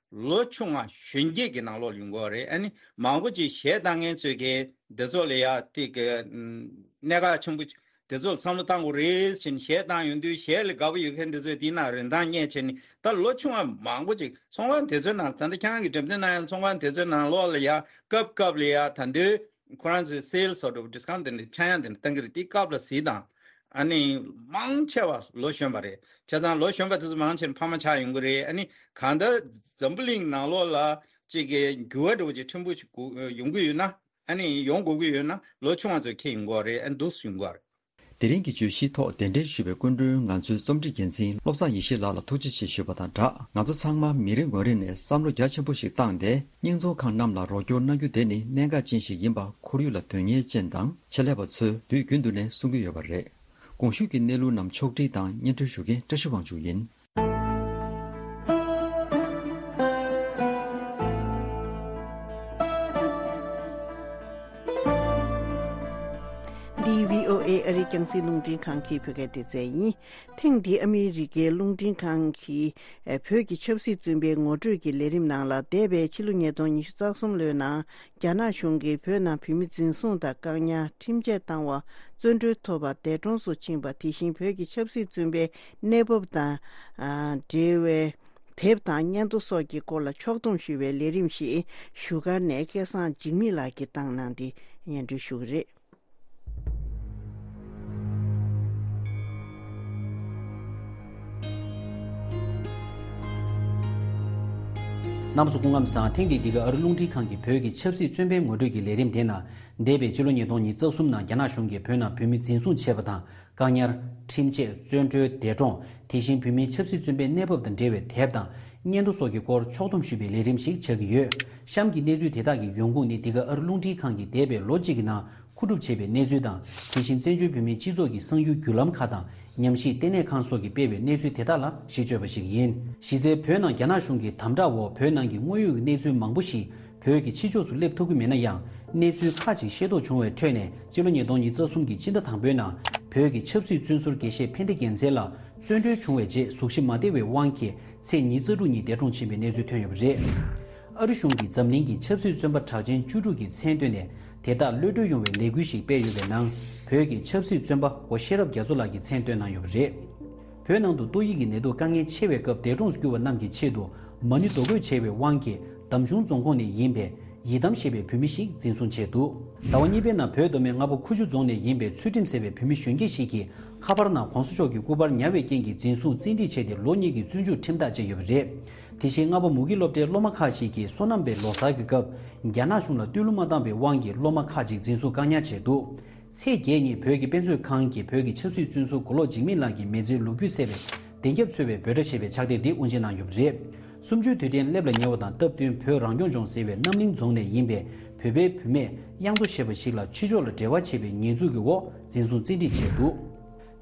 ལོ་ཆུང་བ་གཞོན་སྐྱེས་ཀྱི་ནང་ལོགས་ཡོང་གི་ཡོད་རེད། ཨ་ནི་མང་པོ་ཅིག་གཞས་བཏང་མཁན་ཚོས་ཀྱི་འདི་ཚོ་ལ་ཡ་དེ་གི་གནད་འགག་ཆེན་པོ་དེ་ཚོ་ལ་བསམ་བློ་བཏང་དགོས་རེད་ཟེར་ནས་གཞས་བཏང་ཡོང་དུས། གཞས་ལ་དགའ་པོ་ཡོད་མཁན་དེ་ཚོས་དེའི་ནང་རིན་ཐང་རྙེད་བྱས་ནས། ད་ལོ་ཆུང་བ་མང་པོ་ཅིག་ཚོང་ཁང་དེ་ཚོའི་ནང་། ད་ལྟ་ཁྱེད་རང་གིས་འགྲེམས་སྟོན་གནང་ཡག་ཚོང་ཁང་དེ་ཚོའི་ནང་ལོགས་ལ་ཡ་སྐབས་སྐབས་ལ་ཡ་ད་དུང་ཁོ་རང་ཚོའི་སེལ་སོགས་འདྲ་བོ་ཌི་སི་ཀའུན་ཊི་དེ་འདྲ་ཆག་ཡང་དེ་འདྲ་བཏང་གི་རེད། དེ་སྐབས་ལ་གཟིགས་དང་། ཨ་ནི་མང་ཆེ་བ་ལོ་གཞོན་པ་རེད། བྱས་ཙང་ལོ་གཞོན་པ་དེ་ཚོ་མང་ཆེ་ཕ་མ་ཆགས་ཡོང་གི་རེད། ཨ་ནི་གང་ལྟར་འཛམ་བུ་གླིང་ནང་ལོགས་ལ་ཅིག་གི་འགྱུར་བ་འདྲ་བོ་ཅིག་ཕྲན་བུ་ཞིག་ཡོང་གི་ཡོད་ན། ཨ་ནི་ཡོང་དགོས་ཀྱི་ཡོད་ན་ལོ་ཆུང་བ་ཚོས་འཁྱེར་ཡོང་གི་རེད། ཨ་ནི་འདུག་སེ་ཡོང་གི་རེད། དེ་རིང་གི་བརྗོད་གཞིའི་ཐོག་གདན་འདྲེན་ཞུས་པའི་སྐུ་མགྲོན་ང་ཚོའི་རྩོམ་སྒྲིག་འགན་འཛིན་བློ་བཟང་ཡེ་ཤེས་ལགས་ལ་ཐུགས་རྗེ་ཆེ་ཞུས་པ་དང་སྦྲགས། ང་ཚོ་ཚང་མ་མི་རེ་ངོ་རེ་ནས་བསམ་བློ་རྒྱ་ཆེན་པོ་ཞིག་བཏང་སྟེ། སྙིང་རྫོང་ཁང་རྣམས་ལ་རོགས་སྐྱོར་གནང་རྒྱུ་དེ་ནི་གནད་འགག་ཅན་ཞིག་ཡིན་པ་ཁོར་ཡུག་ལ་དོན་གཉེར་ཅན་དང་ཆེད་ལས་པ་ཚོས་དུས་རྒྱུན་དུ་ནས་གསུང་གི་ཡོད་པ་རེད། གོང་ཞུས་ཀྱི་གནས་ལུགས་རྣམས་ཕྱོགས་སྒྲིག་དང་སྙན་སྒྲོན་ཞུ་མཁན་བཀྲ་ཤིས་དབང་ཕྱུག་ཡིན། འདི་བྷི་ཨོ་ཨེ་ཨ་རིའི་རྒྱང་སྲིང་རླུང་འཕྲིན་ཁང་གི་བོད་སྐད་སྡེ་ཚན་ཡིན། ཐེངས་འདིའི་ཨ་མི་རི་ཀའི་རླུང་འཕྲིན་ཁང་གི་ཨ་བོད་ཀྱི་ཆབ་སྲིད་བཙོན་པའི་ངོ་སྤྲོད་ཀྱི་ལས་རིམ་ནང་ལ། འདས་པའི་ཕྱི་ལོ་ཉིས་སྟོང་ཉི་ཤུ་རྩ་གསུམ་ལོའི་ནང་རྒྱ་ནག་གཞུང་གིས་བོད་ནང་བོད་མི་འཛིན་བཟུང་དང་བཀག་ཉར། ཁྲིམས་ཆད་བཏང་བ། བཙོན་གྲོལ་ཐོབ་པ། འདས་གྲོངས་སུ་ཕྱིན་པ། དེ་བཞིན་བོད་ཀྱི་ཆབ་སྲིད་བཙོན་པའི་གནས་བབ་དང་ཨ་འབྲེལ་བའི་དེབ་དང་སྙན་ཐོ་སོགས་ཀྱི་སྐོར་ལ་ཕྱོགས་བསྡོམས་ཞུ་བའི་ལས་རིམ་ཞིག་བཞུགས་སྒར་ནས་སྐལ་བཟང་འཇིགས་མེད་ལགས་ཀྱིས་བཏང་གནང་སྟེ་སྙན་སྒྲོན་ཞུ་གི་རེད། རྣམ་པ་ཚོ་སྐུ་ཁམས་བཟང་། ཐེངས་འདིའི་འདི་ག་ཨ་རི་རླུང་འཕྲིན་ཁང་གི་བོད་ཀྱི་ཆབ་སྲིད་བཙོན་པའི་ངོ་སྤྲོད་ཀྱི་ལས་རིམ་དེ་ནང་། འདས་པའི་ཕྱི་ལོ་ཉིས་སྟོང་ཉི་ཤུ་རྩ་གསུམ་ནང་རྒྱ་ནག་གཞུང་གིས་བོད་ནང་བོད་མི་འཛིན་བཟུང་བྱས་པ་དང་། བཀག་ཉར། ཁྲིམས་ཆད། བཙོན་གྲོལ། འདས་གྲོངས། དེ་བཞིན་བོད་མིའི་ཆབ་སྲིད་བཙོན་པའི་གནས་བབ་དང་འབྲེལ་བའི་དེབ་དང་། སྙན་ཐོ་སོགས་ཀྱི་སྐོར་ཕྱོགས་བསྡོམས་ཞུས་པའི་ལས་རིམ་ཞིག་ཆགས་ཀྱི་ཡོད། གཤམ་གྱི་གནས་ཚུལ་དེ་དག་གི་ཡོང་ཁུངས་ནི་འདི་ག་ཨ་རི་རླུང་འཕྲིན་ཁང་གིས་འདས་པའི་ལོ་གཅིག་གི་ནང་མཁོ་སྒྲུབ་བྱས་པའི་གནས་ཚུལ་དང་། དེ་བཞིན་བཙན་བྱོལ་བོད་མིའི་སྤྱི་ཚོགས་ཀྱི་གསང་ཡུལ་བརྒྱུད་ལམ་ཁག་དང་། ཉམས་ཞིབ་ལྟེ་གནས་ཁང་སོགས་ཀྱིས་སྤེལ་བའི་གནས་ཚུལ་དེ་དག་ལ་གཞི་བཅོལ་བ་ཞིག་ཡིན། གཞི་རྩའི་བོད་ནང་རྒྱ་ནག་གཞུང་གི་དམ་དྲག་འོག་བོད་ནང་གི་དངོས་ཡོད་ཀྱི་གནས་ཚུལ་མང་པོ་ཞིག་བོད་ཀྱི་ཕྱི་ཕྱོགས་སུ་སླེབས་ཐུབ་ཀྱི་མེད་ན་ཡང་། གནས་ཚུལ་ཁག་ཅིག་ཤེས་རྟོགས་བྱུང་བའི་ཁྲོད་ནས། སྤྱི་ལོ་ཉིས་སྟོང་ཉི་ཤུ་རྩ་གསུམ་གྱི་ཕྱི་ཟླ་དང་པོའི་ནང་། བོད་ཀྱི་ཆབ་སྲིད་བཙོན་ཟུར་དགེ་བཤེས་ཕན་བདེ་རྒྱལ་མཚན་ལགས་བཙོན་གྲོལ་བྱུང་བའི་རྗེས། གཟུགས་གཞི་མ་བདེ་བའི་དབང་གིས། ཚེས་ཉི་ཤུ་རྩ་དྲུག་ཉིན་འདས་གྲོངས་ཕྱིན་པའི་གནས་ཚུལ་ཐོན་ཡོད་པ་རེད། ཨ་རི་གཞུང་གིས་འཛམ་གླིང་གི་ཆབ་སྲིད་བཙོན་པ་གྲགས་ཅན་བཅུ་དྲུག་གི་མཚན་བཏོན་ནས། དེ་དག་གློད་གྲོལ་ཡོང་བའི་ལས་འགུལ་ཞིག་སྤེལ་ཡོད་པའི་ནང་། བོད་ཀྱི་ཆབ་སྲིད་བཙོན་པ་སྒོ་ཤེས་རབ་རྒྱ་མཚོ་ལགས་ཀྱི་མཚན་བཏོན་གནང་ཡོད་པ་རེད། བོད་ནང་དུ་ཏོག་དབྱིབས་ཀྱི་ནད་དུག་དཀའ་ངལ་ཆེ་བའི་སྐབས་འདས་གྲོངས་སུ་གྱུར་བ་རྣམས་ཀྱི་ཆེད་དུ། མ་ཎི་རྡོ་བརྐོས་བྱས་པའི་དབང་གིས། འདམ་གཞུང་རྫོང་ཁོངས་ནས་ཡིན་པའི་ཡི་དམ་ཞེས་པའི་བུད་མེད་ཞིག་འཛིན་བཟུང་བྱས་འདུག་ཟླ་བ་གཉིས་པའི་ནང་བོད་མདོ་སྨད་རྔ་པ་ཁུ་བྱུག་རྫོང་ནས་ཡིན་པའི་ཚུལ་ཁྲིམས་ཟེར་བའི་བུད་མེད་གཞོན་སྐྱེས་ཤིག་གིས། ཁ་པར་ནང་གོང་ས་མཆོག་གི་སྐུ་པར་ཉར་བའི་རྐྱེན་གྱིས་འཛིན་བཟུང་བཙན་ཁྲིད་བྱས་ཏེ། ལོ་གཉིས་ཀྱི་བཙོན་འཇུག་ཁྲིམས་ཐག་བཅད་ཡོད་པ་རེད། དེ་བཞིན་རྔ་པ་མུ་གེ་སློབ་གྲྭའི་སློབ་མ་ཁག་ཅིག་གིས་སོ་ནམ་པའི་ལོ་གསར་གྱི་སྐབས། རྒྱ་ནག་གཞུང་ལ་བསྟོད་གླུ་མ་བཏང་བའི་དབང་གིས་སློབ་མ་ཁག་ཅིག་འཛིན་བཟུང་བཀག་ཉར་བྱས་འདུག་ཚེས་བརྒྱད་ཉིན་བོད་ཀྱི་དཔེ་མཛོད་ཁང་གིས་བོད་ཀྱི་ཆབ་སྲིད་བཙོན་ཟུར་མགོ་ལོག་འཇིགས་མེད་ལགས་ཀྱི་མི་ཚེའི་ལོ་རྒྱུས་གསལ་བའི་བདེན་རྒྱབ་འཚོལ་བའི་འབོད་སྒྲ་ཞེས་པའི་ཕྱག་དེབ་འདི་དབུ་འབྱེད་གནང་ཡོད་པ་རེད། སུམ་ཅུའི་དུས་དྲན་སླེབས་ལ་ཉེ་བ་དང་སྟབས་བསྟུན། བོད་རང་སྐྱོང་ལྗོངས་ཟེར་བའི་རྣམ་གླིང་རྫོང་ནས་ཡིན་པའི་བོད་པའི་བུད་མེད་གཡང་མཚོ་ཞེས་པ་ཞིག་ལ་ཕྱི་ཕྱོགས་ལ་འབྲེལ་བ་བྱས་པའི་ཉེས་འཛུགས་ཀྱི་འོག་འཛིན་བཟུང་བཙན་ཁྲིད་བྱས་འདུག་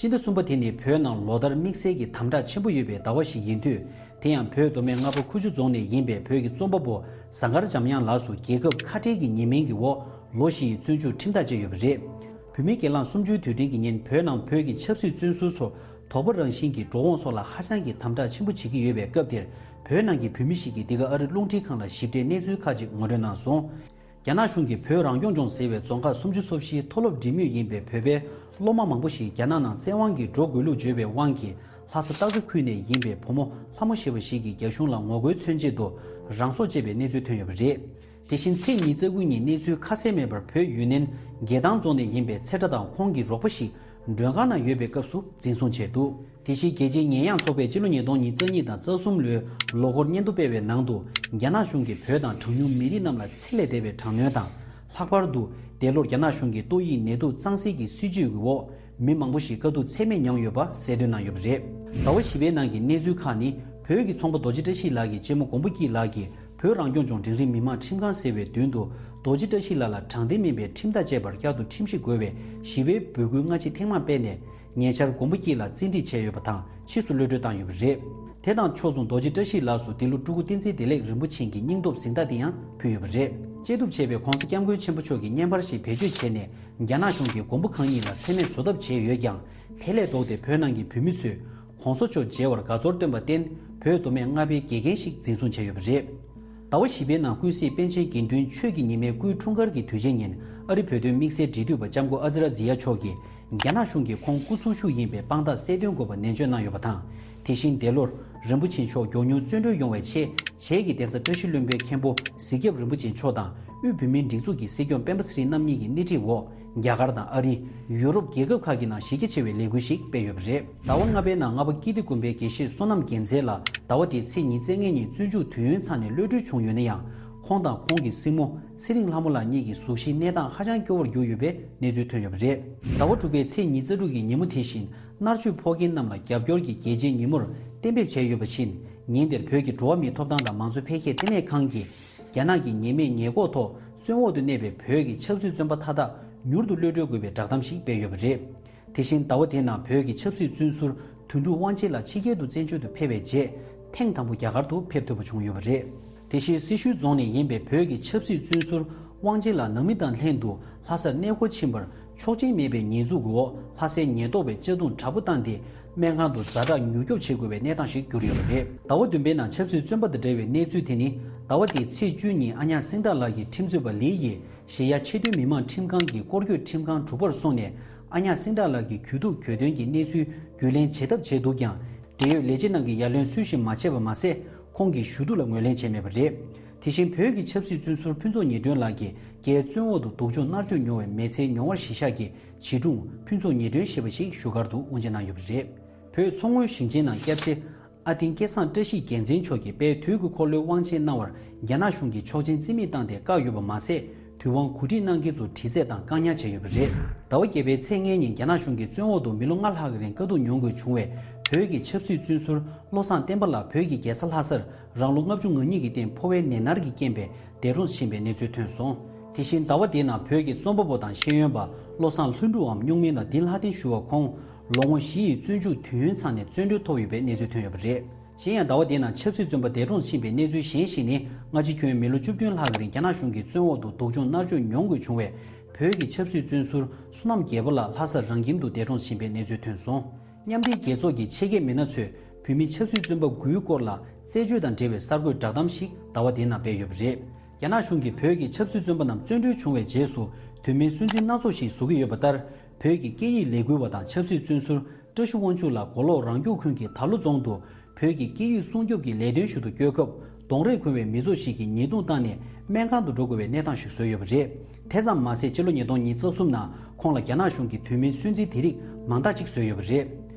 སྤྱི་ཟླ་གསུམ་པ་དེ་ནི་བོད་ནང་ལོ་ལྟར་དམིགས་བསལ་གྱི་དམ་དྲག་ཆེན་པོ་ཡོད་པའི་ཟླ་བ་ཞིག་ཡིན་དུས། དེ་ཡང་བོད་མདོ་སྨད་རྔ་པ་ཁུ་བྱུག་རྫོང་ནས་ཡིན་པའི་བོད་ཀྱི་རྩོམ་པ་པོ་ཟངས་དཀར་འཇམ་དབྱངས་ལགས་སུ་རྒྱལ་ཁབ་ཁ་བྲལ་གྱི་ཉེས་མིང་གི་འོག་ལོ་བཞི་ཡི་བཙོན་འཇུག་ཁྲིམས་ཐག་བཅད་ཡོད་པ་རེད། བོད་མིའི་སྒེར་ལངས་སུམ་ཅུའི་དུས་དྲན་གྱི་ཉིན་བོད་ནང་བོད་ཀྱི་ཆབ་སྲིད་བཙོན་ཟུར་ཚོར་དོགས་པ་རང་བཞིན་གྱི་འགྲོ་འོང་སོགས་ལ་ཧ་ཅང་གི་དམ་དྲག་ཆེན་པོ་བྱེད་ཀྱི་ཡོད་པའི་སྐབས་དེར། བོད་ནང་གི་བོད་མི་ཞིག་གིས་འདི་ག་ཨ་རི་རླུང་འཕྲིན་ཁང་ལ་ཞིབ་ཕྲའི་གནས་ཚུལ་ཁག་ཅིག་ངོ་སྤྲོད་གནང་སོང་། རྒྱ་ནག་གཞུང་གིས་བོད་རང་སྐྱོང་ལྗོངས་ཟེར་བའི་རྫོང་ཁག་སུམ་ཅུ་སོ་བཞིའི་མཐོ་སློབ་འབྲིང་མོས་ཡིན་པའི་བོད་པའི་སློབ་མ་མང་པོ་ཞིག་རྒྱ་ནག་ནང་བཙན་དབང་གིས་འགྲོ་དགོས་ལུགས་བརྗོད་པའི་དབང་གིས། ལྷ་ས་སྟག་འཚེར་ཁུལ་ནས་ཡིན་པའི་བུ་མོ་ལྷ་མོ་ཞེས་པ་ཞིག་གིས་རྒྱ་གཞུང་ལ་ངོ་རྒོལ་མཚོན་ཆེད་དུ་རང་སྲོག་བཅད་པའི་གནས་ཚུལ་ཐོན་ཡོད་པ་རེད། དེ་བཞིན་ཚེས་ཉི་ཤུ་རྩ་དགུ་ཉིན་གནས་ཚུལ་ཁ་གསལ་མེད་པར་བོད་ཡུན་ནན་རྒྱལ་ཐང་རྫོང་ནས་ཡིན་པའི་ཚེ་བཀྲ་དང་ཁོང་གི་རོགས་པ་ཞིག་མགྲོན་ཁང་ནང་ཡོད་པའི་སྐབས་སུ་འཛིན་བཟུང་བྱས་འདུག་དེ་བཞིན་རྒྱལ་སྤྱིའི་ཉེས་ཡངས་ཚོགས་པས་སྤྱི་ལོ་ཉིས་སྟོང་ཉི་ཤུ་རྩ་གཉིས་དང་རྩ་གསུམ་ལོའི་ལོ་འཁོར་སྙན་ཐོ་སྤེལ་བའི་ནང་དུ། རྒྱ་ནག་གཞུང་གིས་བོད་དང་གྲངས་ཉུང་མི་རིགས་རྣམས་ལ་ཚད་ལས་འདས་པའི་དྲག་གནོན་དང་། ལྷག་པར་དུ། འདས་ལོར་རྒྱ་ནག་གཞུང་གིས་ཏོག་དབྱིབས་ནད་དུག་གཙང་སེལ་གྱི་སྲིད་ཇུས་ཀྱི་འོག་མི་མང་པོ་ཞིག་དཀའ་སྡུག་ཚད་མེད་མྱངས་ཡོད་པ་གསལ་སྟོན་གནང་ཡོད་པ་རེད། ཟླ་བ་བཞི་པའི་ནང་གི་གནས་ཚུལ་ཁག་ནི། བོད་ཀྱི་ཚོང་པ་རྡོ་རྗེ་བཀྲ་ཤིས་ལགས་ཀྱི་གཅེན་མོ་མགོན་པོ་སྐྱིད་ལགས་ཀྱིས། བོད་རང་སྐྱོང་ལྗོངས་འབྲིང་རིམ་མི་དམངས་ཁྲིམས་ཁང་ཟེར་བའི་མདུན་དུ། རྡོ་རྗེ་བཀྲ་ཤིས་ལགས་ལ་དྲང་བདེན་མིན་པའི་ཁྲིམས་ཐག་བཅད་པར་བསྐྱར་དུ་ཁྲིམས་ཞིབ་དགོས་པའི་ཞི་བའི་འབོད་སྐུལ་སྔ་ཕྱི་ཐེངས་མང་སྤེལ་ནས། ཉེ་ཆར་མགོན་པོ་སྐྱིད་ལགས་བཙན་ཁྲིད་བྱས་ཡོད་པ་དང་། ཕྱིས་སུ་གློད་གྲོལ་བཏང་ཡོད་པ་རེད། དེ་དང་ཕྱོགས་མཚུངས་རྡོ་རྗེ་བཀྲ་ཤིས་ལགས་སུ་འདི་ལོ་སྤྲུལ་སྐུ་བསྟན་འཛིན་བདེ་ལེགས་རིན་པོ་ཆེ་གི་སྙིང་སྟོབས་གཟེངས་རྟགས་དེ་ཡང་ཕུལ་ཡོད་པ་རེད། བཅད་གཏུབ་བྱས་པའི་༧གོང་ས་༧སྐྱབས་མགོན་ཆེན་པོ་མཆོག་གི་བརྙན་པར་ཞིག་བེད་སྤྱོད་བྱས་ནས། རྒྱ་ནག་གཞུང་གིས་མགོན་པོ་གང་ཉིད་ལ་མཚན་སྨད་བཟོ་ཐབས་བྱས་ཡོད་ཀྱང་། དེ་ལས་ལྡོག་སྟེ་བོད་ནང་གི་བོད་མི་ཚོས་༧གོང་ས་མཆོག་མཇལ་བར་དགའ་ཚོར་བཏོན་པར་བརྟེན། བོད་མདོ་སྨད་རྔ་པའི་དགེ་རྒན་ཞིག་འཛིན་བཟུང་བྱས་ཡོད་པ་རེད། ཟླ་བ་བཞི་པའི་ནང་ཀུན་གཟིགས་པཎ་ཆེན་དགེ་འདུན་ཆོས་ཀྱི་ཉི་མའི་སྐུའི་འཁྲུངས་སྐར་གྱི་དུས་ཆེན་ཉིན། ཨ་རི་བོད་དོན་དམིགས་བསལ་འབྲེལ་མཐུད་པ་ལྕམ་སྐུ་ཨ་ཛི་ར་ཛི་ཡ་མཆོག་གིས། རྒྱ་ནག་གཞུང་གིས་ཁོང་སྐུ་འཚོ་བཞུགས་ཡིན་པའི་དཔང་རྟགས་གསལ་སྟོན་དགོས་པ་ནན་བརྗོད་གནང་ཡོད་པ་དང་། དེ་བཞིན་འདས་ལོར་རིན་པོ་ཆེ་མཆོག་མགྱོགས་མྱུར་བཙོན་གྲོལ་ཡོང་བའི་ཆེད། བྱེས་ཀྱི་གདན་ས་བཀྲ་ཤིས་ལྷུན་པོའི་མཁན་པོ་གཟིག་སྐྱབས་རིན་པོ་ཆེ་མཆོག་དང་། དབུས་བོད་མིའི་སྒྲིག་འཛུགས་ཀྱི་སྲིད་སྐྱོང་སྤེན་པ་ཚེ་རིང་རྣམ་གཉིས་ཀྱི་སྣེ་ཁྲིད་འོག་རྒྱ་གར་དང་ཨ་རི། ཡུ་རོབ་རྒྱལ་ཁབ་ཁག་གི་ནང་གཞི་རྒྱ་ཆེ་བའི་ལས་འགུལ་ཞིག་སྤེལ་ཡོད་པ་རེད། ཟླ་བ་ལྔ་པའི་ནང་རྔ་པ་ཀིརྟི་དགོན་པའི་དགེ་བཤེས་བསོད་ནམས་རྒྱལ་མཚན་ལགས་ཟླ་བ་འདིའི་ཚེས་ཉི་ཤུ་རྩ་ལྔ་ཉིན་བཙོན་འཇུག་དུས་ཡུན་ཚང་ནས་གློད་གྲོལ་བྱུང་ཡོད་ན་ཡང་། ཁོང་དང་ཁོང་གི་སྲིང་མོ་ཚེ་རིང་ལྷ་མོ་ལགས་གཉིས་ཀྱི་གཟུགས་གཞིའི་གནས་སྟངས་ཧ་ཅང་སྐྱོ་བོར་གྱུར་ཡོད་པའི་གནས་ཚུལ་ཐོན་ཡོད་པ་རེད། ཟླ་བ་དྲུག་པའི་ཚེས་ཉི་ཤུ་རྩ་དྲུག་གི་ཉིན་མོ་དེ་བཞིན། མནར་གཅོད་ཕོག་མཁན་རྣམས་ལ་རྒྱབ་སྐྱོར་གྱི་རྒྱལ་སྤྱིའི་ཉིན་མོར་གཏན་འབེབས་བྱས་ཡོད་པ་བཞིན། ཉིན་དེར་བོད་ཀྱི་འགྲོ་བ་མིའི་ཐོབ་ཐང་དང་མང་གཙོ་འཕེལ་རྒྱས་ལྟེ་གནས་ཁང་གིས། རྒྱ་ནག་གི་ཉེས་མེད་ཉེས་འགོག་ཐོག་བཙོན་འོག་ཏུ་གནས་པའི་བོད་ཀྱི་ཆབ་སྲིད་བཙོན་པ་མཐའ་དག་མྱུར་དུ་གློད་གྲོལ་དགོས་པའི་བསྒྲགས་གཏམ་ཞིག་སྤེལ་ཡོད་པ་རེད། དེ་བཞིན་ཟླ་བ་དེའི་ནང་བོད་ཀྱི་ཆབ་སྲིད་བཙོན་ཟུར་དོན་གྲུབ་དབང་ཆེན་ལགས་ཕྱི་རྒྱལ་དུ་བཙན་བྱོལ་དུ་ཕེབས་པའི་རྗེས། ཐེངས་དང་པོ་རྒྱ་གར་དུ་ཕེབས་ཐུབ་པ་བྱུང་ཡོད་པ་རེད། དེ་བཞིན་སེར་ཤུལ་རྫོང་ནས་ཡིན་པའི་བོད་ཀྱི་ཆབ་སྲིད་བཙོན་ཟུར་དབང་ཆེན་ལགས་ནང་མི་དང་ལྷན་དུ་ལྷ་སར་གནས་སྐོར་ཕྱིན་པར། ཆོག་མཆན་མེད་པའི་ཉེས་འཛུགས་འོག་ལྷ་སའི་ཉེན་རྟོག་པས་གཅར་རྡུང་དྲག་པོ་བཏང་སྟེ། སྨན་ཁང་དུ་ཛ་དྲག་མྱུར་སྐྱོབ་བྱེད་དགོས་པའི་གནས་སྟངས་ཤིག་གྱུར་ཡོད་པ་རེད། ཟླ་བ་བདུན་པའི་ནང་ཆབ་སྲིད་བཙོན་པ་དང་འབྲེལ་བའི་གནས་ཚུལ་དེ་ནི། ཟླ་བ་འདིའི་ཚེས་བཅུ་ཉིན་ཨ་ཉག་སེང་བྲག་ལགས་ཀྱི་ཁྲིམས་རྩོད་པ་ལི་ཡིས་གཞལ་ཡས་ཆེས་མཐོའི་མི་དམངས་ཁྲིམས་ཁང་གི་སྐོར་སྐྱོད་ཁྲིམས་ཁང་དྲུག་པར་སོང་ནས། ཨ་ཉག་སེང་བྲག་ལགས་ཀྱི་གྱོད་གཏུག་གྱོད་དོན་གྱི་གནས་ཚུལ་རྒྱུས་ལེན་བྱེད་ཐབས་བྱས་འདུག་ཀྱང་། འབྲེལ་ཡོད་ལས་བྱེད་རྣམས་ཀྱིས་ཡ་ལན་སུས་ཤིག་མ་བྱས་པ་མ་ཟད། ཁོང་གི་ཞུ་གཏུག་ལ་ངོས་ལེན་བྱས་མེད་པ་རེད། དེ་བཞིན་བོད་ཀྱི་ཆབ་སྲིད་བཙོན་ཟུར་ཕུན་ཚོགས་ཉི་སྒྲོན་ལགས་ཀྱིས་རྒྱའི་བཙོན་འོག་ཏུ་སྡུག་སྦྱོང་མནར་གཅོད་མྱོང་བའི་མི་ཚེའི་མྱོང་བར་གཞི་བཞག་གི་བྱིས་སྒྲུང་ཕུན་ཚོགས་ཉི་སྒྲོན་ཞེས་པ་ཞིག་བཞུགས་སྒར་དུ་དབུ་འབྱེད་གནང་ཡོད་པ་རེད། བོད་མཚོ་སྔོན་ཞིང་ཆེན་ནང་སྐྱབས་རྗེ་ ལྷ་སྡིངས་སྐལ་བཟང་བཀྲ་ཤིས་རྒྱལ་མཚན་མཆོག་གིས་དཔལ་དུས་ཀྱི་འཁོར་ལོའི་དབང་ཆེན་གནང་བར་རྒྱ་ནག་གཞུང་གིས་ཆོག་མཆན་རྩིས་མེད་བཏང་སྟེ་བཀག་ཡོད་པ་མ་ཟད། དུས་དབང་གོ་སྒྲིག་གནང་མཁན་ཚོ་དྲི་རྩད་དང་བཀག་ཉར་བྱས་ཡོད་པ་རེད། ཟླ་བ་བརྒྱད་པའི་ཚེས་ལྔའི་ཉིན་རྒྱ་ནག་གཞུང་གིས་བཙོན་འོག་ཏུ་མི་ལོ་ལྔ་ལྷག་གི་རིང་དཀའ་སྡུག་མྱོང་དགོས་བྱུང་བའི་བོད་ཀྱི་ཆབ་སྲིད་བཙོན་ཟུར་བློ་བཟང་བསྟན་པ་ལགས་བོད་ཀྱི་རྒྱལ་ས་ལྷ་སར་རང་ལོ་ལྔ་བཅུ་ང་གཉིས་ཀྱི་སྟེང་ཕོ་བའི་ནད་མནར་གྱི་རྐྱེན་པས་འདས་གྲོངས་ཕྱིན་པའི་གནས་ཚུལ་ཐོན་སོང་། དེ་བཞིན་ཟླ་བ་འདིའི་ནང་བོད་ཀྱི་རྩོམ་པ་པོ་དང་ཤེས་ཡོན་པ་བློ་བཟང་ལྷུན་གྲུབ་འམ་སྨྱུག་མིང་ལ་འདི་ལྷ་ལྡན་ཞུ་བ་ཁོང་ལོ་ངོ་བཞི་ཡི་བཙོན་འཇུག་དུས་ཡུན་ཚང་ནས་བཙོན་གྲོལ་ཐོབ་ཡོད་པའི་གནས་ཚུལ་ཐོན་ཡོད་པ་རེད། གཞན་ཡང་ཟླ་བ་འདིའི་ནང་ཆབ་སྲིད་བཙོན་པ་འདས་གྲོངས་ཕྱིན་པའི་གནས་ཚུལ་གཞན་ཞིག་ནི། སྔ་ཕྱི་ཁྱོན་མི་ལོ་བཅུ་བདུན་ལྷག་གི་རིང་རྒྱ་ནག་གཞུང་གིས་བཙོན་འོག་ཏུ་སྡུག་སྦྱོང་མནར་གཅོད་མྱོང་དགོས་བྱུང་བའི་བོད་ཀྱི་ཆབ་སྲིད་བཙོན་ཟུར་བསོད་ནམས་རྒྱལ་པོ་ལགས་ལྷ་སར་རང་ཁྱིམ་དུ་འདས་གྲོངས་ཕྱིན་པའི་གནས་ཚུལ་ཐོན་སོང་། མཉམ་འབྲེལ་རྒྱལ་ཚོགས་ཀྱི་ཆེད་མཁས་མི་སྣ་ཚོས་བོད་མི་ཆབ་སྲིད་བཙོན་པ་དགུའི་སྐོར་ལ་རྩད་གཅོད་དང་འབྲེལ་བའི་གསར་འགོད་བསྒྲགས་གཏམ་ཞིག་ཟླ་བ་འདིའི་ནང་སྤེལ་ཡོད་པ་རེད། རྒྱ་ནག་གཞུང་གིས་བོད་ཀྱི་ཆབ་སྲིད་བཙོན་པ་རྣམས་བཙོན་གྲོལ་བྱུང་བའི་རྗེས་སུ་དོན་མེད་སུན་འབྱིན་སྣ་ཚོགས་ཤིག་བཟོ་གི་ཡོད་པ་ལྟར། བོད་ཀྱི་སྐད་ཡིག་ལས་འགུལ་བ་དང་ཆབ་སྲིད་བཙོན་ཟུར་བཀྲ་ཤིས་དབང་ཕྱུག་ལགས་མགོ་ལོག་རང་སྐྱོང་ཁུལ་གྱི་དར་ལུ་རྫོང་དུ་བོད་ཀྱི་སྐད་ཡིག་སྲུང་སྐྱོབ་ཀྱི་ལས་དོན་ཞུ་རུ་སྐྱོད་སྐབས་གདོན་རས་ཁུར་བའི་མི་ཚོགས་ཤིག་གིས་ཉེས་རྡུང་བཏང་ནས་སྨན་ཁང་དུ་འགྲོ་དགོས་པའི་གནས་སྟངས་ཤིག་བཟོས་ཡོད་པ་རེད། དེ་ཙམ་མ་ཟད་ཕྱི་ལོ་ཉིས་སྟོང་ཉེར་གསུམ་ནང་ཁོང་ལ་རྒྱ་ནག་གཞུང་གིས་དོན་མེད་སུན་འབྱིན་དེ་རིགས་མང་དག་ཅིག་བཟོས་ཡོད་པ་རེད།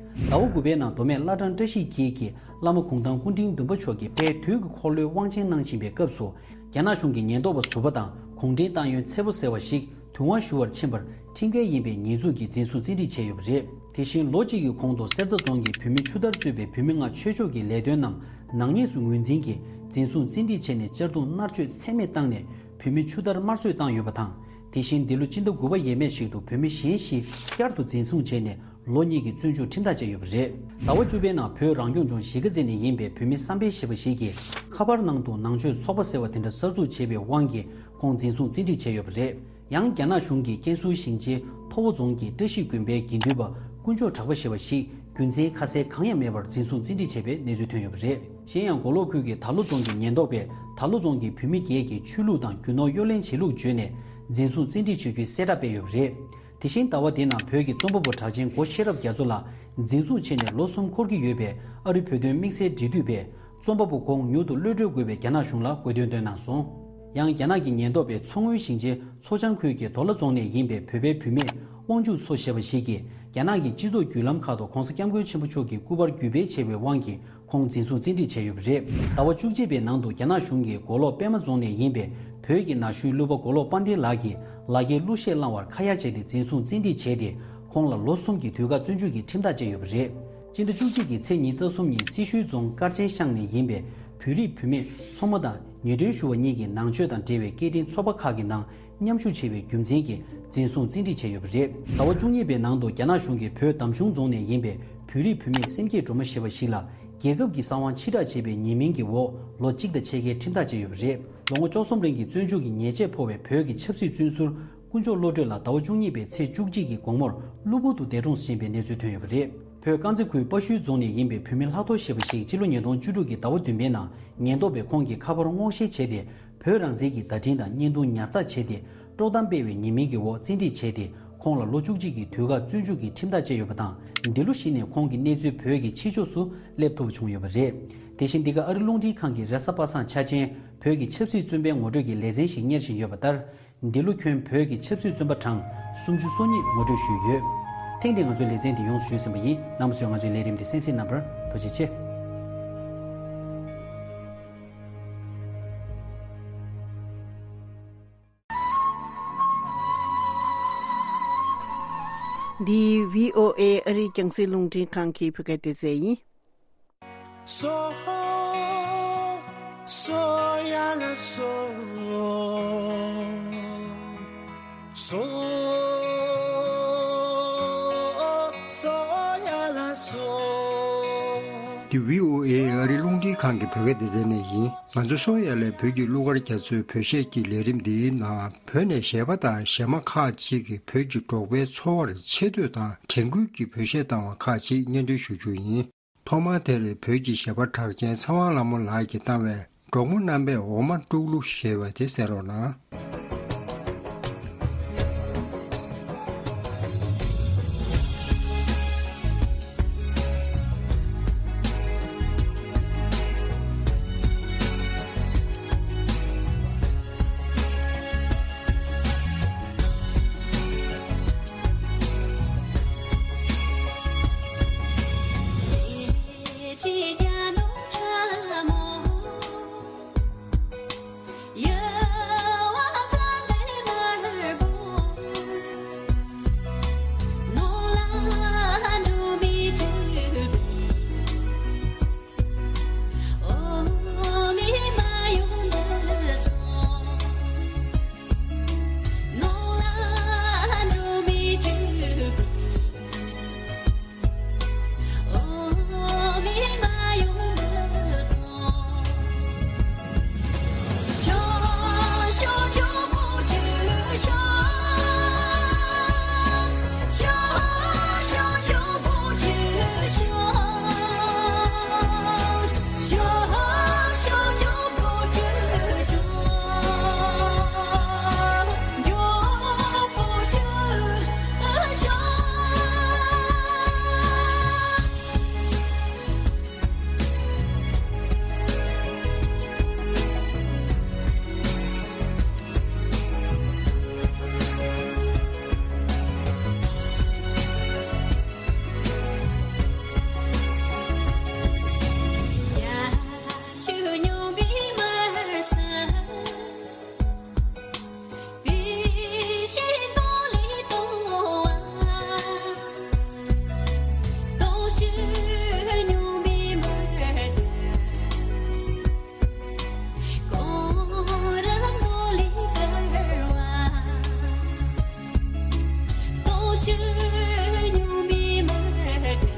ཟླ་བ་དགུ་པའི་ནང་མདོ་སྨད་བླ་བྲང་བཀྲ་ཤིས་འཁྱིལ་གྱི་བླ་མ་གུང་ཐང་སྐུ་ཕྲེང་བདུན་པ་མཆོག་གིས་དཔལ་དུས་ཀྱི་འཁོར་ལོའི་དབང་ཆེན་གནང་བཞིན་པའི་སྐབས་སུ། རྒྱ་ནག་གཞུང་གི་ཉེན་རྟོག་པ་ཟུར་པ་དང་གུང་ཁྲན་ཏང་ཡོན་ཚད་པོ་ཟེར་བ་ཞིག་དུས་དབང་ཞུ་བར་ཕྱིན་པར་ཁྲིམས་འགལ་ཡིན་པའི་ཉེས་འཛུགས་ཀྱིས་འཛིན་བཟུང་བཙན་ཁྲིད་བྱས་ཡོད་པ་རེད། དེ་བཞིན་ལོ་གཅིག་གི་གོང་དུ་གསེར་རྟ་རྫོང་གི་བོད་མི་ཆུ་དར་གཙོས་པའི་བོད་མི་ལྔ་ཆོས་ཕྱོགས་ཀྱི་ལས་དོན་རྣམས་ནག་ཉེས་སུ་ངོས་འཛིན་གྱིས་འཛིན་བཟུང་བཙན་ཁྲིད་བྱས་ནས་གཅར་རྡུང་མནར་གཅོད་ཚད་མེད་བཏང་ནས་བོད་མི་ཆུ་དར་དམར་གསོད་བཏང་ཡོད་པ་དང་། དེ་བཞིན་འདི་ལོ་སྤྱི་ཟླ་དགུ་པ་ཡས་མས་ཤིག་ཏུ་བོད་མི་གཞན་བཞི་བསྐྱར་དུ་འཛིན་བཟུང་བྱས་ནས། ལོ་གཉིས་ཀྱི་བཙོན་འཇུག་ཁྲིམས་ཐག་བཅད་ཡོད་པ་རེད། ཟླ་བ་བཅུ་པའི་ནང་བོད་རང་སྐྱོང་ལྗོངས་གཞིས་ཀ་རྩེ་ནས་ཡིན་པའི་བོད་མི་བསམ་འཕེལ་ཞེས་པ་ཞིག་གིས་ཁ་པར་ནང་དུ་ནང་ཆོས་ཚོགས་པ་ཟེར་བ་དེ་འདྲ་གསར་འཛུགས་བྱས་པའི་དབང་གིས་ཁོང་འཛིན་བཟུང་བཙན་ཁྲིད་བྱས་ཡོད་པ་རེད། ཡང་རྒྱ་ནག་གཞུང་གིས་ཀན་སུའུ་ཞིང་ཆེན་ཐོ་བོ་རྫོང་གི་བཀྲ་ཤིས་དགོན་པའི་དགེ་འདུན་པ་དཀོན་མཆོག་གྲགས་པ་ཞེས་པ་ཞིག་རྒྱུ་མཚན་ཁ་གསལ་གང་ཡང་མེད་པར་འཛིན་བཟུང་བཙན་ཁྲིད་བྱས་པའི་གནས་ཚུལ་ཐོན་ཡོད་པ་རེད། གཞན་ཡང་མགོ་ལོག་ཁུལ་གྱི་དར་ལུ་རྫོང་གི་ཉེན་རྟོག་པས་དར་ལུ་རྫོང་གི་བུད་མེད་བརྒྱད་ཀྱི་ཆོས་ལུགས་དང་རྒྱུ་ནོར་གཡོ་ལེན་བྱེད་ལུགས་བརྗོད་ནས་འཛིན་བཟུང་བཙན་ཁྲིད་བྱེད་རྒྱུའི་གསལ་བསྒྲགས་སྤེལ་ཡོད་པ་རེད། དེ་བཞིན་ཟླ་བ་འདིའི་ནང་བོད་ཀྱི་རྩོམ་པ་པོ་གྲགས་ཅན་སྒོ་ཤེས་རབ་རྒྱ་མཚོ་ལགས་འཛིན་བཟུང་བྱས་ནས་ལོ་གསུམ་འཁོར་གྱི་ཡོད་པས་ཨ་རིའི་བོད་དོན་དམིགས་བསལ་འབྲེལ་མཐུད་པས་རྩོམ་པ་པོ་ཁོང་མྱུར་དུ་གློད་གྲོལ་དགོས་པའི་རྒྱ་ནག་གཞུང་ལ་དགོས་འདུན་བཏོན་གནང་སོང་། ཡང་རྒྱ་ནག་གི་ཉེན་རྟོག་པས་མཚོ་སྔོན་ཞིང་ཆེན་མཚོ་བྱང་ཁུལ་གྱི་དོ་ལ་རྫོང་ནས་ཡིན་པའི་བོད་པའི་བུད་མེད་དབང་ཕྱུག་མཚོ་ཞེས་པ་ཞིག་གིས་རྒྱ་ནག་གི་སྤྱི་ཚོགས་བརྒྱུད་ལམ་ཁག་ཏུ་༧གོང་ས་༧སྐྱབས་མགོན་ཆེན་པོ་མཆོག་གི་སྐུ་པར་བརྒྱུད་སྤེལ་བྱས་པའི་དབང་གིས་ཁོང་འཛིན་བཟུང་བཙན་ཁྲིད་བྱས་ཡོད་པ་རེད། ཟླ་བ་བཅུ་གཅིག་པའི་ནང་དུ་རྒྱ་ནག་གཞུང་གིས་མགོ་ལོག་པད་མ་རྫོང་ནས་ཡིན་པའི་བོད་ཀྱི་ན་གཞོན་གླུ་པ་མགོ་ལོག་དཔལ་ལྡན་ལགས་ཀྱི་ལག་འཁྱེར་གླུ་གཞས་བླངས་བར་ཁ་ཡ་བྱས་ཏེ་འཛིན་བཟུང་བཙན་ཁྲིད་བྱས་ཏེ་ཁོང་ལ་ལོ་གསུམ་གྱི་དུས་བཀག་བཙོན་འཇུག་གི་ཁྲིམས་ཐག་བཅད་ཡོད་པ་རེད། སྤྱི་ཟླ་བཅུ་གཅིག་གི་ཚེས་ཉི་ཤུ་རྩ་གསུམ་ཉིན་སེར་ཤུལ་རྫོང་དཀར་ཆེན་ཤང་ནས་ཡིན་པའི་བོད་རིགས་བུད་མེད་མཚོ་མོ་དང་ཉེ་དྲུང་ཞུ་བ་གཉིས་ཀྱིས་ནང་ཆོས་དང་འབྲེལ་བའི་སྐད་འཕྲིན་ཚོགས་པ་ཁག་གི་ནང་མཉམ་ཞུགས་བྱས་པའི་རྒྱུ་མཚན་གྱིས་འཛིན་བཟུང་བཙན་ཁྲིད་བྱས་ཡོད་པ་རེད། ཟླ་བ་བཅུ་གཉིས་པའི་ནང་དུ་རྒྱ་ནག་གཞུང་གིས་བོད་འདམ་གཞུང་རྫོང་ནས་ཡིན་པའི་བོད་རིགས་བུད་མེད་སེམས་བསྐྱེད་སྒྲོལ་མ་ཞེས་པ་ཞིག་ལ་རྒྱལ་ཁབ་ཀྱི་གསང་བ་ཕྱིར་བསྒྲགས་བྱས་པའི་ཉེས་མིང་གི་འོག་ལོ་གཅིག་དང་ཕྱེད་ཀའི་ཁྲིམས་ཐག་བཅད་ཡོད་པ་རེད། ལོ་ངོ་བཅུ་གསུམ་རིང་གི་བཙོན་འཇུག་གི་ཉེས་ཆད་ཕོག་པའི་བོད་ཀྱི་ཆབ་སྲིད་བཙོན་ཟུར་དཀོན་མཆོག་བློ་གྲོས་ལགས་ཟླ་བ་བཅུ་གཉིས་པའི་ཚེས་བཅུ་གཅིག་གི་དགོང་མོར་གློ་བུར་དུ་འདས་གྲོངས་ཕྱིན་པའི་གནས་ཚུལ་ཐོན་ཡོད་པ་རེད། བོད་དཀར་མཛེས་ཁུལ་དཔའ་ཤུལ་རྫོང་ནས་ཡིན་པའི་བུད་མེད་ལྷག་རྡོར་ཞེས་པ་ཞིག་ཕྱི་ལོ་ཉིས་སྟོང་བཅུ་དྲུག་གི་ཟླ་བ་བདུན་པའི་ནང་ཉེན་རྟོག་པས་ཁོང་གི་ཁ་པར་སྔོག་བཤེར་བྱས་ཏེ། བོད་རང་བཙན་གྱི་བརྡ་འཕྲིན་དང་བརྙན་ཐུང་ཉར་ཚགས་བྱས་ཏེ། དཀྲོག་གཏམ་སྤེལ་བའི་ཉེས་མིང་གི་འོག་བཙན་ཁྲིད་བྱས་ཏེ། ཁོང་ལ་ལོ་བཅུ་གཅིག་གི་དུས་བཀག་བཙོན་འཇུག་གི་ཁྲིམས་ཐག་བཅད་ཡོད་པ་དང་། འདི་ལོ་གཞི་ནས་ཁོང་གི་གནས་ཚུལ་བོད་ཀྱི་ཕྱི་ཕྱོགས་སུ་སླེབས་ཐུབ་བྱུང་ཡོད་པ་རེད། དེ་བཞིན་འདི་ག་ཨ་རི་རླུང་འཕྲིན་ཁང་གི་རེས་གཟའ་པ་སངས་འཆར་ཅན་བོད་ཀྱི་ཆབ་སྲིད་བཙོན་པའི་ངོ་སྤྲོད་ཀྱི་ལེ་ཚན་ཞིག་གཉེར་བཞིན་ཡོད་པ་ལྟར། འདི་ལོ་ཁྱོན་བོད་ཀྱི་ཆབ་སྲིད་བཙོན་པ་གྲངས་སུམ་ཅུ་སོ་གཉིས་ངོ་སྤྲོད་ཞུས་ཡོད། ཐེངས་འདིའི་ང་ཚོའི་ལེ་ཚན་འདི་ཡོངས་སུ་ཞུས་ཟིན་པ་ཡིན། རྣམ་པ་ཚོས་ང་ཚོའི་ལས་རིམ་འདི་གསན་གཟིགས་གནང་བར་ཐུགས་རྗེ་ཆེ། འདི་བྷི་ཨོ་ཨེ་ཨ་རིའི་རྒྱང་སྲིང་རླུང་འཕྲིན་ཁང་གི་བོད་སྐད་སྡེ་ཚན་ཡིན། སོ། སོ་ཡ་ལ་སོ། སོ། སོ་ཡ་ལ་སོ། འདི་བྷི་ཨོ་ཨེ་ཨ་རིའི་རླུང་འཕྲིན་ཁང་གི་བོད་སྐད་སྡེ་ཚན་ནས་ཡིན། ང་ཚོ་སོ་ཡ་ལའི་བོད་ཀྱི་གླུ་གར་རྒྱ་མཚོའི་བོད་གཞས་ཀྱི་ལས་རིམ་འདིའི་ནང་བོད་ནས་གཞས་པ་དང་གཞས་མ་ཁག་ཅིག་གིས་བོད་ཀྱི་འབྲོག་པའི་འཚོ་བར་ཆེ་བསྟོད་དང་དྲན་སྐུལ་གྱི་བོད་གཞས་བཏང་བ་ཁག་ཅིག་སྙན་སྒྲོན་ཞུ་རྒྱུ་ཡིན། ཐོག་མར་དེར་བོད་ཀྱི་གཞས་པ་གྲགས་ཅན་ཚེ་དབང་ལྷ་མོ་ལགས་ཀྱིས་བཏང་བའི་འབྲོག་མོ་རྣམ་པས་འོ་མ་དཀྲུག་གླུ་ཞེས་པ་དེ་གསན་རོགས་གནང་།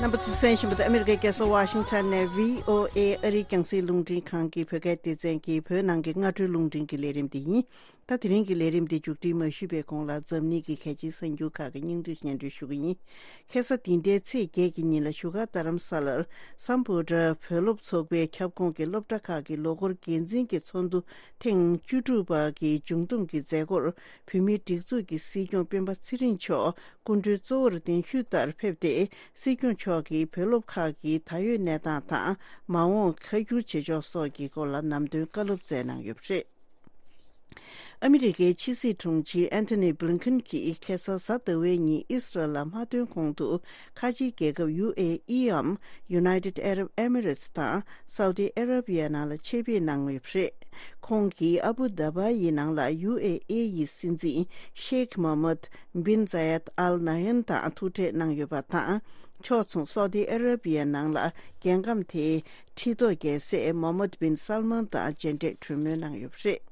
རྣམ་པ་ཚོས་གསན་བཞིན་པ་དེ་ཨ་མི་རི་ཀའི་རྒྱལ་ས་ཝ་ཤིང་ཊོན་ནས་བྷི་ཨོ་ཨེ་ཨ་རིའི་རྒྱང་སྲིང་རླུང་འཕྲིན་ཁང་གི་བོད་སྐད་སྡེ་ཚན་གྱི་བོད་ནང་གི་སྔ་དྲོའི་རླུང་འཕྲིན་གྱི་ལས་རིམ་དེ་ཡིན། ད་དེ་རིང་གི་ལས་རིམ་འདི་མཇུག་སྒྲིལ་མ་ཞུས་པའི་གོང་ལ་འཛམ་གླིང་གི་གལ་ཆེའི་གསར་འགྱུར་ཁག་གི་སྙིང་བསྡུས་སྙན་སྒྲོན་ཞུ་གི་ཡིན། ཁ་སང་འདི་ཟླའི་ཚེས་བརྒྱད་ཀྱི་ཉིན་ལ་བཞུགས་སྒར་རྡ་རམ་ས་ལར་སམ་བྷོ་ཊ་བོད་སློབ་ཚོགས་པའི་ཁྱབ་ཁོངས་ཀྱི་སློབ་གྲྭ་ཁག་གི་ལོ་འཁོར་འགན་འཛིན་གྱི་ཚོགས་འདུ་ཐེངས་བཅུ་དྲུག་པ་གི་མཇུག་བསྡོམས་ཀྱི་མཛད་སྒོར་བོད་མིའི་སྒྲིག་འཛུགས་ཀྱི་སྲིད་སྐྱོང་སྤེན་པ་ཚེ་རིང་མཆོག་སྐུ་མགྲོན་གཙོ་བོར་གདན་ཞུས་ལྟར་ཕེབས་ཏེ། སྲིད་སྐྱོང་མཆོག་གིས་བོད་སློབ་ཁག་གི་ད་ཡོད་གནས་སྟངས་དང་། མ་འོངས་ཁ་སྒྱུར་བྱེད་ཕྱོགས་སོགས་ཀྱི་སྐོར་ལ་ནམ་དོན་བཀའ་སློབ་སྩལ་གནང་ཡོད་པ་རེད། ཨ་མི་རི་ཀའི་ཕྱི་སྲིད་དྲུང་ཆེ་ཨན་ཐོ་ནི་བྷི་ལིན་ཁན་གྱིས་ཁ་སང་གཟའ་ཟླ་བའི་ཉིན་ཨི་སི་རལ་ལ་མ་ཐོན་གོང་དུ། ཁ་ཆེའི་རྒྱལ་ཁབ་ཡུ་ཨེ་ཨི་འམ་United Arab Emirates དང་སའུ་ཏི་ཨ་ར་བི་ཡ་ནང་ལ་ཆེད་ཕེབས་གནང་ཡོད་པ་རེད། ཁོང་གིས་ཨ་བུ་དཱ་བ་ཡི་ནང་ལ་ཡུ་ཨེ་ཨི་ཡི་སྲིད་འཛིན་ཤེག་མོ་མད་བིན་ཛ་ཡད་ཨལ་ན་ཧན་དང་ཐུག་འཕྲད་གནང་ཡོད་པ་དང་། ཕྱོགས་མཚུངས་སའུ་ཏི་ཨ་ར་བི་ཡ་ནང་ལ་རྒྱལ་ཁམས་དེའི་ཁྲི་ཐོག་རྒྱལ་སྲས་མོ་མད་བིན་སལ་མན་དང་མཇལ་འཕྲད་གྲོས་མོལ་གནང་ཡོད་པ་རེད།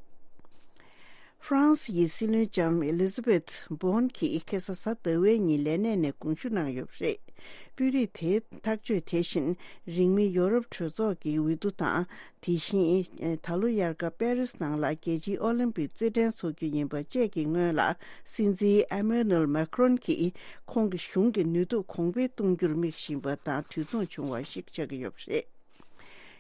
ཧྥ་རན་སི་ཡི་སྲིད་བློན་ལྕམ་ཨེ་ལི་ཛ་བེད་བྷོན་གྱིས་ཁ་སང་གཟའ་ཟླ་བའི་ཉིན་ལས་གནས་ནས་དགོངས་ཞུ་གནང་ཡོད་པ་རེད། དཔོན་རིགས་དེའི་ཐག་གཅོད་དེ་བཞིན་རིང་མིན་ཡོ་རོབ་གྲོས་ཚོགས་ཀྱི་འོས་བསྡུ་དང་། དེ་བཞིན་ད་ལོ་དབྱར་ཁ་པེ་རིས་ནང་ལ་རྒྱལ་སྤྱིའི་ཨོ་ལིམ་པིག་རྩེད་འགྲན་འཚོགས་རྒྱུ་ཡིན་པ་བཅས་ཀྱི་སྔོན་ལ། སྲིད་འཛིན་ཨེ་མེ་ནུ་ཨེལ་མེ་ཁ་རོན་གྱིས་ཁོང་གི་གཞུང་གི་ནུས་སྟོབས་གོང་འཕེལ་གཏོང་རྒྱུར་དམིགས་བཞིན་པ་དང་། དུས་མཚུངས་བྱུང་བ་ཞིག་ཆགས་ཀྱི་ཡོད་པ་རེད།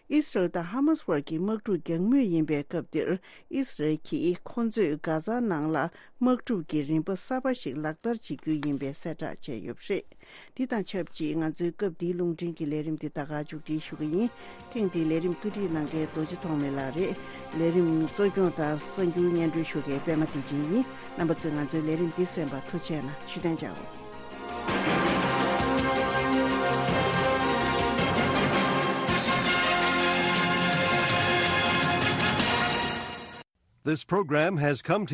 ཨི་སི་རལ་དང་ཧ་མ་སི་བར་གྱི་དམག་འཁྲུག་རྒྱག་མུས་ཡིན་པའི་སྐབས་འདིར། ཨི་སི་རལ་གྱིས་ཁོ་ཚོས་གྷ་ཛ་ནང་ལ་དམག་འཁྲུག་གི་རིམ་པ་གསར་པ་ཞིག་ལག་བསྟར་བྱེད་རྒྱུ་ཡིན་པའི་གསལ་བསྒྲགས་བྱས་ཡོད་པ་རེད། འདི་དང་ཆབས་ཅིག་ང་ཚོའི་སྐབས་འདིའི་རླུང་འཕྲིན་གྱི་ལས་རིམ་འདི་ད་ག་མཇུག་སྒྲིལ་ཞུ་གི་ཡིན། ཐེངས་འདིའི་ལས་རིམ་བཀོད་སྒྲིག་གནང་མཁན་རྡོ་རྗེ་ཐོགས་མེད་ལགས་རེད། ལས་རིམ་གཙོ་སྐྱོང་དང་གསར་འགྱུར་སྙན་སྒྲོན་ཞུ་མཁན་པད་མ་བདེ་ཆེན་ཡིན། རྣམ་པ་ཚོས་ང་ཚོའི་ལས་རིམ་འདི་གསན་པར་ཐུགས་རྗེ་གནང་། བཞུགས་གདན་འཇགས། This program has come to